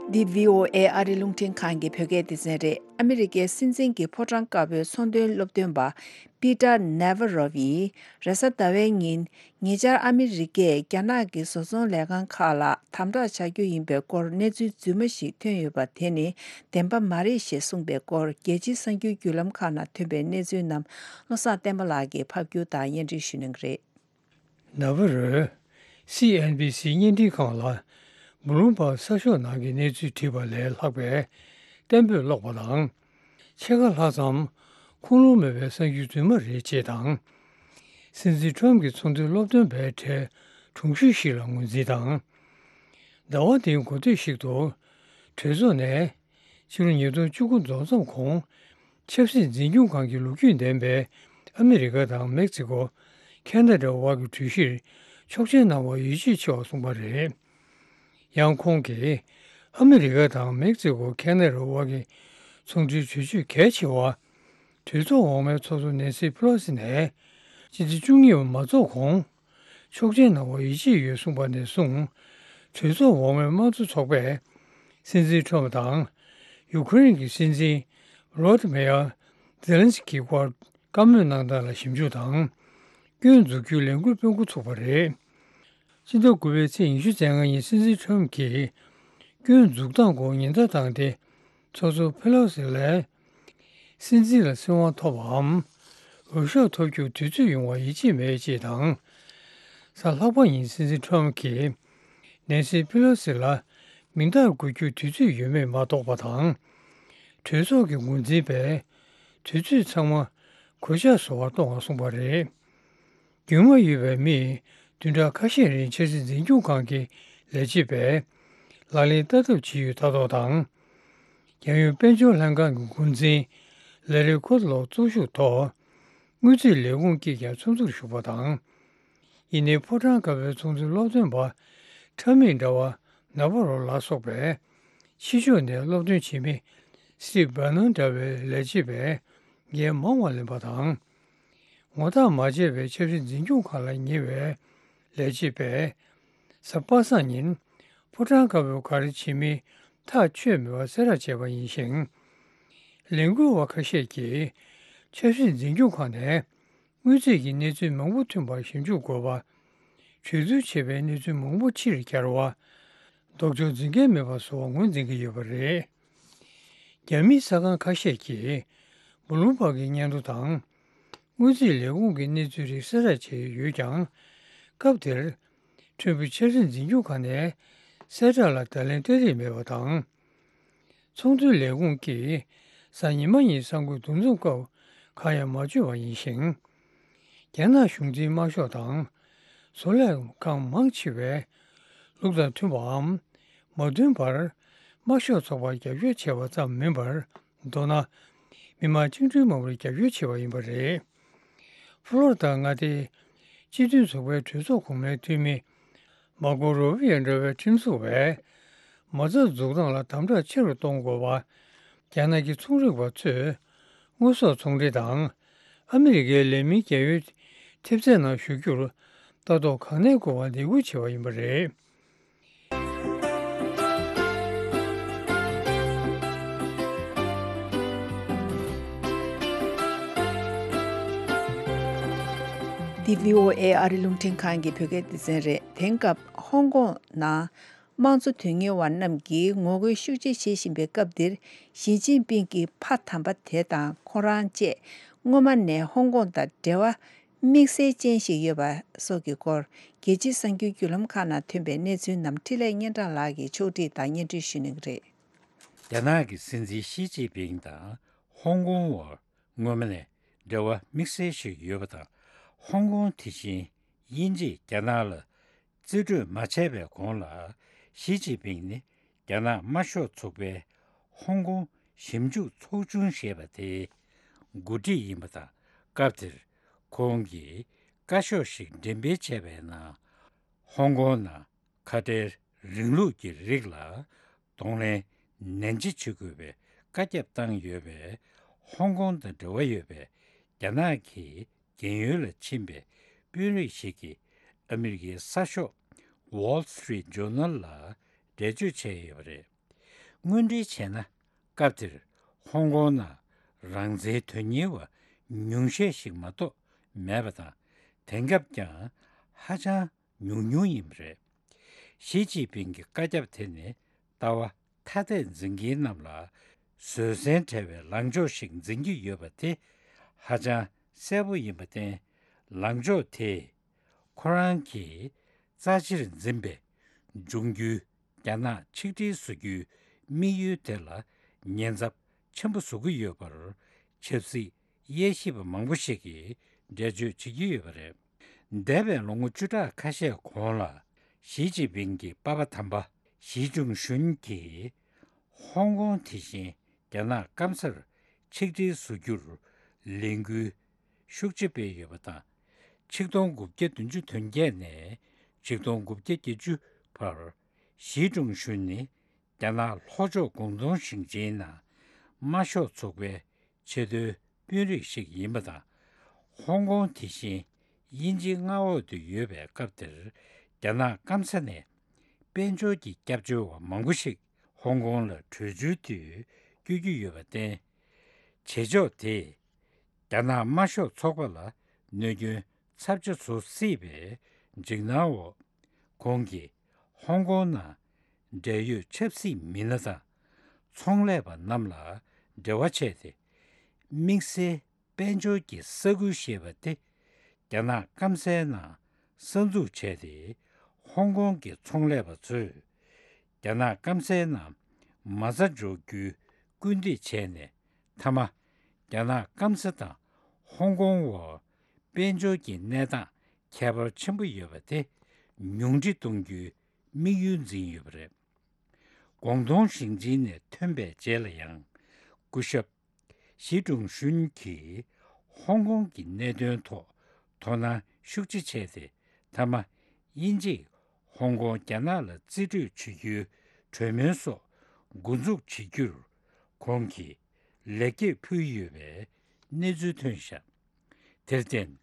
འདི་བྷི་ཨོ་ཨེ་ཨ་རི་རླུང་འཕྲིན་ཁང་གི་བོད་སྐད་སྡེ་ཚན་རེད། ཨ་མེ་རི་ཀའི་སྲིད་འཛིན་གྱི་ཕོ་བྲང་དཀར་པོའི་ཚོང་དོན་སློབ་སྟོན་པ་པི་ཏར་ནེ་ཝ་རོབ་ཡིས་རེས་གཟའ་ཟླ་བའི་ཉིན། ཉེ་ཆར་ཨ་མེ་རི་ཀས་རྒྱ་ནག་གི་བཟོ་ཚོང་ལས་ཁང་ཁག་ལ་དམ་དྲག་བྱ་རྒྱུ་ཡིན་པའི་སྐོར་གནས་ཚུལ་རྫུན་མ་ཞིག་ཐོན་ཡོད་པ་དེ་ནི་བདེན་པ་མ་རེད་ཞེས་གསུངས་པའི་སྐོར། རྒྱལ་སྤྱིའི་གསར་འགྱུར་བརྒྱུད་ལམ་ཁག་ནང་ཐོན་པའི་གནས་ཚུལ་རྣམས། བློ་བཟང་བསྟན་པ་ལགས་ཀྱིས་ཕབ་སྒྱུར་དང་སྙན་སྒྲོན་ཞུ་གནང་གི་རེད། ནཱ་ཝ་རོས་སི་ཨེན་བྷི་སི་བརྙན་འཕྲིན་ཁང་ལ་བྷུ་ལུམ་བྷག་གསར་ཤོག་ནང་གི་གནས་ཚུལ་བྲིས་པ་ལས་ལྷག་པའི་གཏན་འབེབས་སློག་པ་དང་། ཕྱེད་ཀ་ལྷག་ཙམ་ཁུངས་ལུང་མེད་པའི་གསར་འགྱུར་རྫུན་མ་རེད་ཅེས་དང་། སྲིད་འཛིན་ཊམ་གྱི་ཚོང་དོན་སློབ་སྟོན་པའི་གྲས་དྲུང་ཤོས་ཤིག་ལ་ངོས་འཛིན་དང་། ཟླ་བ་འདིའི་འགོ་སྟོད་ཞིག་ཏུ། གྲོས་ཚོགས་ནས་ཕྱི་ལོ་ཉིས་སྟོང་བཅུ་དགུ་རྫོགས་མཚམས་གོང་ཆབ་སྲིད་འཛིན་སྐྱོང་ཁང་གི་ལོ་རྒྱུས་ལྡན་པའི་ཨ་མི་རི་ཀ་དང་མེག་ཙི་ཀོ། ཁེ་ན་ཌ་བར་གྱི་གྲོས་གཞིར་ཆོག་མཆན་གནང་བར་ཡིད་ཆེས་ཆེ་བ་གསུངས་པ་རེད། ཡང་ཁོང་གིས་ཨ་མི་རི་ཀ་དང་མེག་ཙི་ཀོ། ཁེ་ན་ཌ་བར་གྱི་ཚོང་འབྲེལ་གྲོས་ཆོད་གལ་ཆེ་བ། གྲོས་ཚོགས་འོག་མའི་ཚོགས་གཙོ་ནེན་སི་ཕེ་ལོ་སི་ནས་སྤྱི་ཟླ་བཅུ་གཉིས་པ་མ་རྫོགས་གོང་ཆོག་མཆན་གནང་བར་ཡིད་ཆེས་ཡོད་གསུངས་པ་ནས་བཟུང་། གྲོས་ཚོགས་འོག་མའི་དམངས་གཙོ་ཚོགས་པས་ སྲིད་འཛིན་ཁྲོམ་དང་། ཡུ་ཁུ་རེན་གྱི་སྲིད་འཛིན་བྷོ་ལོ་ཏི་མེ་ཡར་ཛེ་ལན་སི་ཀི་སྐོར་བཀའ་མོལ་གནང་སྟངས་ལ་ཞིབ་འཇུག་དང་། སྐྱོན་འཛུགས་རྒྱུའི་ལས་འགུལ་སྤེལ་འགོ་ཚུགས་པ་རེད། སྤྱི་ཟླ་དགུ་པའི་ཚེས་ཉི་ཤུ་རྩ་ལྔ་ཉིན་སྲིད་འཛིན་ཁྲོམ་གྱིས་སྐྱོན་འཛུགས་སྟངས་སྐོར་ཉེན་བརྡ་བཏང་སྟེ། ཚོགས་གཙོ་ཕེ་ལོ་སི་ལས། སྲིད་འཛིན་ལ་སྲིད་དབང་ཐོབ་པའམ། འོས་ཤོག་ཐོབ་རྒྱུར་དུས་ཚོད་ཡོང་བར་ཡིད་ཆེས་མེད་ཅེས་དང་། གཟའ་ལྷག་པ་ཉིན་སྲིད་འཛིན་ཁྲོམ་གྱིས་ནེན་སི་ཕེ་ལོ་སི་ལ་མིང་རྟགས་འགོད་རྒྱུར་དུས་ཚོད་ཡོད་མེད་མ་རྟོགས་པ་དང་། གྲོས་ཚོགས་ཀྱི་འགོ་འཛིན་པས་དུས་ཚོད་ཚང་མ་གོད་ཆག་བཟོ་བར་གཏོང་བར་གསུངས་པ་རེད། རྒྱུས་མངའ་ཡོད་པའི་མིས་བདུན་ཕྲག་ཁ་ཤས་རིང་ཆབ་སྲིད་འཛིན་སྐྱོང་ཁང་གི་ལས་བྱེད་པས་ལག་ལེན་བསྟར་ཐབས་བྱས་ཡོད་ལྟ་རྟོག་དང་། རྒྱལ་ཡོངས་དཔལ་འབྱོར་ལྷན་ཁང་གི་འགོ་འཛིན་ལེ་རི་ཁོ་ལོག་གཙོ་བཞུགས་ཐོག་དངུལ་རྩིས་ལས་ཁུངས་ཀྱིས་ཀྱང་ཚོགས་འདུར་ཞུགས་པ་དང་། ཡིན་ནའི་ཕོ་བྲང་དཀར་པོའི་ཚོགས་འདུའི་སློབ་སྟོན་པ་ཁྲ་མིག་འདྲ་བ་ནཱ་བྷ་རོ་ལ་སོགས་པས་ཕྱི་ཕྱོགས་ནས་སློབ་སྟོན་བྱེད་མི་སི་ཊིབ་བྷ་ནན་འདྲ་བའི་ལས་བྱེད་པས་འགན་མང་བ་ལེན་པ་དང་། ངོ་ཐག་མ་ཆད་པའི་ཆབ་སྲིད་འཛིན་སྐྱོང་ཁང་ལ་ཉེ་བའི་ལས་བྱེད་པས་གཟའ་པ་སངས་ཉིན་ཕོ་བྲང་དཀར་པོས་ག་རེ་བྱེད་མིན་ཐག་ཆོད་མེད་པར་གསལ་བསྒྲགས་བྱས་པ་ཡིན་ཞིང་། ལས་འགུལ་བ་ཁ་ཤས་ཀྱིས་ཆབ་སྲིད་འཛིན་སྐྱོང་ཁང་ནས་དངུལ་རྩིས་ཀྱི་གནས་ཚུལ་མང་པོ་ཐོན་པར་ཞིབ་འཇུག་དགོས་པ། གྲོས་བསྡུར་བྱས་པའི་གནས་ཚུལ་མང་པོ་ཕྱིར་གྱར་བ། ལྡོག་ཕྱོགས་འཛིན་མཁན་མེད་པ་བཟོ་བར་ངོས་འཛིན་གྱི་ཡོད་པ་རེད། རྒྱ་མིའི་གསར་ཁང་ཁ་ཤས་ཀྱིས་བུ་ལུང་པག་གི་སྙན་ཐོ་དང་། དངུལ་རྩིས་ལས་ཁུངས་ཀྱི་གནས་ཚུལ་རིགས་གསལ་བསྒྲགས་བྱས་ཡོད་ཀྱང་། སྐབས་དེར་ཁྲོན་བུ་ཆབ་སྲིད་འཛིན་སྐྱོང་ཁང་ནས་གསལ་བསྒྲགས་ལ་བརྡ་ལན་སྤྲད་རིན་མེད་པ་དང་། ཚོང་དོན་ལས་ཁུངས་ཀྱིས་གཟའ་ཉི་མ་ཉིན་གསར་འགོད་འདུ་འཛོམས་སྐབས་གང་ཡང་མ་བརྗོད་པ་ཡིན་ཞིང་། རྒྱ་ནག་གཞུང་འཛིན་དམར་ཤོག་དང་བཟོ་ལས་ཁང་མང་ཆེ་བས་ལུགས་དང་མཐུན་པའམ་མ་མཐུན་པར་དམར་ཤོག་ཚོགས་པར་རྒྱབ་སྐྱོར་བྱས་པ་ཙམ་མིན་པར། མདོར་ན། མི་དམངས་བཅིངས་འགྲོལ་དམག་མིར་རྒྱབ་སྐྱོར་བྱས་པ་ཡིན་པ་རེད། ཕློ་རི་ཌ་མངའ་སྡེའི་སྤྱི་མཐུན་ཚོགས་པའི་གྲོས་ཚོགས་གོང་མའི་འཐུས་མི་མར་ཀོ་རུ་བི་ཡོ་འདྲ་བའི་ཁྲིམས་བཟོ་བས། མ་རྩ་འཛུགས་སྟངས་ལ་དམ་དྲག་ཆེ་རུ་གཏོང་དགོས་པ། རྒྱ་ནག་གི་ཚོང་རིག་པ་ཚོས་དངོས་ཟོག་ཚོང་འབྲེལ་དང་ཨ་མི་རི་ཀའི་ལས་མིའི་རྒྱལ་ཡོལ་ཐེབས་རྩའི་ནང་ཞུགས་རྒྱུར་ལྟ་རྟོག་གང་ནས་དགོས་པ་འདེད་སྐུལ་བྱས་པ་ཡིན་པ་རེད། འདི་བྷི་ཨོ་ཨེ་ཨ་རི་རླུང་འཕྲིན་ཁང་གི་བོད་སྐད་སྡེ་ཚན་རེད། དེང་སྐབས་ཧོང་ཀོང་ནང་དམངས་གཙོ་དོན་གཉེར་བ་རྣམས་ཀྱིས་ངོ་རྒོལ་ཤུགས་ཆེ་བྱེད་བཞིན་པའི་སྐབས་འདིར། ཞི་ཅིན་ཕིང་གི་ཕ་དམ་པ་དེ་དང་ཁོ་རང་བཅས་སྔོན་མ་ནས་ཧོང་ཀོང་དང་འབྲེལ་བ་དམིགས་བསལ་ཅན་ཞིག་ཡོད་པ་སོགས་ཀྱི་སྐོར། རྒྱལ་སྤྱིའི་གསར་འགྱུར་བརྒྱུད་ལམ་ཁག་ནང་ཐོན་པའི་གནས་ཚུལ་རྣམས་འཕྲིན་ལས་སྙན་གྲགས་ལགས་ཀྱིས་ཕྱོགས་སྒྲིག་དང་སྙན་སྒྲོན་ཞུ་གནང་གི་རེད། རྒྱ་ནག་གི་སྲིད་འཛིན་ཞི་ཅིན་ཕིང་དང་ཧོང་ཀོང་བར་སྔོན་མ་ནས་འབྲེལ་བ་དམིགས་བསལ་ཞིག་ཡོད་པ་དང་། ཧོང་ཀོང་དེ་བཞིན་དབྱིན་ཇིས་རྒྱ་ནག་ལ་རྩིས་སྤྲོད་མ་བྱས་པའི་གོང་ལ། ཞི་ཅིན་ཕིང་ནི་རྒྱ་ནག་དམར་ཤོག་ཚོགས་པའི་ཧོང་ཀོང་ཞིབ་འཇུག་ཚོགས་ཆུང་ཞེས་པ་དེའི་འགོ་ཁྲིད་ཡིན་པ་དང་། སྐབས་དེར་ཁོང་གིས་བཀའ་ཤོག་ཞིག་འགྲེམས་སྤེལ་བྱས་པའི་ནང་། ཧོང་ཀོང་ནང་ཁ་བྲལ་རིང་ལུགས་ཀྱི་རིགས་ལ་གདོང་ལེན་ནན་ཆེ་བྱེད་དགོས་པའི་བཀའ་ཁྱབ་བཏང་ཡོད་པས། ཧོང་ཀོང་དང་འབྲེལ་བ་ཡོད་པའི་རྒྱ་ནག་གི་རྒན་ཡོལ་ལ་ཕྱིན་པའི་དཔོན་རིགས་ཤིག་གིས་ཨ་མི་རི་ཀའི་གསར་ཤོག་Wall Street Journal ལ་འགྲེལ་བརྗོད་བྱས་ཡོད་པ་རེད། དངོས་འབྲེལ་བྱས་ན། སྐབས་དེར་ཧོང་ཀོང་ནང་རང་བཙན་དོན་གཉེར་བ་ཉུང་ཤས་ཤིག་མ་གཏོགས་མེད་པ་དང་། དེང་སྐབས་ཀྱང་ཧ་ཅང་ཉུང་ཉུང་ཡིན་པ་རེད། ཞི་ཅིན་ཕིང་གི་བཀའ་ཁྱབ་དེ་ནི་ལྟ་བ་ཐ་དད་འཛིན་མཁན་རྣམས་ལ་བཟོད་བསྲན་བྲལ་བའི་ལངས་ཕྱོགས་ཤིག་འཛིན་གྱི་ཡོད་པ་དེ་ཧ་ཅང་གསལ་པོ་ཡིན་པར་བརྟེན། ལངས་ཕྱོགས་དེས་ཁོ་རང་གིས་རྩ་ཆེར་འཛིན་པའི་འབྱུང་འགྱུར་རྒྱ་ནག་ཆིག་སྒྲིལ་བཟོ་རྒྱུའི་དམིགས་ཡུལ་དེ་ལ་ཉེན་ཚབས་ཆེན་པོ་བཟོ་གི་ཡོད་པར་ཆབ་སྲིད་དབྱེ་ཞིབ་པ་མང་པོ་ཞིག་གིས་འགྲེལ་བརྗོད་བྱེད་ཀྱི་ཡོད་པ་རེད། འདས་པའི་ལོ་ངོ་བཅུ་ཕྲག་ཁ་ཤས་གོང་ལ། ཞི་ཅིན་ཕིང་གི་པ་ཕ་དམ་པ་ཞི་ཅུང་ཞུན་གྱིས་ཧོང་ཀོང་དེ་བཞིན་རྒྱ་ནག་སྐམ་སར་ཆིག་སྒྲིལ་བཟོ་རྒྱུར་ལས་འགུལ་ཤུགས་ཆེ་སྤེལ་ཡོད་པ་དང་། ཆིག་སྟོང་དགུ་བརྒྱ་བདུན་ཅུ་དོན་བརྒྱད་ནས་ཆིག་སྟོང་དགུ་བརྒྱ་བརྒྱད་ཅུ་བར། ཞི་ཀྲུང་ཞུན་ནི་རྒྱ་ནག་ལྷོ་ཕྱོགས་ཀོང་ཏུང་ཞིང་ཆེན་ནང་དམར་ཤོག་ཚོགས་པའི་ཆེས་མཐོའི་དཔོན་རིགས་ཤིག་ཡིན་པ་དང་། ཧོང་ཀོང་དེ་བཞིན་དབྱིན་ཇིའི་མངའ་འོག་ཏུ་ཡོད་པའི་སྐབས་དེར། རྒྱ་ནག་སྐམ་ས་ནས་དཔལ་འབྱོར་གྱི་སྐྱབས་བཅོལ་བ་མང་པོ་ཞིག་ ཧོང་ཀོང་ལ་བྲོས་བྱོལ་དུས་བསྐྱོད་ཀྱི་ཡོད་པར་བརྟེན། བྱེད་ཕྱོགས་དེས་རྒྱ་ནག་དམར་ཤོག་ཚོགས་པ་ལ་གནོད་སྐྱོན་ཚབས་ཆེ་བཟོ་སྲིད་པའི་འཇིགས་སྣང་འོག་ཁོང་གིས་ཧོང་ཀོང་ནང་འབྲེལ་ཡོད་ཆབ་སྲིད་མི་སྣ་དང་ཚོང་ལས་པ་རྣམས་ལ་འབྲེལ་བ་བྱས་ཏེ། དམིགས་བསལ་དཔལ་འབྱོར་གྱི་ས་ཁུལ་ཞེས་པ་དེ་རྒྱ་ནག་སྐམ་སའི་ནང་གསར་འཛུགས་བྱས་ཏེ། ཧོང་ཀོང་གི་ཚོང་ལས་པ་ཚོས་རྒྱ་ནག་སྐམ་སའི་ནང་མ་རྩ་འཇོག་རྒྱུའི་སྐུལ་འདེད་བྱས་ནས། མཐའ་མ་རྒྱ་ནག་སྐམ་ས་དང་ཧོང་ཀོང་བར་དཔལ་འབྱོར་གྱི་གནས་སྟངས་ཁྱད་པར་ཆེན་པོ་ཡོད་པ་དེ་ཉུང་འཕྲི་གཏོང་རྒྱུའི་དམིགས་ཡུལ་འཛིན་ཡོད་པ་རེད། ཀོང་ཏུང་ཞིང་ཆེན་ནས་ཐོན་པའི་རྗེས་ལ་ཡང་། སྐུ་ཞབས་ཞི་ཀྲུང་ཞུན་གྱིས་ཧོང་ཀོང་གི་གནད་དོན་ཐོག་དོ་སྣང་ཤུགས་ཆེ་བྱས་ཏེ། མཐའ་མ་དབྱིན་ཇིས་ཧོང་ཀོང་རྒྱ་ནག་ལ་རྩིས་སྤྲོད་བྱེད་རྒྱུའི་གྲོས་མོལ་སོགས་འགོ་འཛུགས་བྱེད་རྒྱུར་ཁོང་གིས་ལེགས་སྐྱེས་ཕུལ་ཡོད་པའི་གནས་ཚུལ་ཐོན་བཞག་དེར་བརྟེན།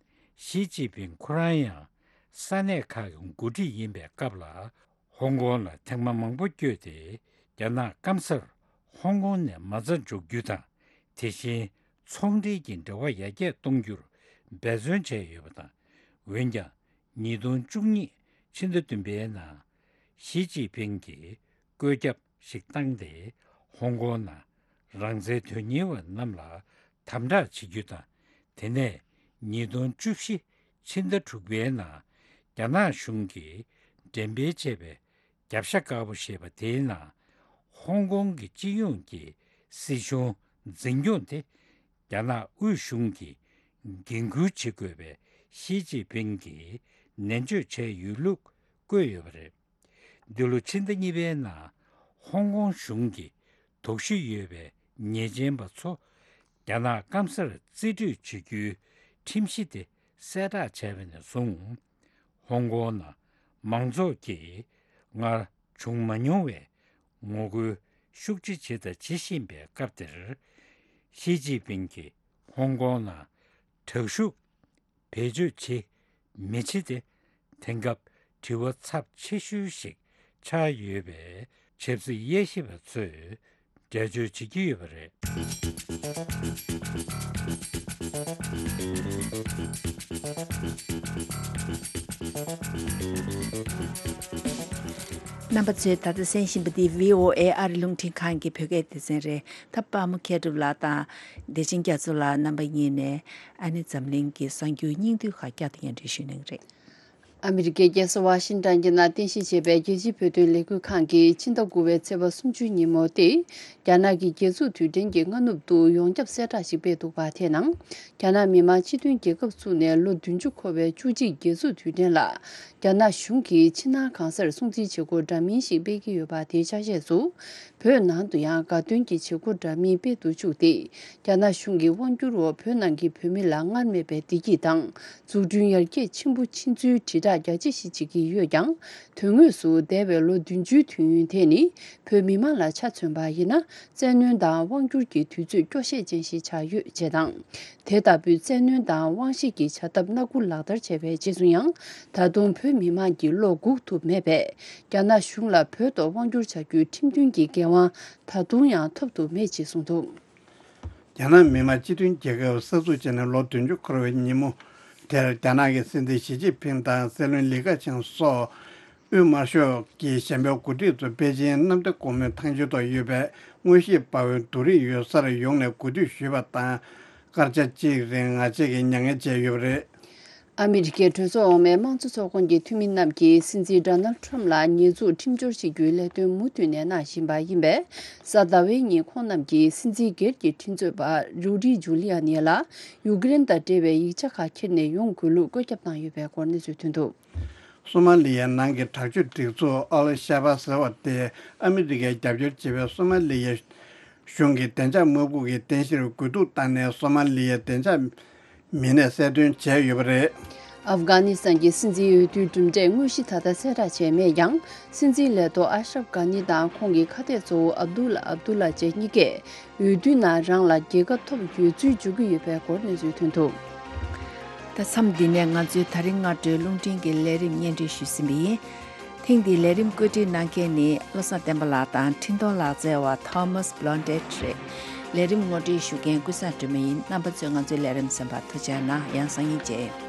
ཞི་ཅིན་ཕིང་ཁོ་རང་ཡང་ས་གནས་ཁག་གི་འགོ་ཁྲིད་ཡིན་པའི་སྐབས་ལ། ཧོང་ཀོང་ལ་ཐེངས་མ་མང་པོ་བསྐྱོད་དེ། རྒྱ་ནག་སྐམ་སར་ཧོང་ཀོང་ནས་མ་རྩ་འཇོག་རྒྱུ་དང་། དེ་བཞིན་ཚོང་འབྲེལ་གྱི་འབྲེལ་བ་ཡར་རྒྱས་གཏོང་རྒྱུར་འབད་བརྩོན་བྱས་ཡོད་པ་དང་། འོན་ཀྱང་། ཉིས་སྟོང་བཅུ་གཉིས་ཕྱི་ཟླ་བདུན་པའི་ནང་། ཞི་ཅིན་ཕིང་གིས་བཀོད་ཁྱབ་ཞིག་བཏང་སྟེ། ཧོང་ཀོང་ནང་རང་བཙན་དོན་གཉེར་བ་རྣམས་ལ་དམ་དྲག་བྱེད་རྒྱུ་དང་། དེ་ནས་ཉིས་སྟོང་བཅུ་བཞི་ཕྱི་ཟླ་དྲུག་པའི་ནང་རྒྱ་ནག་གཞུང་གིས་འགྲེམས་སྤེལ་བྱས་པའི་རྒྱབ་ཤ་དཀར་པོ་ཞེས་པ་དེའི་ནང་། ཧོང་ཀོང་གི་སྤྱི་ཡོངས་ཀྱི་སྲིད་གཞུང་འཛིན་སྐྱོང་དེ་རྒྱ་ནག་དབུས་གཞུང་གིས་འགན་འཁུར་བྱེད་དགོས་པའི་ཞི་ཅིན་ཕིང་གིས་ནན་བརྗོད་བྱས་ཡོད་ལུགས་བཀོད་ཡོད་པ་རེད། འདི་ལོ་ཕྱི་ཟླ་གཉིས་པའི་ནང་ཧོང་ཀོང་གཞུང་གིས་དོགས་གཞི་ཡོད་པའི་ཉེས་ཅན་པ་ཚོ་རྒྱ་ནག་སྐམ་སར་རྩིས་སྤྲོད་བྱེད་རྒྱུའི་ཁྲིམས་གཞི་དེ་གསལ་བསྒྲགས་བྱས་པ་ནས་བཟུང་། ཧོང་ཀོང་ནང་མང་ཚོགས་ཀྱིས་སྔར་བྱུང་མ་མྱོང་བའི་ངོ་རྒོལ་ཤུགས་ཆེ་བྱས་དང་བྱེད་བཞིན་པའི་སྐབས་དེར། ཞི་ཅིན་ཕིང་གིས་ཧོང་ཀོང་ནང་དྲག་ཤུགས་བེད་སྤྱོད་བྱེད་མི་བྱེད་དེ། དེང་སྐབས་དྲི་བ་ཚབས་ཆེ་ཤོས་ཤིག་ཆགས་ཡོད་པའི་ཆབ་སྲིད་དབྱེ་ཞིབ་པ་ཚོས་འགྲེལ་བརྗོད་བྱེད་ཀྱི་ཡོད་པ་རེད། རྣམ་པ་ཚོས་ད་ལྟ་གསན་བཞིན་པ་འདི་བྷི་ཨོ་ཨེ་ཨ་རི་རླུང་འཕྲིན་ཁང་གི་བོད་སྐད་སྡེ་ཚན་རེད། ད་དཔའ་མོ་མཁས་གྲུབ་ལགས་དང་བདེ་ཆེན་རྒྱ་མཚོ་ལགས་རྣམ་པ་གཉིས་ནས་ཨ་ནི་འཛམ་གླིང་གི་གསར་འགྱུར་སྙིང་བསྡུས་ཁག་བསྐྱར་དུ་སྙན་སྒྲོན་ཞུ་གནང་གི་རེད། ཨ་མི་རི་ཀའི་རྒྱལ་ས་ཝ་ཤིང་ཏོན་གྱི་ནང་རྟེན་གཞི་བྱས་པའི་རྒྱལ་སྤྱིའི་བོད་དོན་ལས་འགུལ་ཁང་གིས་ཕྱི་ཟླ་དགུ་པའི་ཚེས་པ་སུམ་ཅུ་ཉིན་མོ་སྟེ། རྒྱ་ནག་གི་རྒྱལ་འཛུགས་དུས་དྲན་གྱི་སྔ་ནུབ་ཏུ་ཡོངས་ཁྱབ་གསལ་བསྒྲགས་ཤིག་སྤེལ་འདུག་པ། དེའི་ནང་། རྒྱ་ནག་མི་དམངས་སྤྱི་མཐུན་རྒྱལ་ཁབ་བཙུགས་ནས་ལོ་བདུན་ཅུ་འཁོར་བའི་བཅུ་གཅིག་རྒྱལ་འཛུགས་དུས་དྲན་ལ། རྒྱ་ནག་གཞུང་གིས་ཕྱི་ནང་གང་སར་སྲུང་བརྩིའི་བྱེད་སྒོ་འདྲ་མིན་ཞིག་སྤེལ་གྱི་ཡོད་པ། དེའི་ཆ་ཤས་སུ། བོད་ནང་དུ་ཡང་དགའ་སྟོན་གྱི་བྱེད་སྒོ་འདྲ་མིན་སྤེལ་དུ་བཅུག་སྟེ། རྒྱ་ནག་གཞུང་གི་དབང་སྒྱུར་འོག་བོད་ནང་གི་བོད་མི་ལ་སྔར་མེད་པའི་བདེ་སྐྱིད་དང་། འཛུགས་སྐྲུན་ཡར་རྒྱས་ཆེན་པོ་ཕྱིན་ཚུལ་དྲིལ་བསྒྲགས་རྒྱ་ཆེ་ཞིག་བྱེད་ཀྱི་ཡོད་ཀྱང་། དོན་དངོས་སུ་འདས་པའི་ལོ་བདུན་ཅུའི་དུས་ཡུན་དེ་ནི་བོད་མི་མང་ལ་ཆ་མཚོན་པ་ཡིན་ན། བཙན་གནོན་དང་དབང་སྒྱུར་གྱི་དུས་ཚོད་སྐྱོ་ཤས་ཅན་ཞིག་ཆགས་ཡོད་ཅེས་དང་། དེ་ལྟ་བུའི་བཙན་གནོན་དང་དབང་ཤེད་ཀྱི་བྱ་ཐབས་སྣ་དགུ་ལག་བསྟར་བྱས་པའི་རྗེས་སུ་ཡང་། ད་དུང་བོད་མི་མང་གི་བློ་འགུག་ཐུབ་མེད་པས། རྒྱ་ནག་གཞུང་ལ་བོད་ཐོག་དབང་སྒྱུར་བྱ་རྒྱུའི་ཁྲིམས་མཐུན་གྱི་འགན་དབང་ད་དུང་ཡང་ཐོབ་ཐུབ་མེད་ཅེས་གསུངས་འདུག། རྒྱ་ནག་མི་དམངས་སྤྱི་མཐུན་རྒྱལ་ཁབ་གསར་འཛུགས་བྱས་ནས་ལོ་བདུན་ཅུ་འཁོར་བའི་ཉིན་མོ་དེར། རྒྱ་ནག་གི་སྲིད་འཛིན་ཞི་ཅིན་ཕིང་དང་སྲིད་བློན་ལི་ཁེ་ཆང་སོགས་དབུས་དམར་ཤོག་གི་གཞན་པའི་འགོ་ཁྲིད་ཚོ་པེ་ཅིན་གནམ་བདེ་སྒོ་མོའི་ཐང་ཆེན་ཐོག་ཡོད་པའི་དངོས་གཞིའི་དཔའ་བོའི་བསྡུ་རིས་ཡོད་སར་ཡོང་ནས་གུས་འདུད་ཞུས་པ་དང་། སྐར་ཆ་གཅིག་རིང་ངལ་རྩོལ་གྱི་མྱ་ངན་བྱས་ཡོད་པ་རེད། ཨ་མི་རི་ཀའི་གྲོས་ཚོགས་འོག་མའི་དམངས་གཙོ་ཚོགས་ཁོངས་ཀྱི་འཐུས་མི་རྣམས་ཀྱིས་སྲིད་འཛིན་ཌོ་ནལ་ཊམ་ལ་ཉེས་འཛུགས་ཁྲིམས་སྦྱོར་བྱེད་རྒྱུའི་ལས་དོན་མུ་མཐུད་ནས་གནང་བཞིན་པ་ཡིན་པས། གཟའ་ཟླ་བའི་ཉིན་ཁོང་རྣམས་ཀྱིས་སྲིད་འཛིན་སྒེར་གྱི་ཁྲིམས་རྩོད་པ་རུ་ཌི་ཇུ་ལི་ཨ་ནི་ལ་ཡུཀ་རེན་དང་འབྲེལ་བའི་ཡིག་ཆ་ཁག་འཁྱེར་ནས་ཡོང་དགོས་ལུགས་བཀོད་ཁྱབ་བཏང་ཡོད་པའི་སྐོར་གནས་ཚུལ་ཐོན་འདུག། སོ་མ་ལི་ཡའི་ནང་གི་དྲག་སྤྱོད་སྒྲིག་འཛུགས་ཨལ་ཤ་བ་ཟེར་བ་དེ་ཨ་མི་རི་ཀས་རྒྱབ་སྐྱོར་བྱེད་པའི་སོ་མ་ལི་ཡའི་གཞུང་གི་བདེ་འཇགས་དམག་དཔུང་གི་རྟེན་གཞིར་རྒོལ་རྡུང་བཏང་ནས་སོ་མ་ལི་ཡའི་བདེ་འཇགས་མི་སྣས་གསལ་སྟོན་བྱས་ཡོད་པ་རེད། ཨབ་གྷ་ནི་སི་ཐན་གྱི་སྲིད་འཛིན་འོས་བསྡུའི་གྲུབ་འབྲས་དངོས་གཞི་ད་ལྟ་གསལ་བསྒྲགས་བྱས་མེད་ཀྱང་། སྲིད་འཛིན་ལས་ཐོག་ཨ་ཤ་རབ་གྷ་ནི་དང་ཁོང་གི་ཁ་གཏད་གཙོ་བོ་ཨབ་དུ་ལ་ཨབ་དུ་ལ་བཅས་གཉིས་ཀས་འོས་བསྡུའི་ནང་རང་ལ་རྒྱལ་ཁ་ཐོབ་ཡོད་ཚུལ་བརྗོད་ཀྱི་ཡོད་པའི་སྐོར་གནས་ཚུལ་ཐོན་འདུག། ད་མཚམས་འདི་ནས་ང་ཚོའི་ད་རིང་སྔ་དྲོའི་རླུང་འཕྲིན་གྱི་ལས་རིམ་སྙན་སྒྲོན་ཞུས་ཟིན་པ་ཡིན། ཐེངས་འདིའི་ལས་རིམ་བཀོད་སྒྲིག་གནང་མཁན་ནི་བློ་བཟང་བསྟན་པ་ལགས་དང་འཕྲིན་གཏོང་ལག་རྩལ་བ་Thomas Blondett་རེད། ལས་རིམ་ངོ་སྤྲོད་ཞུ་མཁན་ཀུན་བཟང་སྒྲོལ་མ་ཡིན། རྣམ་པ་ཚོས་ང་ཚོའི་ལས་རིམ་གསན་པར་ཐུགས་རྗེ་གནང་། ཡང་སང་ཉིན་མཇལ།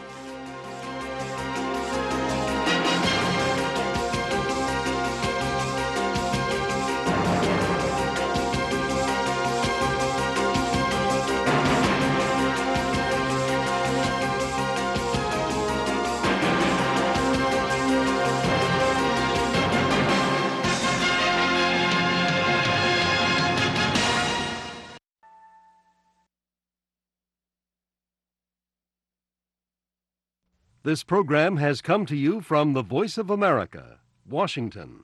This program has come to you from the Voice of America, Washington.